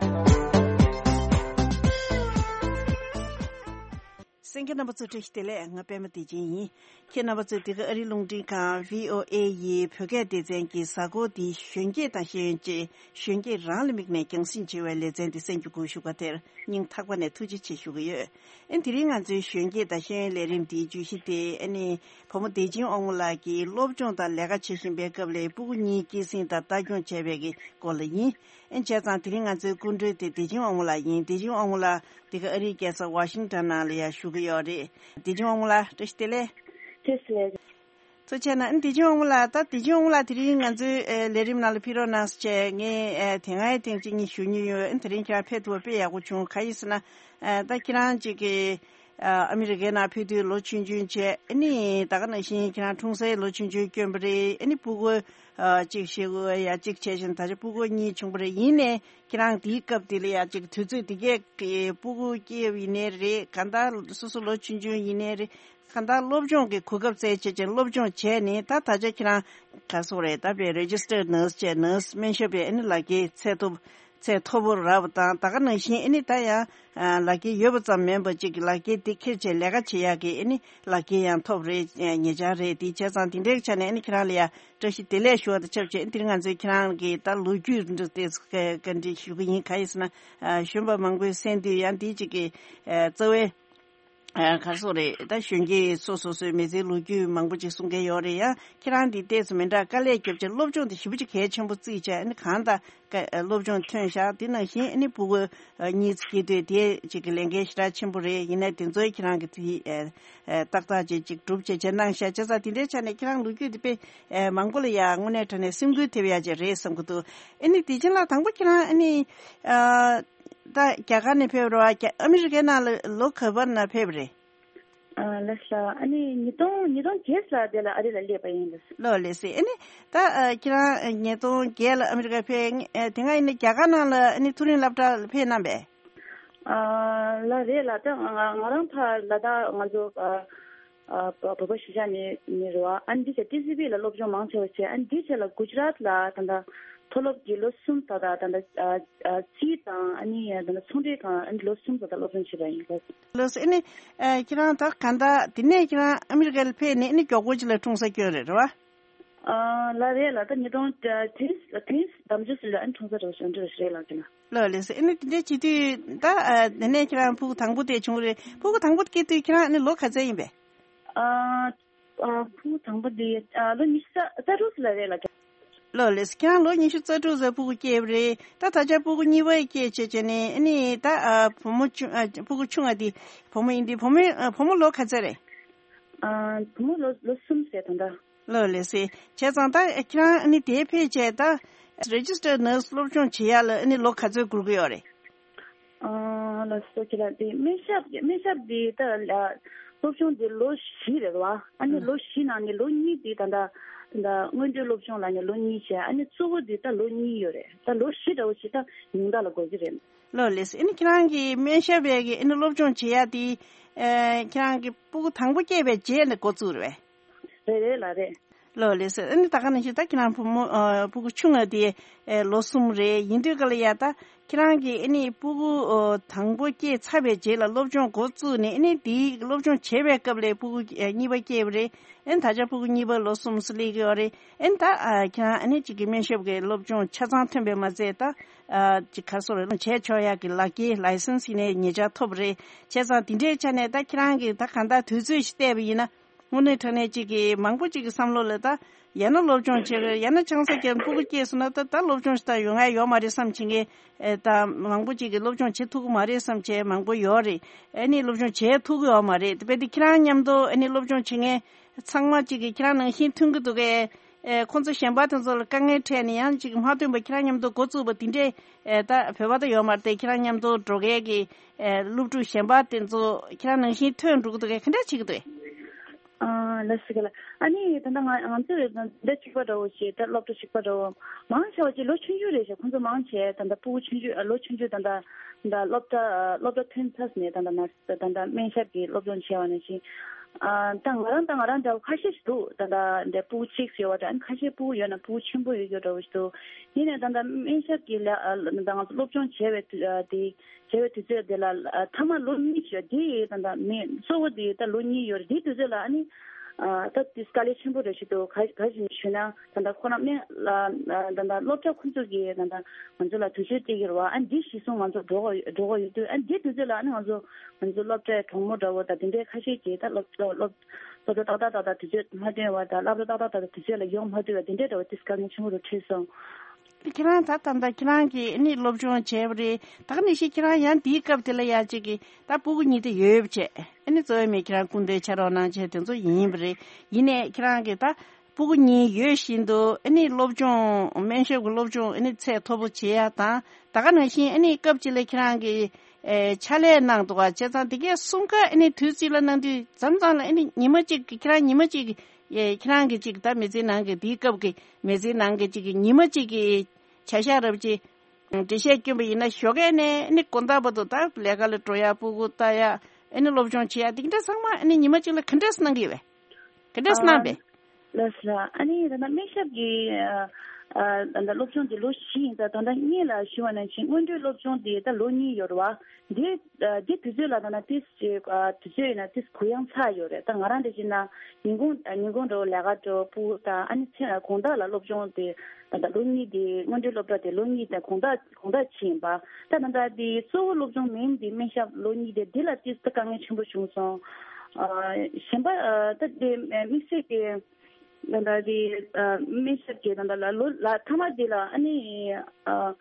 གསན་མཁན་རྣམ་པ་ཚོ་བཀྲ་ཤིས་བདེ་ལེགས། ང་པད་མ་བདེ་ཆེན་ཡིན། ཁྱེད་རྣམ་པ་ཚོས་འདི་ག་ཨ་རིའི་རླུང་འཕྲིན་ཁང་བྷི་ཨོ་ཨེ་ཡི་བོད་སྐད་སྡེ་ཚན་གྱི་གཟའ་འཁོར་འདིའི་གཞོན་སྐྱེས་དང་ཤེས་ཡོན་ཅེས་གཞོན་སྐྱེས་རང་ལ་དམིགས་ནས་རྒྱང་སྲིང་བྱེད་པའི་ལེ་ཚན་འདི་གསན་རྒྱུ་སྒུག་བཞུགས་པ་དེར་སྙིང་ཐག་པ་ནས་ཐུགས་རྗེ་ཆེ་ཞུ་གི་ཡོད། ཨེ་དེ་རིང་ང་ཚོའི་གཞོན་སྐྱེས་དང་ཤེས་ཡོན་ལས་རིམ་འདིའི་བརྗོད་གཞི་དེ་ཨ་ནི་བུ་མོ་བདེ་ཆེན་དབང་མོ་ལགས་ཀྱིས་སློབ་སྦྱོང་དང་ལས་ཀ་བྱེད་བཞིན་པའི་སྐབས་ལ་སྤུ་གུ་གཉིས་སྐྱེད་སྲིང་དང་ལྟ་སྐྱོང་བྱས་པའི་གི་སྐོར་ལ་ཡིན། ཨེ་བྱས་ཙང་དེ་རིང་ང་ཚོའི་སྐུ་མགྲོན་དེ་བདེ་ཆེན་དབང་མོ་ལགས་ཡིན། བདེ་ཆེན་དབང་མོ་ལགས་འདི་ག་ཨ་རིའི་རྒྱལ་ས་ཝ་ཤིང་ཊོན་ནང་ལ་ཡང་བཞུགས་ཀྱི་ཡོད་རེད། བདེ་ཆེན་དབང་མོ་ལགས་བཀྲ་ཤིས་བདེ་ལེགས། བཀྲ་ཤིས་བདེ་ལེགས། ཐུགས་རྗེ་གནང་། ཨ་ནི་བདེ་ཆེན་དབང་མོ་ལགས། ད་བདེ་ཆེན་དབང་མོ་ལགས་དེ་རིང་ང་ཚོའི་ཨེ་ལས་རིམ་ནང་ལ་ཕེབས་རོགས་གནང་ཟེར་བྱས་ངས་ཨེ་དེ་སྔའི་ཐེངས་གཅིག་གཉིས་ཞུ་མྱོང་ཡོད། ཨ་ནི་དེ་རིང་ཁྱེད་རང་ཕེབས་ཐུབ་པ་དཔེ་ཡག་པོ་བྱུང་། གང་ཡིན་ཟེར་ན་ཨེ་ད་ཁྱེད་རང་ཅིག་གི་ཨ་ཨ་མི་རི་ཀའི་ནང་ཕེབས་དུས་ལོ་ཆུང་ཆུང་བྱས། ཨ་ནི་ད་ག་ནང་བཞིན་ཁྱེད་རང་འཁྲུངས་སའི་ལོ་ཆུང་ཆུང་སྐྱོན་པ་རེད། ཨ་ནི་སྤུ་གུ་ཨ་གཅིག་བཞི་གོ་ཡ་གཅིག་བྱས་ཤིང་ད་ཆ་སྤུ་གུ་གཉིས་བྱུང་པ་རེད། ཡིན་ནའི་ཁྱེད་རང་དེའི་སྐབས་དེ་ལ་ཡ་གཅིག་དུས་ཚོད་དེ་གས་ཀྱི་སྤུ་གུ་སྐྱེས་ཡིན་ནའི་རེད། གང་ལྟར་སོ་སོ་ལོ་ཆུང་ཆུང་ཡིན་ནའི་རེད། གང་ལྟར་སློབ་སྦྱོང་གི་གོ་སྐབས་བཙལ་བྱས་ཀྱང་སློབ་སྦྱོང་བྱས་ནས་ད་ད་ཆ་ཁྱེད་རང་ག་སོག་རེད། ད་པའི་རེ་ཇི་སི་ཊར་ནར་སི་བྱས་ནར་སི་སྨན་ཞབས་པའི་ཨ་ནི་ལག་འཁྱེར་ཚད་མཐོ་ཚད་མཐོ་པོ་རག་པ་དང་། ད་ག་ནང་བཞིན་ཨ་ནི་ད་ཡང་ལག་འཁྱེར་ཡོད་པ་ཙམ་མིན་པ་ཅིག་ལག་འཁྱེར་དེ་འཁྱེར་བྱས་ལས་ཀ་བྱེད་ཡག་གི་ཨ་ནི་ལག་འཁྱེར་ཡང་ཐོབ་རེད། ཉེ་ཆར་རེད། དེ་བྱས་ཙང་དེ་འདྲའི་ཆ་ནས་ཨ་ནི་ཁྱེད་རང་ལ་ཡང་བཀྲ་ཤིས་བདེ་ལེགས་ཞུ་བ་དང་ཆབས་ཅིག་ཨ་ནི་དེ་རིང་ང་ཚོས་ཁྱེད་རང་གི་ད་ལོ་རྒྱུས་འདི་དེ་བཀའ་འདྲི་ཞུ་གི་ཡིན། གང་ཡིན་ཟེར་ན་གཞོན་པ་མང་པོས་གསན་དུས་ཡང་འདི་ཅིག་གི་རྩ་བའི་ ཨ་ག་སོ་རེད། ད་གཞོན་སྐྱེས་སོ་སོ་སོའི་མི་ཚེའི་ལོ་རྒྱུས་མང་པོ་ཅིག་གསུང་མཁན་ཡོད་རེད། ཡང་ཁྱེད་རང་འདི་ཏོག་ཙམ་མི་འདྲ། དཀའ་ལས་རྒྱབ་བྱས་སློབ་སྦྱོང་དེ་ཞེ་པོ་ཅིག་གལ་ཆེན་པོ་བརྩིས་བྱས། ཨ་ནི་གང་ལྟར་ཀ་ཨ་སློབ་སྦྱོང་ཐོན་བཞག་དེ་ནང་བཞིན་ཨ་ནི་ཕྲུ་གུ་ཨ་གཉིས་ཙམ་སྐྱེས་དུས་དེ་ཅིག་གི་ལས་འགན་ཞེ་དྲག་ཆེན་པོ་རེད། ཡིན་ནའི་དེ་ཚོའི་ཁྱེད་རང་གི་དེ་ཨ་ཨ་ཏག་ཏག་ཅིག་ཅིག་སྒྲུབ་བྱས་བྱས་གནང་བཞག་བྱས་ཙང་དེ་འདྲའི་ཆ་ནས་ཁྱེད་རང་ལོ་རྒྱུས་དེ་དཔེ་ཨ་མང་པོ་ལ་ཡ་དངོས་གནས་དྲང་གནས་སེམས་འགུལ་ཐེབས་ཡ་ཅིག་རེད་བསམ་གྱི་འདུག་ཨ་ནི་དེ་བྱིན་ལགས། དང་པོ་ཁྱེད་རང་ཨ་ནི་ཨ་ད་རྒྱ་གར་ནས་ཕེབས་རེད་བ། རྒྱ་ཨ་མི་རི་ཀའི་ནང་ལ་ལོ་ག་བར་ན་ཕེབས་རེད། ཨ་ལགས་སོ། ཨ་ནི་ཉིས་སྟོང་ཉིས་སྟོང་བརྒྱད་ལ་དེ་ལ་ཨ་རི་ལ་སླེབས་པ་ཡིན། ལགས་སོ། ལགས་སོ། ཨ་ནི་ད་ཨ་ཁྱེད་རང་ཉིས་སྟོང་བརྒྱད་ལ་ཨ་མི་རི་ཀ་ཕེབས། ཨ་དེ་སྔ་ཡིན་ན་རྒྱ་གར་ནང་ལ་ཨ་ནི་མཐོ་རིམ་སློབ་གྲྭ་ལ་ཕེབས་གནང་པས། ཨ་ལགས་རེད་ལགས། ད་ང་ང་རང་ཕར་ལ་དྭགས་ང་ཚོ་ཨ་ཨ་བོད་པ་གཞིས་ཆགས་ནས་ནས་རེད་བ། ཨ་ནི་འདི་བྱས་ཊི་སི་བི་ལ་སློབ་སྦྱོང་མང་ཆེ་བ་བྱས། ཨ་ནི་འདི་བྱས་ལ་གུ་ཇི་རཱཏ་ལ་ད་ལྟ་མཐོ་སློབ་ཀྱི་ལོ་གསུམ་ད་ལྟ་ད་ལྟ་ཨ་ཨ་རྩིས་དང་ཨ་ནི་ད་ལྟ་ཚོང་འབྲེལ་ཁང་ཨ་ནི་ལོ་གསུམ་ད་ལྟ་སློབ་སྦྱོང་བྱས་པ་ཡིན། ལགས་སོ། ཨ་ནི་ཨ་ཁྱེད་རང་ད་གང་ལྟར་དེ་ནས་ཁྱེད་རང་ཨ་མི་རི་ཀ་ལ་ཕེབས་ནས་ཨ་ནི་མགྱོགས་པོ་ཅིག་ལ་འཁྲུངས་ས་སྐྱོན་རེད། རེད་བ། ཨ་ལགས་རེད་ལགས། ད་ཉིས་སྟོང་ཨ་བདུན་བདུན་ཟླ་བཅུ་ཙམ་ལ་ཨ་ནི་འཁྲུངས་ས་རེད་བ། གཞོན་འབྲི་རེད་ལགས་ཀྱི་ན། ལགས་ལགས་སོ། ཨ་ནི་དེ་འདྲའི་བྱེད་དུས་ད་ཨ་དེ་ནས་ཁྱེད་རང་ཕྲུ་གུ་དང་པོ་དེ་བྱུང་རེད། ཕྲུ་གུ་དང་པོ་སྐྱེས་དུས་ཁྱེད་རང་ཨ་ནི་ལོ་ག་ཚོད་ཡིན་པས། ཨ་ཨ་ཕྲུ་གུ་དང་པོ་དེ་ཨ་ལོ་ཉི་ཤུ་རྩ་རྩ་དྲུག་ཙམ་ལ་རེད་ལགས། ལགས་ལགས་སོ། ཁྱེད་རང་ལོ་ཉི་ཤུ་རྩ་དྲུག་ཙམ་ཕྲུ་གུ་སྐྱེས་པ་རེད། ད་ད་ཆ་ཕྲུ་གུ་གཉིས་པ་སྐྱེས་བྱས་བྱས་ནས་ཨ་ནི་ད་ཨ་བུ་མོ་ཆུང་ཨ་ཕྲུ་གུ་ཆུང་ང་དེ་བུ་མོ་ཡིན་དུས་བུ་མོ་ཨ་བུ་མོ་ལོ་ག་ཚོད་རེད། ཨ་བུ་མོ་ལོ་ལོ་གསུམ་ཟེར་ད་ལྟ། ལགས་ལགས་སོ། བྱས་ཙང་ད་ཁྱེད་རང་ཨ་ནི་དེ་ཕེབས་བྱས་ད་རེ་ཇི་སི་ཊར་ནར་སི་སློབ་སྦྱོང་བྱེད་ཡ་ལ་ཨ་ནི་ལོ་ག་ཚོད་འགོར་གི་ཡོད་རེད། ཨ་ལགས་སོ། ཁྱེད་ལ་དེ་སྨན་ཞབས་སྨན་ཞབས་དེ་ད་ལ་སློབ་སྦྱོང་དེ་ལོ་བཞི་རེད་བ། ཨ་ནི་ལོ་བཞི་ནང་ནས་ལོ་གཉིས་དེ་ད་ལྟ་ད་ལྟ་སྔོན་འགྲོའི་སློབ་སྦྱོང་ལ་ནི་ལོ་གཉིས་བྱས། ཨ་ནི་གཙོ་བོ་དེ་ད་ལོ་གཉིས་ཡོད་རེད། ད་ལོ་བཞི་འདྲ་བོ་ཞིག་ད་ཉུང་མཐའ་ལ་འགོར་གི་རེད། ལགས་ལགས་སོ། ཨ་ནི་ཁྱེད་རང་གི་སྨན་ཞབས་པའི་གི་ཨ་ནི་སློབ་སྦྱོང་བྱེད་ཡ་དེ་ཨ་ཁྱེད་རང་གི་ཕྲུ་གུ་དང་པོ་སྐྱེས་པའི་རྗེས་ནས་འགོ་བཙུགས་རེད་པས། རེད་རེད་ལགས་རེད། ལགས་ལགས་སོ། ཨ་ནི་ད་ག་ནང་བཞིན་ད་ཁྱེད་རང་བུ་མོ་ཨ་ཕྲུ་གུ་ཆུང་ང་དེ་ཨེ་ལོ་གསུམ་རེད། ཡིན་དུས་ག་ལ་ཡ་ད་ཁྱེད་རང་གི་ཨ་ནི་ཕྲུ་གུ་ཨོ་དང་པོ་སྐྱེས་ཚར་བའི་རྗེས་ལ་སློབ་སྦྱོང་འགོ་བཙུགས་ནས་ཨ་ནི་དེའི་སློབ་སྦྱོང་བྱེད་པའི་སྐབས་ལ་ཕྲུ་གུ་ཨེ་གཉིས་པ་སྐྱེས་པ་རེད། ཨ་ནི་ད་ཆ་ཕྲུ་གུ་གཉིས་པ་ལོ་གསུམ་ཙམ་སླེབས་ཀྱི་ཡོད་རེད། ཨ་ནི་ད་ཨ་ཁྱེད་རང་ཨ་ནི་གཅིག་གི་སྨན་ཞབས་ཀྱི་སློབ་སྦྱོང་ཆ་ཚང་ཐོན་པས་མ་ཚད་ད་ཨ་གཅིག་ག་སོ་རེད་བྱས་ཆོག་ཡག་གི་ལག་འཁྱེར་ལའི་སེན་སི་ཡིན་ནའི་ཉེ་ཆར་ཐོབ་རེད། བྱས་ཙང་དེ་འདྲའི་ཆ་ནས་ད་ཁྱེད་རང་གིས་ད་གང་ལྟར་དུས་ཚོད་ཞིག་བལྟས་པ་ཡིན་ན། དངོས་གནས་དྲང་གནས་གཅིག་གིས་མང་པོ་གཅིག་གི་བསམ་བློ་ལ་ད་ཡང་ན་སློབ་སྦྱོང་བྱེད་དགོས། ཡང་ན་ཆང་ས་བརྒྱབ་ཕྲུ་གུ་སྐྱེས་སོང་ན་ད་ད་སློབ་སྦྱོང་ཞིག་ད་ཡོང་ཡ་ཡོད་མ་རེད་བསམ་བྱེད་མཁན་ཨེ་ད་མང་པོ་གཅིག་གིས་སློབ་སྦྱོང་བྱེད་ཐུབ་ཀྱི་མ་རེད་བསམ་བྱས་མང་པོ་ཡོད་རེད། ཨ་ནི་སློབ་སྦྱོང་བྱེད་ཐུབ་ཀྱི་ཡོད་མ་རེད། དཔེ་དེ་ཁྱེད་རང་མཉམ་དུ་ཨ་ནི་སློབ་སྦྱོང་བྱེད་མཁན་ཚང་མ་གཅིག་གིས་ཁྱེད་རང་ནང་བཞིན་མཐུན་གྱི་འདུག་གས། ཨེ་ཁོང་ཚོ་གཞན་པ་དེ་ཚོ་ལ་དཀའ་ངལ་འཕྲད་ནས་ཡང་གཅིག་མ་ཐོན་པ་ཁྱེད་རང་མཉམ་དུ་འགོ་བཙུགས་པ་དེ་འདྲས་ཨེ་ད་བོད་པ་ད་ཡོད་མ་རེད་དེ། ཁྱེད་རང་མཉམ་དུ་འགྲོ་མཁན་གྱི་ཨེ་སློབ་ཕྲུག་གཞན་པ་དེ་ཚོ་ཁྱེད་རང་ནང་བཞིན་ཐོན་འགྲོ་གི་འདུག་གས། ག་འདྲས་བྱེད་ཀྱི་འདུག་གས། ཨ་ལགས་སོ་ལགས། ཨ་ནི་ད་ལྟ་ང་ང་ཚོས་ད་ལྟ་གཅིག་པ་འདྲ་བོ་ཞིག་ད་སློབ་གྲྭ་གཅིག་པ་འདྲ་བོ་མང་ཆེ་བ་ཅིག་ལོ་ཆུང་ཆུང་རེད་ཤག་ཁོང་ཚོ་མང་ཆེ་ད་ལྟ་ཕྲུ་གུ་ཆུང་ཆུང་ཨ་ལོ་ཆུང་ཆུང་ད་ལྟ་ད་སློབ་གྲྭ་ཨ་སློབ་གྲྭ་ཐོན་ཚར་ནས་ད་ལྟ་ན་ད་ལྟ་སྨན་ཞབས་ཀྱི་སློབ་སྦྱོང་བྱས་པ་ནང་བཞིན་ཨ་ད་ང་རང་ད་ང་རང་འདྲ་བོ་ཁ་ཤས་ཤིག་འདུག་ད་ལྟ་འདྲ་ཕྲུ་གུ་གཅིག་ཡོད་པ་འདྲ། ཨ་ཁ་ཤས་ཕྲུ་གུ་ཡོད་ན་ཕྲུ་གུ་ཆེན་པོ་ཡོད་ཡོད་འདྲ་བོ་ཞིག་འདུག་ཡིན་ནའི་ད་ལྟ་སྨན་ཞབས་ཀྱི་ལ་ཨ་ད་ང་ཚོ་སློབ་སྦྱོང་བྱས་པའི་དུས་ཨ་དེ་བྱས་པའི་དུས་ཚོད་དེ་ལ་ཨ་མཐའ་མ་ལོ་གཉིས་ཤོད་དེ་ད་ལྟ་མེད། གཙོ་བོ་དེ་ད་ལོ་གཉིས་ཡོད་རེད། དེའི་དུས་ཚོད་ལ་ཨ་ནི་ཨ་ད་དེ་དཀའ་ལས་ཆེན་པོ་རེད་ཞུ་འདུག་ག་ག་ཞིག་ཞུས་ན་ད་ལྟ་ཁོ་རང་སྨན་ལ་ད་ལྟ་སློབ་གྲྭ་ཁོ་ཚོ་གིས་ད་ལྟ་ང་ཚོ་ལ་དུས་ཚོད་སྤྲད་ཀྱི་རེད་བ། ཨ་ནི་འདི་གཞི་བཟུང་ང་ཚོ་འགྲོ་གི་འགྲོ་གི་ཡོད་དུས་ཨ་ནི་དེའི་དུས་ཚོད་ལ་ཨ་ནི་ང་ཚོ་ང་ཚོ་སློབ་གྲྭའི་གྲོགས་མོ་འདྲ་བོ་དང་དེ་འདྲའི་ཁ་ཤས་ཀྱིས་ད་སློབ་སློབ་སློབ་གྲྭ་ཏག་ཏག་ཏག་ཏག་དུས་ཚོད་མ་ཐོན་བ་དང་སློབ་གྲྭ་ཏག་ཏག་ཏག་ཏག་དུས་ཚོད་ལ་ཡོང་མ་ཐུབ་པ་དེ་འདྲའི་འདྲ་བོ་དེ་དཀའ་ངལ་ཆེན་པོ་རུ་འཕྲད་སོང་། ཁྱེད་རང་ད་ད་ལྟ་ཁྱེད་རང་གིས་ཨ་ནི་སློབ་སྦྱོང་བྱས་པ་རེད། ད་ག་ནང་བཞིན་ཁྱེད་རང་ཡང་འདིའི་སྐབས་དེ་ལ་ཡ་གཅིག་གིས་ད་ཕྲུ་གུ་གཉིས་དེ་ཡོད་བྱས་ཨ་ནི་གཙོ་བོ་མི་ཁྱེད་རང་སྐུ་མདུན་ཕྱག་རོགས་གནང་བྱས་དེ་ཚོ་ཡིན་པ་རེད། ཡིན་ནའི་ཁྱེད་རང་གིས་ད་ཕྲུ་གུ་གཉིས་ཡོད་བཞིན་དུ་ཨ་ནི་སློབ་སྦྱོང་སྨན་ཞབས་ཀྱི་སློབ་སྦྱོང་ཨ་ནི་ཚད་མཐོ་པོ་བྱེད་ཡ་དང་ད་ག་ནང་བཞིན་ཨ་ནི་སྐབས་གཅིག་ལ་ཁྱེད་རང་གིས་ཨེ་ཕྱག་ལས་གནང་འདུག་བ། བྱས་ཙང་དེ་གས་གསུམ་ཀ་ཨ་ནི་དུས་གཅིག་ལ་གནང་དུས་མཚམས་མཚམས་ལ་ཨ་ནི་ཉི་མ་གཅིག་ཁྱེད་རང་ཉི་མ་གཅིག་ཨེ་ཁྱེད་རང་གི་གཅིག་ད་མི་ཚེ་ནང་གི་དེའི་སྐབས་ཀྱི་མི་ཚེ་ནང་གི་གཅིག་གི་ཉི་མ་གཅིག་གི་བྱ་གཞག་རབ་ཅིག་འགྲེལ་བཤད་བསྐྱོན་པ་ཡིན་ན་ཞོགས་ཀས་ནས་ཨ་ནི་དགོང་དག་བར་དུ་ད་ལས་ཀ་ལ་འགྲོ་ཡ་ཕྲུ་གུ་ལྟ་ཡ་ཨ་ནི་སློབ་སྦྱོང་བྱེད་ཡ་དེ་འདྲ་ཚང་མ་ཨ་ནི་ཉི་མ་གཅིག་ལ་ག་འདྲས་གནང་གི་ཡོད་པས། ག་འདྲས་གནང་པས། ལགས་སོ། ཨ་ནི་ད་ལྟ་སྨན་ཞབས་ཀྱི་ཨ་ ཨ་ད་ལྟ་སློབ་སྦྱོང་དེ་ལོ་བཞི་ཡིན་ཙང་། ད་ལྟ་སྔོན་ལ་ཞུ་བ་ནང་བཞིན་སྔོན་འགྲོའི་སློབ་སྦྱོང་དེ་ད་ལོ་གཉིས་ཡོད་རེད་བ། དེ་ཨ་དེ་དུས་ཚོད་ལ་ད་ལྟ་ཏིས་ཅིག་ཨ་དུས་ཚོད་ཡིན་ན་ཏིས་གུ་ཡངས་ཚ་ཡོད་རེད། ད་ང་རང་འདྲ་བྱས་ན་ཉིན་གུང་ཉིན་གུང་འགྲོ་ལས་ཀ་འགྲོ་ཕྲུ་གུ་དང་། ཨ་ནི་མཚན་དགོང་དག་ལ་སློབ་སྦྱོང་དེ་ད་ལྟ་ལོ་གཉིས་དེ་སྔོན་འགྲོའི་སློབ་གྲྭ་དེ་ལོ་གཉིས་དེ་དགོང་དག་དགོང་དག་ཕྱིན་པ། ད་ད་ལྟ་དེ་གཙོ་བོ་སློབ་སྦྱོང་མིན་དེ་སྨན་ཞབས་ལོ་གཉིས་དེ་དེ་ལ་ཏིས་ད་དཀའ་ངལ་ཆེན་པོ་བྱུང་སོང་། ཨ་གཞན་པ་ཨ་ད་དེ་དམིགས་བསལ་གྱི་ད་ལྟ་དེ་ཨ་སྨན་ཞབས་ཀྱི་ད་ལྟ་ལ་ལོ་ལ་མཐའ་མ་དེ་ལ་ཨ་ནི་ཨ་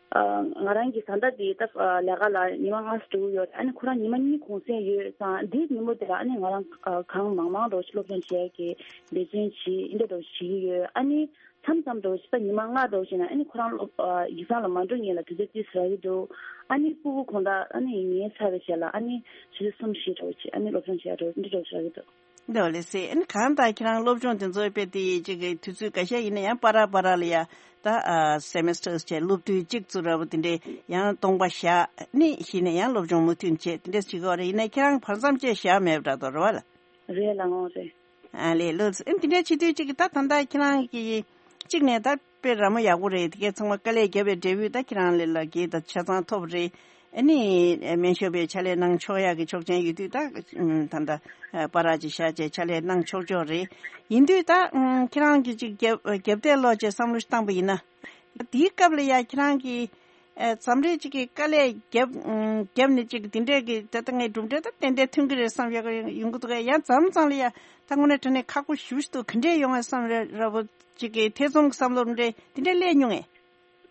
ཨ་ང་རང་གི་བཟའ་ཟླ་དེ་ད་ལས་ཀ་ལ་ཉི་མ་ལྔ་ཙམ་འགྲོ་གི་ཡོད། ཨ་ནི་ཁོ་རང་ཉི་མ་གཉིས་གུང་སེང་ཡོད་ཙང་། དེའི་ཉིན་མོ་དེ་ལ་ཨ་ནི་ང་རང་ཨ་གང་མང་མང་འགྲོ་ཞིག་སློབ་སྦྱོང་བྱེད་ཡག་གི་འབད་བརྩོན་བྱེད་འདི་འདྲ་བྱེད་ཀྱི་ཡོད། ཨ་ནི་མཚམས་མཚམས་འགྲོ་ཞིག་ད་ཉི་མ་ལྔ་འགྲོ་ཞིག་ན་ཨ་ནི་ཁོ་རང་སློབ་ཨ་ཡིག་ཚང་ལ་མ་འགྲོ་སྔོན་ལ་དུས་ཚོད་ཏིས་རག་གི་འདུག་ཨ་ནི་ཕྲུ་གུ་དགོང་དག་ཨ་ནི་ཉལ་ཚར་བའི་རྗེས་ལ་ཨ་ནི་ཆུ་ཚོད་གསུམ་བཞི་འགྲོ་ཞིག་ཨ་ནི་སློབ་སྦྱོང་བྱེད་འགྲོ་འདི་འདྲ་བྱེད་ཀྱི་འདུག་འདི་འོ་ལེ་སེ། ཨ་ནི་གང་ལྟར་ཁྱེད་རང་སློབ་སྦྱོང་དེ་ཚོ་དཔེ་དེ་ཅིག་གི་དུས་ཚོད་འགའ་ཤས་ཡིན་ན་ཡང་པ་ར་པ་ར་ལ་ཡ་ད་ཨ་སེ་མེ་སི་ཊར་བྱས་སློབ་དུས་གཅིག་ཙམ་ར་བོ་དེ་འདྲས་ཡང་སྟོང་པ་བཞག་ནི་ཞིག་ནས་ཡང་སློབ་སྦྱོང་མུ་མཐུད་བྱས་དེ་འདྲས་བྱེད་ཀྱི་ཡོད་རེད། ཡིན་ན་ཁྱེད་རང་བར་མཚམས་བཅད་བཞག་མེད་པ་འདྲ་འདུག་རེད་བ་ལ། རེད་ལགས་འོང་རེད། ཨ་ལས་ལགས་སོ། ཨ་ནི་དེ་འདྲ་བྱེད་དུས་གཅིག་གི་ད་ད་ལྟ་ཁྱེད་རང་གི་གཅིག་ནས་ད་དཔེ་ར་མོ་ཡག་པོ་རེད། དེ་གས་ཚང་མ་དཀའ་ལས་བརྒྱབ་པའི་འབྲས་བུ་ད་ཁྱེད་རང་ལ་ལ་གི་ད་ཆ་ཚང་ཐོབ་རེད། ཨ་ནི་སྨན་ཞབས་པའི་ཕྱག་ལས་གནང་ཆོག་ཡག་གི་ཆོག་མཆན་ཡོད་དུས་ད་ད་ད་པ་ར་ཅིག་བཞག་བྱས་ཕྱག་ལས་གནང་ཆོག་ཆོག་རེད། ཡིན་དུས་ད་ཁྱེད་རང་གི་གཅིག་རྒྱབ་རྒྱབ་གཏད་ལོག་བྱས་བསམ་བློ་ཞིག་བཏང་པ་ཡིན་ན། དེའི་སྐབས་ལ་ཡ་ཁྱེད་རང་གི་ཨ་མཚམས་རེ་ཅིག་གི་དཀའ་ལས་བརྒྱབ་ཨ་བརྒྱབ་ནས་ཅིག་དེ་འདྲས་ཀྱི་ད་ལྟ་ངའི་གྲུབ་འབྲས་ད་ཏན་ཏན་ཐོན་གྱི་རེད་བསམ་ཡག་ཡོང་གི་འདུག་གས། ཡང་མཚམས་མཚམས་ལ་ཡ་ད་དངོས་གནས་དྲང་གནས་ཁག་པོ་ཞེ་པོ་ཞིག་འདུག་ག་འདྲས་ཡོང་ངས་བསམ་རེ་ར་བོ་ཅིག་གི་ཐེ་ཚོམ་གྱི་བསམ་བློ་འདྲས་དེ་འདྲས་སླེབས་མྱོང་ངས།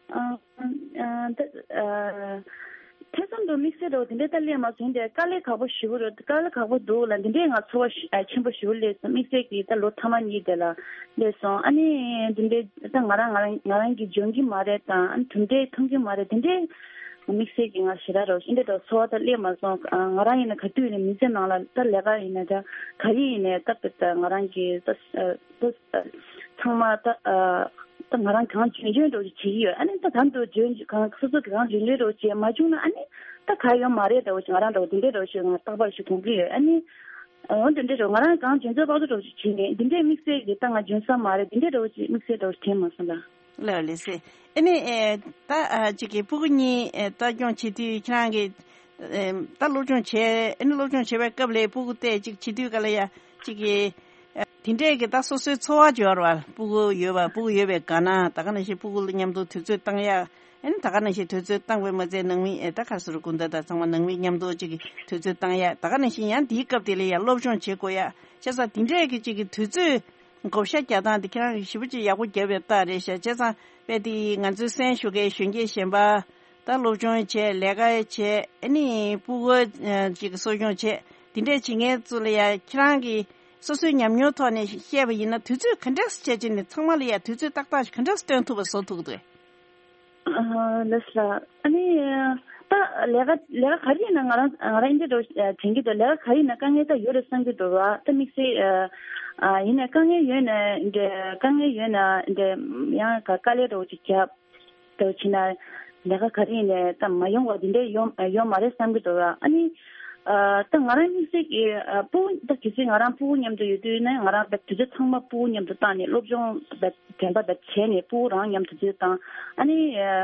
ཨ་ཨ་ད་ཨ་ཐེ་ཚོམ་དང་དམིགས་བསལ་འདྲ་བོ་དེ་འདྲས་ད་སླེབས་མ་སོང་། དེ་དཀའ་ལས་ཁག་པོ་ཞེ་པོ་རེད། དཀའ་ལས་ཁག་པོ་འདུག་ལ་འདི་འདྲས་ང་ཚོར་བ་ཞེ་ཨ་ཆེན་པོ་ཞེ་པོ་སླེབས་སོང་། དམིགས་བསལ་གྱི་ད་ལོ་མཐའ་མ་གཉིས་དེ་ལ་སླེབས་སོང་། ཨ་ནི་འདི་འདྲས་ད་ང་རང་ང་རང་ང་རང་གིས་འཇོན་གྱི་མ་རེད་དང་། ཨ་ནི་གྲུབ་འབྲས་ཐོན་གྱི་མ་རེད། དེ་འདྲས་དམིགས་བསལ་གྱི་ང་ཞེ་དྲག་རོ་ཞེ་འདྲས་འདྲ་ཚོར་བ་ད་སླེབས་མ་སོང་། ཨ་ང་རང་ཡིན་ན་ག་དུས་ཡིན་ན་མི་ཚེ་ནང་ལ་ད་ལས་ཀ་ཡིན་ན་ད་ག་རེ་ཡིན་ནའི་ད་ད་ང་རང་གི་ད་ད་ཚང་མ་ད་ཨ་ད་ང་རང་གང་འཇོན་འཇོན་འདྲ་བོ་ཞིག་བྱེད་ཀྱི་ཡོད། ཨ་ནི་ད་ད་འདུག་འཇོན་གང་སོ་སོ་གང་འཇོན་འཇོན་འདྲ་བོ་བྱེད་མ་བྱུང་ན། ཨ་ནི་ད་ག་ཡོད་མ་རེད་འདྲ་བོ་ཞིག་ང་རང་འདྲ་བོ་དེ་འདྲས་འདྲ་བོ་ཞིག་ང་རྟག་པར་ཞིག་དགོངས་ཀྱི་ཡོད། ཨ་ནི་འོ་དེ་འདྲས་འདྲ་བོ་ང་རང་གང་འཇོན་ཚོད་དཔག་ཚོད་འདྲ་བོ་ཞིག་བྱེད་ནས་འདི་འདྲས་དམིགས་བསལ་གྱི་ད་ང་འཇོན་ས་མ་རེད། འདི་འདྲས་འདྲ་བོ་ཞིག་དམིགས་བསལ་འདྲ་བོ་ཞིག་དྲན་མ་སོང་ལ། ལགས་ལགས་སེ། ཨ་ནི་ཨེ་ད་ཨ་ཅིག་གི་ཕྲུ་གུ་གཉིས་ཨེ་ལྟ་སྐྱོང་བྱེད་དུས་ཁྱེད་རང་གི་ཨེ་ད་སློབ་སྦྱོང་བྱས། ཨ་ནི་སློབ་སྦྱོང་བྱེད་པའི་སྐབས་ལ་ཕྲུ་གུ་ཏོག་ཙམ་ཅིག་བྱེད་དུས་ག་ལ་ཡ་ཅིག་གི་ཨེ་དེ་འདྲས་ཀྱི་ད་སོ་སོའི་འཚོ་བ་སྦྱོར་བ་ཕྲུ་གུ་ཡོད་པ་ཕྲུ་གུ་ཡོད་པའི་དགའ་སྣང་ད་ག་ནང་བཞིན་ཕྲུ་གུ་ལ་མཉམ་དུ་དུས་ཚོད་བཏང་ཡ། ཨ་ནི་ད་ག་ནང་བཞིན་དུས་ཚོད་བཏང་བའི་མ་ཚད་ནང་མི་ཨེ་ད་ག་ཟེར་དགོས་འདུག་ད་ཚང་མ་ནང་མི་མཉམ་དུ་ཅིག་གི་དུས་ཚོད་བཏང་ཡ། ད་ག་ནང་བཞིན་ཡང་དེའི་སྐབས་དེ་ལ་ཡ་སློབ་སྦྱོང་བྱེད་དགོས་ཡ། བྱས་ཙང་དེ་འདྲས་ཀྱི་ཅིག་གི་དུས་ཚོད་བགོ་བཤའ་རྒྱག་སྟངས་དེ་ཁྱེད་རང་གིས་ཞེ་པོ་ཅིག་ཡག་པོ་བརྒྱབ་པའི་རྟགས་རེད་ཤག་བྱས་ཙང་དཔེ་དེ་ང་ཚོའི་གསན་ཞུ་མཁན་གཞོན་སྐྱེས་གཞན་པ་ད་སློབ་སྦྱོང་བྱས། ལས་ཀ་བྱས། ཨ་ནི་ཕྲུ་གུ་ཅིག་གི་གསོ་སྐྱོང་བྱས། དེ་འདྲས་བྱེད་མཁན་ཚོ་ལ་ཡ་ཁྱེད་རང་གིས་སོ་སོའི་ཉམས་མྱོང་ཐོག་ནས་བཤད་པ་ཡིན་ན་དུས་ཚོད་ག་འདྲས་སེ་བྱས་བྱས་ནས་ཚང་མ་ལ་ཡ་དུས་ཚོད་ཏག་ཏག་ག་འདྲས་སེ་སྟོན་ཐུབ་པ་བཟོ་ཐུབ་ཀྱི་འདུག་ཨ་ལགས་ལགས། ཨ་ནི་ད་ལས་ཀ་ལས་ཀ་ག་རེ་ཡིན་ན་ང་རང་ང་རང་འདི་འདྲ་དྲན་གྱི་འདུག་ལས་ཀ་ག་རེ་ཡིན་ན་དཀའ་ངལ་ད་ཡོད་རེད་བསམ་གྱི་འདུག་ར། ད་དམིགས་བསལ་ཨ་ཡིན་ན་དཀའ་ངལ་ཡོད་ན་འདྲ་དཀའ་ངལ་ཡོད་ན་འདྲ་ཡང་ག་དཀའ་ལས་འདྲ་བོ་ཅིག་བརྒྱབ་འདྲ་བོ་བྱས་ན་ལས་ཀ་ག་རེ་ཡིན་ནའི་ད་མ་ཡོང་བ་འདི་འདྲ་ཡོང་ཡོང་མ་རེད་བསམ་གྱི་འདུག་ར། ཨ་ནི་ཨ་ད་ང་རང་དམིགས་བསལ་གྱི་ཨ་ཕྲུ་གུ་ད་གལ་སྲིད་ང་རང་ཕྲུ་གུ་མཉམ་དུ་ཡོད་དུས་ནས་ང་རང་ད་དུས་ཚོད་ཚང་མ་ཕྲུ་གུ་མཉམ་དུ་བཏང་ནས་སློབ་སྦྱོང་ད་དྲན་པ་ད་བྱས་ནས་ཕྲུ་གུ་རང་མཉམ་དུ་དུས་དང་། ཨ་ནི་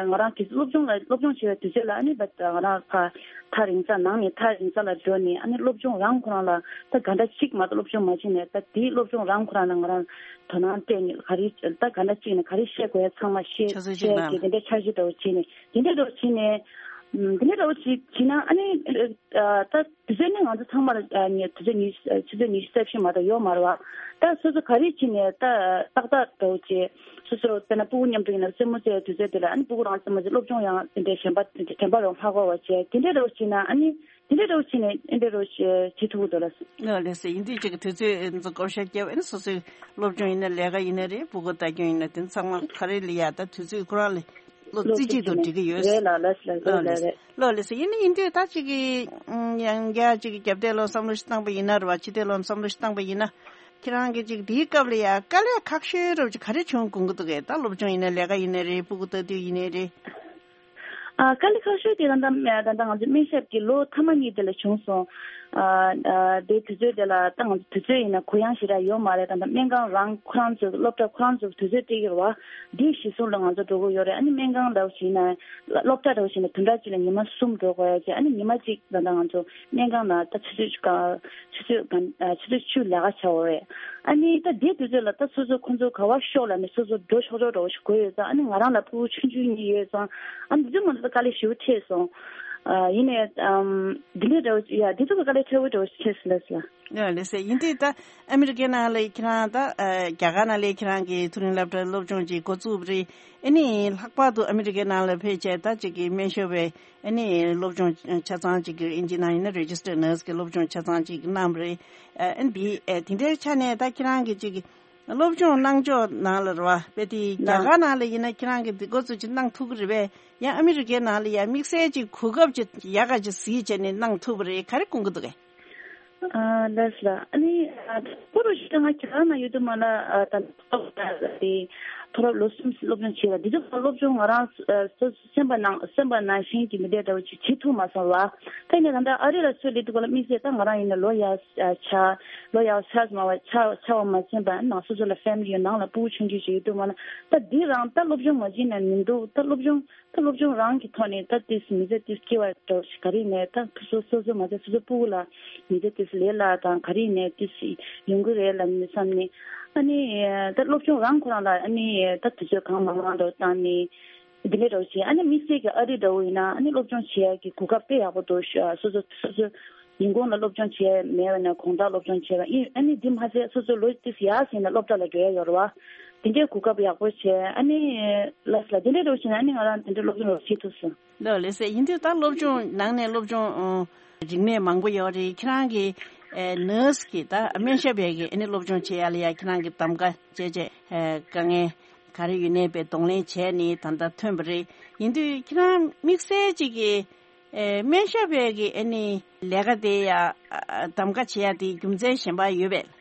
ང་རང་གི་སློབ་སྦྱོང་ལ་སློབ་སྦྱོང་བྱེད་པའི་དུས་ཚོད་ལ་ཨ་ནི་ད་ང་རང་ཕར་ཐག་རིང་ས་ནང་ནས་ཐག་རིང་ས་ལ་འགྲོ་ནས། ཨ་ནི་སློབ་སྦྱོང་རང་ཁོ་རང་ལ་ད་ག་འདྲ་གཅིག་མ་གཏོགས་སློབ་སྦྱོང་མ་བྱས་ནས་ད་དེའི་སློབ་སྦྱོང་རང་ཁོ་རང་ལ་ང་རང་དོ་སྣང་སྤྲད་ནས་ག་རེ་ད་ག་འདྲ་གཅིག་ནས་ག་རེ་བཤད་དགོས་ཡ་ཚང་མ་བཤད་ཆ་ཚོད་ཅིག་བཤད་གནང་། གི་དེ་འདྲ་འཆར་གཞི་འདྲ་བོ་བྱས་ནས་དེ་འདྲ་འདྲ་བོ་བྱས་ནས་ཨམ་དེ་འདྲ་འདྲ་བོ་ཅིག་བྱས་ན་ཨ་ནི་ཨ་ད། དུས་ཚོད་ནི་ང་ཚོ་ཚང་མར་ཨ་ནི་དུས་ཚོད་ཉི་ཤུ་ཆུ་ཚོད་ཉི་ཤུ་རྩ་བཞི་མ་གཏོགས་ཡོད་མ་རེད་བ། ད་སོ་སོ་ག་རེ་བྱས་ནས་ད་ཏག་ཏག་འདྲ་བོ་བྱས། སོ་སོ་དཔེར་ན་ཕྲུ་གུ་མཉམ་དུ་ཡིན་ན་རྩེད་མོ་རྩེ་དུས་ཚོད་དེ་ལ་ཨ་ནི་ཕྲུ་གུ་རང་རྩེད་མོ་རྩེ། སློབ་སྦྱོང་ཡང་དེ་འདྲའི་གཞན་པ་དེ་འདྲའི་དྲན་པ་རང་ཧ་གོ་བ་བྱས། དེ་འདྲའི་འདྲ་བོ་བྱས་ན་ཨ་ནི་དེ་འདྲའི་འདྲ་བོ་བྱས་ནས་ཨེ་འདྲའི་འདྲ་བོ་བྱས་བྱེད་ཐུབ་ཀྱི་འདུག་ལ། ལགས་ལགས་སེ། ཡིན་དུས་ཅིག་གི་དུས་ཚོད་ཚོ་བགོ་བཤའ་བརྒྱབ། ཨ་ནི་སོ་སོའི་སློབ་སྦྱོང་ཡིན་ན་ལས་ཀ་ཡིན་ན་རེད། ཕྲུ་གུ་ལྟ་སྐྱོང་ཡིན་ན་དེ་ཚང་མ་ག་རེ་ལ་ཡ་ད་དུས་ཚོད་ཁོ་རང་ལ། བློ་རྩེ་གཅིག་ཏུ་འགྲིག་གི་ཡོད། རེད་ལགས་ལགས་ལགས་ལགས་ལགས་རེད། ལགས་ལགས་སེ། ཡིན་ན་ཡིན་དུས་ད་ཅིག་གི་ཡང་བསྐྱར་ཅིག་གི་རྒྱབ་གཏད་ལོ་བསམ་བློ་ཞིག་བཏང་པ་ཡིན་ན་རེད་བ། ཕྱི་གཏད་ལོ་བསམ་བློ་ཞིག་བཏང་པ་ཡིན་ན། ཁྱེད་རང་གི་ཅིག་དེའི་སྐབས་ལ་ཡ་དཀའ་ལས་ཁག་ཤོས་རབ་ཅིག་ག་རེ་བྱུང་དགོངས་ཀྱི་འདུག་གས། ད་སློབ་སྦྱོང་ཡིན་ན་ལས་ཀ་ཡིན་ན་རེད། ཕྲུ་གུ་ལྟ་དུས་ཡིན་ན་རེད། ཨ་དཀའ་ལས་ཁག་ཤོས་དེ་ད་ལྟ་ད་ལྟ་ང་ཚོ་སྨན་ཞབས་ཀྱི་ལོ་མཐའ་མ་གཉིས་དེ་ལ་བྱུང་སོང་། ཨ་ཨ་དེ་དུས་ཚོད་དེ་ལ་ད་ང་ཚོ་དུས་ཚོད་ཡིན་ན་གུ་ཡངས་ཞེ་དྲག་ཡོད་མ་རེད། ད་ལྟ་སྨན་ཁང་རང་ཁོ་རང་ཚོ་སློབ་གྲྭ་ཁོ་རང་ཚོ་དུས་ཚོད་སྤྲད་ཀྱི་རེད་བ། འདི་གཞི་བཟུང་ལ་ང་ཚོ་འགྲོ་གི་ཡོད་རེད། ཨ་ནི་སྨན་ཁང་འདྲ་བོ་ཞིག་ཡིན་ན། སློབ་གྲྭ་འདྲ་བོ་ཞིག་ཡིན་ན་བདུན་ཕྲག་གཅིག་ལ་ཉི་མ་གསུམ་འགྲོ་དགོས་ཡ་ཅིག་ཨ་ནི་ཉི་མ་གཅིག་ད་ལྟ་ང་ཚོ་སྨན་ཁང་ནང་ད་ཆུ་ཚོད་གཅིག་ག་ཆུ་ཚོད་ག་ཨ་ཆུ་ཚོད་བཅུ་ལས་ཀ་བྱ་བ་རེད། ཨ་ནི་ད་དེའི་དུས་ཚོད་ལ་ད་སོ་སོ་ཁོང་ཚོ་ག་བ་ཤོག་ལ་ནི་སོ་སོ་འགྲོ་ཆོག་ཆོག་འདྲ་བོ་ཞིག་དགོས་ཡོད་ཙང་། ཨ་ནི་ང་རང་ལ་ཕྲུ་གུ་ཆུང་ཆུང་གཉིས་ཡོད་ཙང་། ཨ་ནི་དེ་ཚོ་ང་ཚོ་ད་དཀའ་ལས་ཞེ་པོ་འཕྲད་སོང་། ཨ་ཡིན་ནའི་ཨམ་འདི་འདྲའི་འདྲ་བོ་ཡ་དེ་ཚོ་གི་དཀའ་ལས་ཕྲ་བོ་འདྲ་བོ་ཞིག་འཕྲད་སོང་ལགས་སོ། ལགས་ལགས་སེ། ཡིན་དུས་ད་ཨ་མི་རི་ཀའི་ནང་ལ་ཁྱེད་རང་ད་ཨ་རྒྱ་གར་ནང་ལ་ཁྱེད་རང་གི་མཐོ་རིམ་སློབ་གྲྭའི་སློབ་སྦྱོང་ཅིག་འགོ་བཙུགས་པ་རེད། ཨ་ནི་ལྷག་པར་དུ་ཨ་མི་རི་ཀའི་ནང་ལ་ཕེབས་བྱས་ད་ཅིག་གི་སྨན་ཞབས་པའི་ཨ་ནི་སློབ་སྦྱོང་ཆ་ཚང་ཅིག་གི་ཨིན་ཇི་ནང་ཡིན་ན་Registered Nurse་གི་སློབ་སྦྱོང་ཆ་ཚང་ཅིག་གནང་བ་རེད། ཨ་འདི་ཨ་དེ་འདྲའི་ཆ་ནས་ད་ཁྱེད་རང་གི་ཅིག་གི་སློབ་སྦྱོང་གནང་ཕྱོགས་ནང་ལ་རེད་བ། དཔེ་དེ་རྒྱ་གར་ནང་ལ་ཡིན་ན་ཁྱེད་རང་གི་འདི་འགོ་ཚུགས་ཅིག་གནང་ཐུབ་ཀྱི་རེད་པས། ཡང་ཨ་མི་རི་ཀའི་ནང་ལ་ཡང་དམིགས་བསལ་ཅིག་གོ་སྐབས་ཅིག་ཡག་ག་ཅིག་གཟིགས་བྱས་ནས་གནང་ཐུབ་པ་རེད། ག་རེ་དགོངས་ཀྱི་འདུག་གས། ཨ་ལགས་སོ། ཨ་ནི་ཨ་ད་ཁོ་རུ་ཞིག་ང་རྒྱ་གར་ནང་ཡོད་དུས་མ་ལ་ཨ་ད་ད་དེ་མཐོ་སློབ་ལོ་གསུམ་སློབ་སྦྱོང་བྱས་ལ་འདི་ཚོ་སློབ་སྦྱོང་ང་རང་ཨ་སོ་སོ་སེམས་པ་ནང་སེམས་པ་ནང་བཞིན་གྱི་མི་འདྲ་འདྲ་བོ་ཅིག་བྱེད་ཐུབ་མ་སོང་བ། ད་ཡིན་ནའི་ད་ལྟ་ཨ་རི་ལ་ཚུར་སླེབས་དུས་སྐབས་ལ་དམིགས་བསལ་ད་ང་རང་ཡིན་ན་ལོ་ཡག་ཨ་ཆགས་ལོ་ཡག་ཆགས་མ་བ་ཆགས་ཆགས་པ་མ་ཟིན་པ་ནང་སོ་སོ་ལ་ཕེ་མི་ལི་ཡོད་ནང་ལ་ཕྲུ་གུ་ཆུང་ཆུང་ཞིག་ཡོད་དུས་མ་ལ་ད་འདི་རང་ད་སློབ་སྦྱོང་མ་བྱས་ན་མི་འདུག་ད་སློབ་སྦྱོང་ད་སློབ་སྦྱོང་རང་གི་ཐོག་ནས་ད་ཏིས་མི་ཚེ་ཏིས་སྐྱེ་བ་འགྲོ་ཞིག་ག་རེ་ནས་ད་སོ་སོ་སོ་སོ་མ་ཚད་སོ་སོ་སྤུ་གུ་ལ་མི་ཚེ་ཏིས་ལས་སླ་དང་ག་རེ་ནས་ཏིས་ཡོང་གི་རེད་ལབ་ནས་བསམ་ནས། ཨ་ནི་ད་སློབ་སྦྱོང་རང་ཁོ་རང་ལ་ཨ་ནི་ད་དུས་ཚོད་གང་མང་མང་འགྲོ་བཏང་ནས་འདི་འདྲ་འགྲོ་བྱས། ཨ་ནི་དམིགས་བསལ་གྱི་ཨ་རི་འདྲ་བོ་ཡིན་ན་ཨ་ནི་སློབ་སྦྱོང་བྱེད་ཡག་གི་གོ་སྐབས་དཔེ་ཡག་པོ་འདུག་སོ་སོ་སོ་སོ་ཡིན་གོང་ལ་སློབ་སྦྱོང་བྱས་མེད་པ་ན་གོང་ལྟར་སློབ་སྦྱོང་བྱས་པ་ཡིན། ཨ་ནི་འདི་མ་ཟད་སོ་སོ་ལོ་ཏིས་ཡག་ཟིན་ན་སློབ་གྲྭ་ལ་འགྲོ་ཡ་ཡོད་རེད་བ། དེ་འདྲའི་གོ་སྐབས་ཡག་པོ་བྱས། ཨ་ནི་ལགས་ལ་དེ་འདྲའི་རོགས་བྱས་ན་ཨ་ནི་ང་རང་དེ་འདྲའི་སློབ་སྦྱོང་རོགས་བྱེད་ཐུབ་སོང་། ལགས་ལགས་སེ། ཡིན་དུས་ད་སློབ་སྦྱོང་ནང་ནས་སློབ་སྦྱོང་ཨོ་རིག་གནས་མང་པོ་ཡོད་རེད། ཁྱེད་རང་གི་ཨེ་ནར་སི་གི་ད་སྨན་ཞབས་པའི་གི་ཨ་ནི་སློབ་སྦྱོང་བྱེད་ཡ་ལ་ཡ་ཁྱེད་རང་གི་གདམ་ག་བྱས་བྱས་ཨེ་དཀའ་ངལ་ག་རེ་ཡོད་ནའི་པའི་གདོང་ལེན་བྱས་ནས་ད་ལྟ་ཐོན་པ་རེད། ཡིན་དུས་ཁྱེད་རང་དམིགས་བསལ་ཅིག་གི་ཨེ་སྨན་ཞབས་པའི་གི་ཨ་ནི་ལས་ཀ་དེ་ཡ་ཨ་གདམ་ག་བྱེད་ཡ་དེ་རྒྱུ་མཚན་གཞན་པ་ཡོད་པས།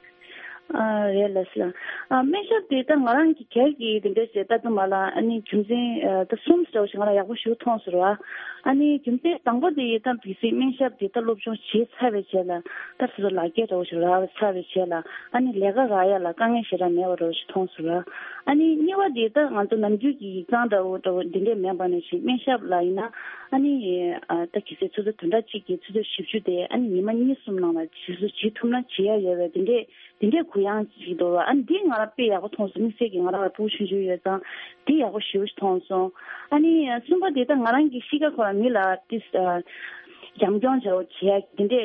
ཨ་རེད་ལགས་སོ། ཨ་སྨན་ཞབས་དེ་ད་ང་རང་གི་སྒེར་གྱི་དེ་འདྲ་ཞིག་ལྟ་དུས་མ་ལ་ཨ་ནི་རྒྱུ་མཚན་ཨ་ད་གསུམ་ཙམ་ཞིག་ང་ལ་ཡག་པོ་ཞིག་མཐོང་སོང་ར། ཨ་ནི་རྒྱུ་མཚན་དང་པོ་དེ་ད་གལ་སྲིད་སྨན་ཞབས་དེ་ད་སློབ་སྦྱོང་བྱས་ཚར་བའི་རྗེས་ལ་ད་སོ་སོ་ལག་འཁྱེར་འདྲ་བོ་ཞིག་རག་ཚར་བའི་རྗེས་ལ་ཨ་ནི་ལས་ཀ་རག་ཡ་ལ་དཀའ་ངལ་ཞེ་དྲག་མེད་པ་འདྲ་བོ་ཞིག་མཐོང་སོང་ར། ཨ་ནི་གཉིས་པ་དེ་ད་ང་ཚོ་ནམ་རྒྱུན་གྱི་ཡིག་ཚང་འདྲ་བོ་འདྲ་བོ་འདི་འདྲས་མེད་པ་ནང་བཞིན་སྨན་ཞབས་ལ་ཡིན་ན་ཨ་ནི་ཨ་ད་གལ་སྲིད་ཆུ་ཚོད་བདུན་ཕྲག་གཅིག་གི་ཆུ་ཚོད་བཞི་བཅུ་དེ་ཨ་ནི་ཉི་མ་གཉིས་གསུམ་ནང་ལ་ཆུ་ཚོད་བྱེད་ཐུབ་ན་བྱེད་ཡ་ཡོད་པའི་དེ་འདྲས། དེ་འདྲའི་གུ་ཡངས་ཅིག་འདུག་བ། ཨ་ནི་འདི་ང་རང་དཔེ་ཡག་པོ་མཐོང་སོང་། དམིགས་བསལ་གྱིས་ང་རང་ལ་ཕྲུ་གུ་ཆུང་ཆུང་ཡོད་ཙང་འདི་ཡག་པོ་ཞེ་པོ་ཞིག་མཐོང་སོང་། ཨ་ནི་གསུམ་པ་དེ་ད་ང་རང་གི་གཤིས་ཀ་ཁོ་རང་མི་ལ་ཏིས་བྱམས་སྐྱོང་བྱ་བ་བྱེད་ཡ་དེ་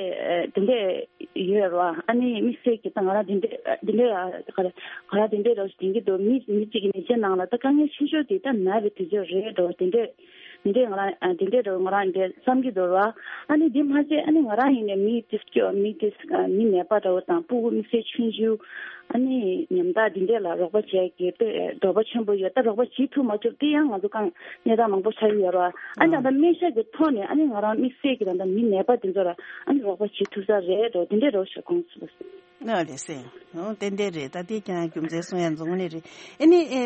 འདྲས་དེ་འདྲས་ཡོད་རེད་བ། ཨ་ནི་དམིགས་བསལ་གྱིས་ད་ང་རང་དེ་འདྲས་དེ་འདྲས་ང་རང་དེ་འདྲས་རོགས་ཞིག་དེང་གི་འདུག་མི་མི་གཅིག་གི་ནད་གཞི་ནང་ལ་ད་དཀའ་ངལ་ཆེ་ཤོས་དེ་ད་ན་བའི་དུས་ཚོད་རེད་འགྲོ། དེ་འདྲས་འདི་འདྲས་ང་རང་ཨ་འདི་འདྲས་འདྲ་བོ་ང་རང་འདི་འདྲས་བསམ་གྱི་འདུག་ར། ཨ་ནི་འདི་མ་ཟད་ཨ་ནི་ང་རང་ཡིན་ནའི་མི་དེ་སྐྱོ་མི་དེ་ཨ་མི་ནད་པ་འདྲ་བོ་དང་ཕྲུ་གུ་དམིགས་བསལ་ཆུང་ཆུང་ཨ་ནི་ཉམ་ཐག་འདི་འདྲས་ལ་རོགས་པ་བྱས་ཀྱི་དཔེ་འདོད་པ་ཆེན་པོ་ཡོད། ད་རོགས་པ་བྱེད་ཐུབ་མ་ཐུབ་དེ་ཡང་ང་ཚོ་གང་གནས་སྟངས་མང་པོ་ཆགས་ཀྱི་ཡོད་ར། ཨ་ནི་ད་ལྟ་སྨན་ཞབས་ཀྱི་ཐོག་ནས་ཨ་ནི་ང་རང་དམིགས་བསལ་གྱི་ད་ལྟ་མི་ནད་པ་དེ་ཚོ་ལ་ཨ་ནི་རོགས་པ་བྱེད་ཐུབ་ས་རེད་འགྲོ། དེ་འདྲས་རོགས་ཞེས་དགོངས་སུ། ཨ་ལེ་སེ། ཨོ་ཏན་ཏན་རེད། ད་དེ་ཀྱང་རྒྱུ་མཚན་གསུང་ཡ་འཛོང་ནི་རེད། ཨ་ནི་ཨེ་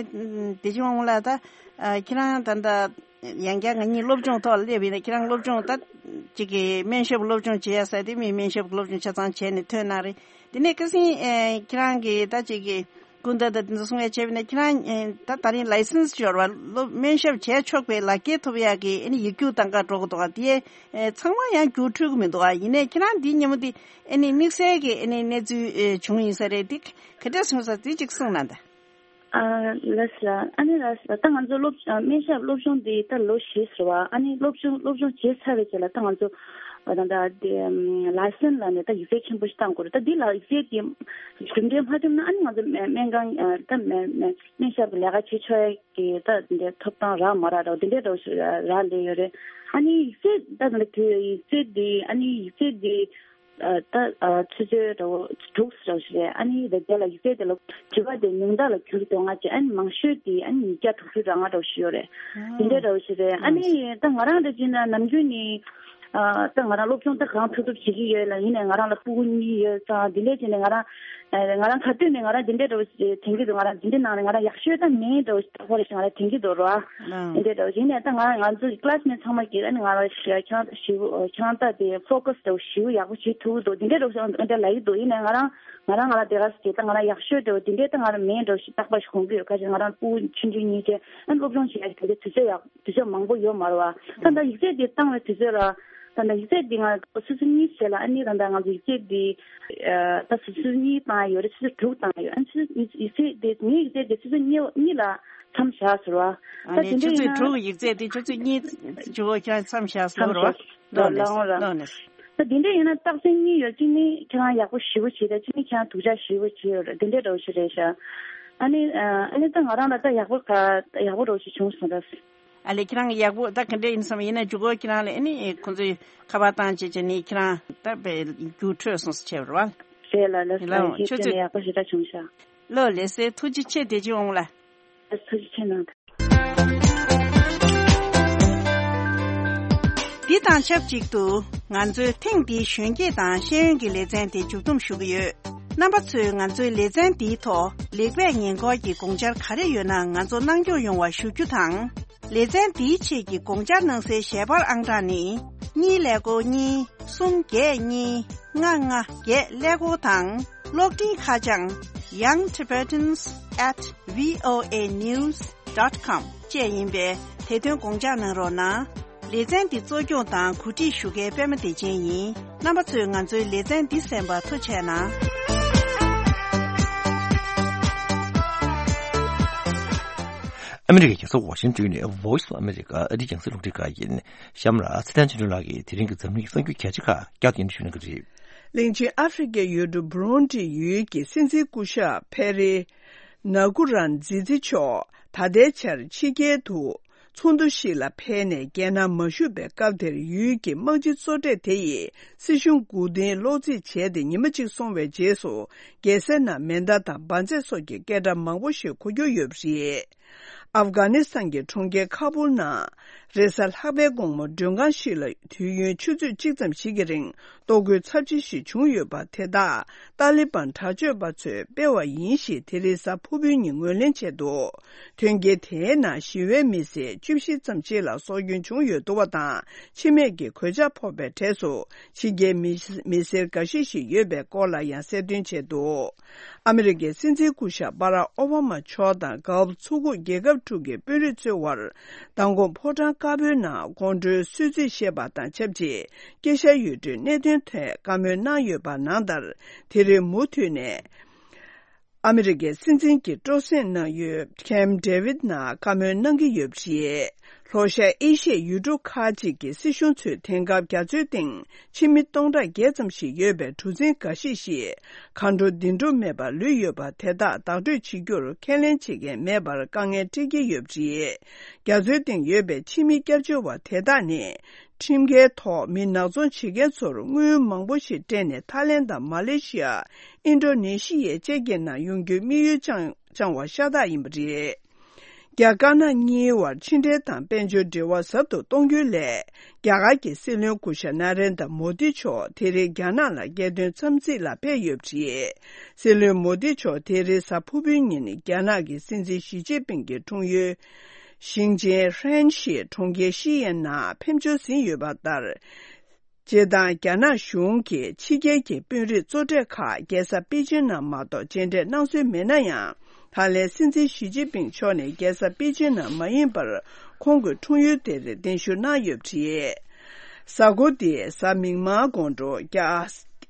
དེ་ཅི་མང་ལ་ད་ཨ་ཁྱེད་རང་ད་ད་ཡང་བསྐྱར་ང་གཉིས་སློབ་སྦྱོང་ཐོག་སླེབས་ཡིན་ན་ཁྱེད་རང་སློབ་སྦྱོང་ད་ཅིག་གི་སྨན་ཞབས་སློབ་སྦྱོང་བྱེད་ཡ་ས་དེ་མི་སྨན་ཞབས་སློབ་སྦྱོང་ཆ་ཚང་བྱས་ནས་ཐོན་གནང་རེད། དེ་ནས་ཁ་སང་ཨེ་ཁྱེད་རང་གི་ད་ཅིག་གི་སྐུ་ཟླ་ད་དེ་ཚོ་གསུང་ཡ་བྱས་པ་ཡིན་ན་ཁྱེད་རང་ཨེ་ད་ད་རིང་ལའི་སེན་སི་འབྱོར་བ་སློབ་སྨན་ཞབས་བྱས་ཆོག་པའི་ལག་འཁྱེར་ཐོབ་ཡ་གི་ཨ་ནི་ཡིག་རྒྱུགས་གཏང་ག་འགྲོ་གི་འདུག་ག་དེ་ཨེ་ཚང་མ་ཡང་རྒྱུགས་འཕྲོད་གི་མི་འདུག་ག་ཡིན་ནའི་ཁྱེད་རང་འདི་མཉམ་པོ་དེ་ཨ་ནི་དམིགས་བསལ་གྱི་ཨ་ནི་གནས་ཚུལ་ཨེ་བྱུང་ཡིན་ས་རེད། འདི་ག་འདྲ་སོང་ས་དེ་གཅིག་གསུངས་གནང་དང་། ཨ་ལགས་སོ། ཨ་ནི་ལགས་སོ། ད་ང་ཚོ་སློབ་ཨ་སྨན་ཞབས་སློབ་སྦྱོང་འདི་ད་ལོ་བཞི་ཟེར་བ། ཨ་ནི་སློབ་སྦྱོང་སློབ་སྦྱོང་བྱས་ཚར་བའི་རྗེས་ལ་ད་ང་ཚོ་ཨ་ད་ད་དེ་ཨམ་ལའི་སེན་ལ་ནས་ད་ཡིག་ཚད་ཆེན་པོ་ཞིག་བཏང་དགོས་རེད། ད་འདི་ལ་ཡིག་ཚད་དེ་གྲུབ་འབྲས་མ་ཐོབ་ན་ཨ་ནི་ང་ཚོ་སྨན་སྨན་ཁང་ཨ་ད་སྨན་སྨན་སྨན་ཞབས་ཀྱི་ལས་ཀ་བྱེད་ཆོག་ཡ་གི་ད་འདི་ཐོབ་ཐང་རག་མ་རག་རོགས་འདི་འདྲའི་རོགས་ཞིག་རག་ལས་ཡོད་རེད། ཨ་ནི་ཡིག་ཚད་ད་ད་དེ་ཡིག་ཚད་འདི་ཨ་ནི་ཡིག་ཚད་འདི་ཨ་ད་ཨ་ཆུ་ཚོད་རེ་བོ་དྲུག་རེ་བོ་ཞིག་རེད། ཨ་ནི་དེ་རྗེས་ལ་ཡིག་ཚད་དེ་ལ་དྲི་བ་དེ་ཉུང་མཐའ་ལ་འགྱུར་འདུག་ང་ཅི་ཨ་ནི་མང་ཤོས་དེ་ཨ་ནི་ཉིས་བརྒྱ་དྲུག་ཅུ་རེ་ལྔ་རེ་བོ་ཞིག་ཡོད་རེད། དེ་འདྲའི་རེ་བོ་ཞིག་རེད། ཨ་ནི་ད་ང་རང་འདྲ་བྱས་ན་ནམ་རྒྱུན་ནི་ ཨ་ད་ང་རང་སློབ་སྦྱོང་ད་གང་ཐུབ་ཐུབ་བྱེད་ཀྱི་ཡོད་ལ། ཡིན་ནའི་ང་རང་ལ་སྤུ་གུ་གཉིས་ཡོད་ཙང་དེ་འདྲས་བྱས་ནས་ང་རང་ཨ་ང་རང་ག་དུས་ནས་ང་རང་འདི་འདྲས་འདྲ་བོ་ཞིག་དྲན་གྱི་འདུག་ང་རང་འདི་འདྲས་ནང་ནས་ང་རང་ཡག་ཤོས་ད་མིན་འདྲ་བོ་ཞིག་རྟག་པར་ཞིག་ང་རང་དྲན་གྱི་འདུག་རོ། ཨ་འདི་འདྲས་འདྲ་བོ་ཞིག་ཡིན་ནའི་ད་ང་རང་ང་ཚོ་classmate་ཚང་མ་གིས་ཨ་ནི་ང་རང་ཞིག་ཁྱེད་རང་ད་ཞིབ་ཁྱེད་རང་ད་དེ་focus་འདྲ་བོ་ཞིབ་ཡག་པོ་བྱེད་ཐུབ་ཀྱི་འདུག་འདི་འདྲས་འདྲ་བོ་ཞིག་ཨ་འདྲས་ལབ་ཀྱི་འདུག་ཡིན་ནའི་ང་རང་ང་རང་ང་ལ་དེ་ག་ཟེར་ད་ང་རང་ཡག་ཤོས་འདྲ་བོ་དེ་འདྲས་ད་ང་རང་མིན་འདྲ་བོ་ཞིག་རྟག་པར་ཞིག་དགོངས་ཀྱི་ཡོད། ག་ཅི་ང་རང་སྤུ་གུ་ཆུང་ཆུང་གཉིས་བྱས་ཨ་ནི་སློབ་སྦྱོང་བྱེད་ཡག་དེ་འདྲས་དུས་ཚོད་ཡག་དུས་ཚོད་མང་པོ་ཡོད་མ་རེད་བ། ད་ལྟ་ཡིག་ཚད་འདི་བཏང་བའི་དུས་ཚོད་ལ། ད་ལྟ་ཡིག་ཚད་འདི་ང་ཆུ་ཚོད་གཉིས་བྱས་ལ་ཨ་ནི་ད་ལྟ་ང་ཚོ་ཡིག་ཚད་འདི་ད་ཆུ་ཚོད་གཉིས་བཏང་ཡོད་རེད། ཆུ་ཚོད་དྲུག་བཏང་ཡོད། ཨ་ནི་ཆུ་ཚོད་ཡིག་ཚད་འདི་ངའི་ཡིག་ཚད་འདི་ཆུ་ཚོད་གཉིས་གཉིས་ལ་མཚམས་བཞག་ཟེར་བ། ཨ་ད་ནི་དེ་འདྲ་ཆུ་ཡིན་ཚོད་ན་དྲུག་ཡིག་ཚད་འདི་ཆུ་ཚོད་གཉིས་ཇོ་བོ་ཁྱེད་རང་མཚམས་བཞག་ཟེར་བ། མཚམས་བཞག་ལོ་ནས་ལོ་ནས། ད་དེ་འདྲ་ཡིན་ན་རྟགས་མཚན་གཉིས་ཡོད། གཅིག་ནི་ཁྱེད་རང་ཡག་པོ་ཞེ་པོ་བྱེད། ད་གཅིག་ནི་ཁྱེད་རང་སྡུག་ཅག་ཞེ་པོ་བྱེད་ཡོད་རེད། དེ་འདྲ་འདྲ་བོ་ཞིག་རེད་ཤག་ཨ་ནི་ཨ་ནི་ད་ང་རང་ལ་ད་ཡག་པོ་ག་ཡག་པོ་འདྲ་བོ་ཞིག་བྱུང་སོང་ད། ཨ་ལས་ཁྱེད་རང་ཡག་པོ་ད་ག་འདྲ་ཡིན་བསམ་ཡིན་ན་འཇུག་གོ་ཁྱེད་རང་ལ་ཨ་ནི་ཁོང་ཚོས་ཁ་པར་བཏང་བྱས་བྱས་ནས་ཁྱེད་རང་ད་བའི་རྒྱུགས་འཕྲོད་སོང་ཟེར་བྱས་པ་རེད་བ། རེད་ལ་ལ་ལ་ལ་ཁྱེད་ཁྱོད་ཚོས་ཚོས་ཡག་པོ་ཞེ་དྲག་བྱུང་ཤག་ལོ་ལེ་སེ་ཐུགས་རྗེ་ཆེ་བདེ་ཆེན་འོང་ལ། ལ་ཐུགས་རྗེ་ཆེ་གནང་། འདི་དང་ཆབས་ཅིག་ཏུ་ང་ཚོའི་ཐེངས་འདིའི་གཞོན་སྐྱེས་དང་ཤེས་ཡོན་གྱི་ལེ་ཚན་དེ་མཇུག་བསྡོམས་ཞུ་གི་ཡོད། རྣམ་པ་ཚོས་ང་ཚོའི་ལེ་ཚན་འདིའི་ཐོག་ལེགས་སྤེལ་ཉེས་འཁོར་གྱི་དགོངས་འཆར་ག་རེ་ཡོད་ན་ང་ཚོ་གནང་སྐྱོང་ཡོང་བ་ཞུ་རྒྱུ་དང་། ལེ་ཚན་འདིའི་ཆེད་ཀྱི་དགོངས་འཆར་གནང་སའི་ཞལ་པར་ཨང་གྲངས་ནི། གཉིས་ཀླད་ཀོར་གཉིས། གསུམ་བརྒྱད་གཉིས། ལྔ་ལྔ་བརྒྱད་ཀླད་ཀོར་དང་། གློག་འཕྲིན་ཁ་བྱང་young tibetans at voa news dot com བཅས་ཡིན་པས་དེ་དོན་དགོངས་འཇགས་གནང་རོགས་གནང་། ལེ་ཚན་འདི་གཙོ་སྐྱོང་དང་གོ་སྒྲིག་ཞུ་མཁན་པད་མ་བདེ་ཆེན་ཡིན། རྣམ་པ་ཚོས་ང་ཚོའི་ལེ་ཚན་འདི་གསན་པར་ཐུགས་རྗེ་གནང་། ཨ་མི་རི་ཀའི་རྒྱལ་ས་ཝ་ཤིང་ཏོན་ནས་Voice of America ཨ་རིའི་རྒྱང་སྲིང་རླུང་འཕྲིན་ཁང་ཡིན། གཤམ་ལ་ཚེ་བརྟན་ཆོས་སྒྲོན་ལགས་ཀྱིས་དེ་རིང་གི་འཛམ་གླིང་གི་གསར་འགྱུར་གལ་ཆེ་ཁག་བསྐྱར་དུ་སྙན་སྒྲོན་ཞུ་གནང་གི་རེད། གླིང་ཆེན་ཨ་ཧྥེ་རི་ཀའི་ཡུལ་གྲུ་བུ་རུན་ཏི་ཡུལ་གྱི་སྲིད་འཛིན་སྐུ་ཞབས་ཕེ་རེ་ན་ཀུ་རན་ཛི་ཛི་མཆོག་ད་ལྟའི་ཆར་ཕྱི་རྒྱལ་དུ་ཚོགས་འདུ་ཞིག་ལ་ཕེབས་ནས་རྒྱལ་ནང་མ་བཞུགས་པའི་སྐབས་དེར་ཡུལ་གྱི་དམག་སྤྱི་གཙོ་གྲས་དེ་ཡིས་སྲིད་གཞུང་མགོ་རྟིང་སློག་རྩིས་བྱས་ཏེ་ཉི་མ་གཅིག་སོང་བའི་རྗེས་སུ་རྒྱལ་སའི་ནང་མེ་མདའ་དང་འབར་རྫས་སོགས་ཀྱི་སྐད་སྒྲ་མང་པོ་ཞིག་གོ་རྒྱུ་ཡོད་པ་རེད། ཨབ་གྷ་ནི་སི་ཐན་གྱི་གྲོང་ཁྱེར་ཁ་པུལ་ནང་རེས་གཟའ་ལྷག་པའི་དགོང་མོ་མགྲོན་ཁང་ཞིག་ལ་དུས་ཡུན་ཆུ་ཚོད་གཅིག་ཙམ་ཞིག་གི་རིང་ལྟོ་གོས་ཚབས་ཆེ་ཞིག་བྱུང་ཡོད་པ་དེ་དག་ཏཱ་ལི་བན་དྲག་སྤྱོད་པ་ཚོས་སྤེལ་བ་ཡིན་ཞེས་དེ་རིང་གཟའ་ཕུར་བུའི་ཉིན་ངོས་ལེན་བྱས་འདུག་མཐུན་རྐྱེན་དེའི་ནང་ཞི་བའི་མི་སེར་བཅུ་བཞི་ཙམ་ཞིག་ལ་སྲོག་སྐྱོན་བྱུང་ཡོད་འདུག་པ་དང་། འཆི་རྨས་ཀྱི་གོད་ཆག་ཕོག་པའི་གྲས་སུ་ཕྱི་རྒྱལ་མི་མི་སེར་འགའ་ཤས་ཤིག་ཡོད་པའི་སྐོར་ལ་ཡང་གསལ་སྟོན་བྱས་འདུག་ཨ་མི་རི་ཀའི་སྲིད་འཛིན་སྐུ་ཞབས་པ་རག་ཨོ་བྷ་མ་མཆོག་དང་གྷ་ལབ་མཚོ་ཁུག་རྒྱལ་ཁབ་དྲུག་གི་དཔོན་རིགས་ཚོའི་དབར་མདང་དགོང་ཕོ་བྲང་དཀར་པོའི་ནང་དགོང་དྲོའི་གསོལ་ཚིགས་བཞེས་པ་དང་ཆབས་ཅིག་དཀྱིལ་ཤར་ཡུལ་གྲུའི་གནད་དོན་ཐད་བཀའ་མོལ་གནང་ཡོད་པ་ནང་ལྟར། དེ་རིང་མུ་མཐུད་ནས། ཨ་མི་རི་ཀའི་སྲིད་འཛིན་གྱི་སྤྲོ་གསེང་གནང་ཡུལ་ཁེམ་ཌེ་ཝིད་ནང་བཀའ་མོལ་གནང་གི་ཡོད་པ་རེད། ལྷོ་ཤར་ཨེ་ཤི་ཡའི་ཡུལ་གྲུ་ཁག་ཅིག་གི་སྲིད་གཞུང་ཚོས་དེང་སྐབས་རྒྱ་མཚོའི་སྟེང་ཕྱི་མི་སྟོང་ཕྲག་བརྒྱད་ཙམ་ཞིག་ཡོད་པའི་གྲུ་གཟིངས་འགའ་ཤས་ཤིག་གར་འགྲོ་འདི་འགྲོ་མེད་པར་ལུས་ཡོད་པ་དེ་དག་བདག་སྤྲོད་བྱེད་རྒྱུར་ཁས་ལེན་བྱེད་མཁན་མེད་པར་དཀའ་ངལ་འཕྲད་ཀྱི་ཡོད་པ་རེད། རྒྱ་མཚོའི་སྟེང་ཡོད་པའི་ཕྱི་མི་སྐྱབས་བཅོལ་བ་དེ་དག་ནི། ཁྲིམས་འགལ་ཐོག་མི་ནག་ཚོང་བྱེད་མཁན་ཚོར་དངུལ་མང་པོ་ཞིག་སྤྲད་ནས་ཐའི་ལེན་དང་མ་ལེ་ཤི་ཡ། ཨིན་ཌོ་ནེ་ཤི་ཡ་བཅས་ཀྱི་ནང་ཡོང་རྒྱུའི་དམིགས་ཡུལ་བཅངས་བཅངས་པ་ཤ་སྟག་ཡིན་པ་རེད། རྒྱ་དཀར་ནག་གཉིས་དབར་ཕྱི་འབྲེལ་དང་དཔལ་འབྱོར་འབྲེལ་བ་ཟབ་ཏུ་གཏོང་རྒྱུའི་སླད། རྒྱ་གར་གྱི་སྲིད་བློན་སྐུ་ཞབས་ན་རེན་དྲ་མོ་དི་མཆོག་དེ་རིང་རྒྱ་ནག་ལ་རྒྱལ་དོན་འཚམས་གཟིགས་ལ་ཕེབས་ཡོད་པ་རེད། སྲིད་བློན་མོ་དི་མཆོག་དེ་རིང་གཟའ་ཕུར་བུའི་ཉིན་རྒྱ་ནག་གི་སྲིད་འཛིན་ཞི་ཅིན་ཕིང་གི་འཁྲུངས་ཡུལ། ཞིང་ཆེན་ཧྲན་ཞི་གྲོང་ཁྱེར་ཤི་ཡན་ནང་ཕེབས་འབྱོར་ཟིན་ཡོད་པ་ལྟར། སྤྱིར་བཏང་རྒྱ་ནག་གཞུང་གིས་ཕྱི་རྒྱལ་གྱི་དཔོན་རིགས་གཙོ་གྲས་ཁག་རྒྱལ་ས་པེ་ཅིན་ནང་མ་གཏོགས་མཇལ་འཕྲད་གནང་སྲོལ་མེད་ན་ཡང་། ད་ལན་སྲིད་འཛིན་ཞི་ཅིན་ཕིང་མཆོག་ནས་རྒྱལ་ས་པེ་ཅིན་ནང་མ་ཡིན་པར་ཁོང་གི་འཁྲུངས་ཡུལ་དེར་གདན་ཞུ་གནང་ཡོད་པ་རེད། གཟའ་འཁོར་འདིའི་གཟའ་མིག་དམར་དགོང་དྲོ་རྒྱ།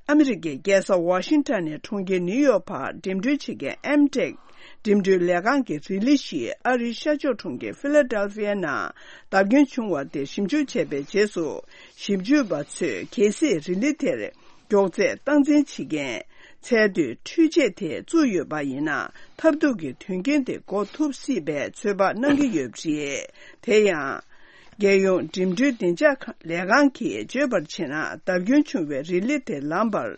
ཨ་མི་རི་ཀའི་རྒྱལ་ས་ཝ་ཤིང་ཊོན་ནས་གྲོང་ཁྱེར་ནིའུ་ཡོག་བར་འགྲིམ་འགྲུལ་བྱེད་མཁན་ཨེམ་ཊེག་འགྲིམ་འགྲུལ་ལས་ཁང་གི་རི་ལི་ཞིག་ཨ་རིའི་ཤར་ཕྱོགས་གྲོང་ཁྱེར་ཕི་ལ་ཌེལ་ཕི་ཡའི་ནང་བརྡབ་སྐྱོན་བྱུང་བ་དེ་ཞིབ་འཇུག་བྱས་པའི་རྗེས་སུ། ཞིབ་འཇུག་པ་ཚོས་གལ་སྲིད་རི་ལི་དེར་མགྱོགས་ཚད་སྟངས་འཛིན་བྱེད་མཁན་ཚད་མཐོའི་འཕྲུལ་ཆས་དེ་བཙུགས་ཡོད་པ་ཡིན་ན། ཐབས་སྡུག་གི་དོན་རྐྱེན་དེ་འགོག་ཐུབ་སྲིད་པའི་ཚོད་དཔག་གནང་གི་ཡོད་པ་རེད། དེ་ཡང་། རྒྱལ་ཡོངས་འགྲིམ་འགྲུལ་བདེ་འཇགས་ལས་ཁང་གིས་བརྗོད་པར་བྱས་ན། བརྡབ་སྐྱོན་བྱུང་བའི་རི་ལི་དེ་ལམ་བར།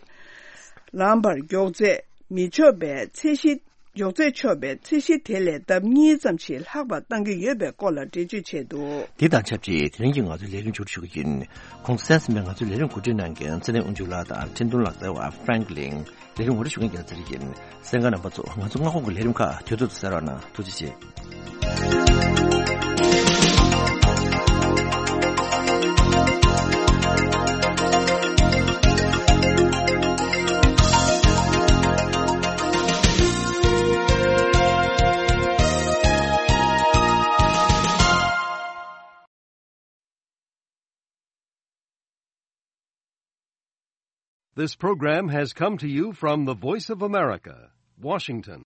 ལམ་བར་མགྱོགས་ཚད་མི་ཆོག་པའི་ཚད་གཞི་ མགྱོགས་ཚད་ཆོག་པའི་ཚད་གཞི་དེ་ལས་ལྡབ་གཉིས་ཙམ་ཞིག་ལྷག་པ་གཏང་གི་ཡོད་པའི་སྐོར་ལ་འགྲེལ་བརྗོད་བྱས་འདུག། འདི་དང་ཆབས་ཅིག་དེ་རིང་གི་ང་ཚོའི་ལས་རིམ་མཇུག་སྒྲིལ་ཞུ་གི་ཡིན། གོང་དུ་གསན་ཟིན་པའི་ང་ཚོའི་ལས་རིམ་གོ་སྒྲིག་གནང་མཁན་ཚེ་རིང་དབང་ཕྱུག་ལགས་དང་འཕྲིན་གཏོང་ལག་རྩལ་བ་ཧྥ་རན་ཀི་ལིན། ལས་རིམ་ངོ་སྤྲོད་ཞུ་མཁན་རྒྱལ་ཚེ་རིང་ཡིན། གསན་མཁན་རྣམ་པ་ཚོ་ང་ཚོ་སྔ་དགོང་གི་ལས་རིམ་ཁག་དུས་ཐོག་ཏུ་གསན་རོགས་གནང་། ཐུགས་རྗེ་ཆེ། This program has come to you from the Voice of America, Washington.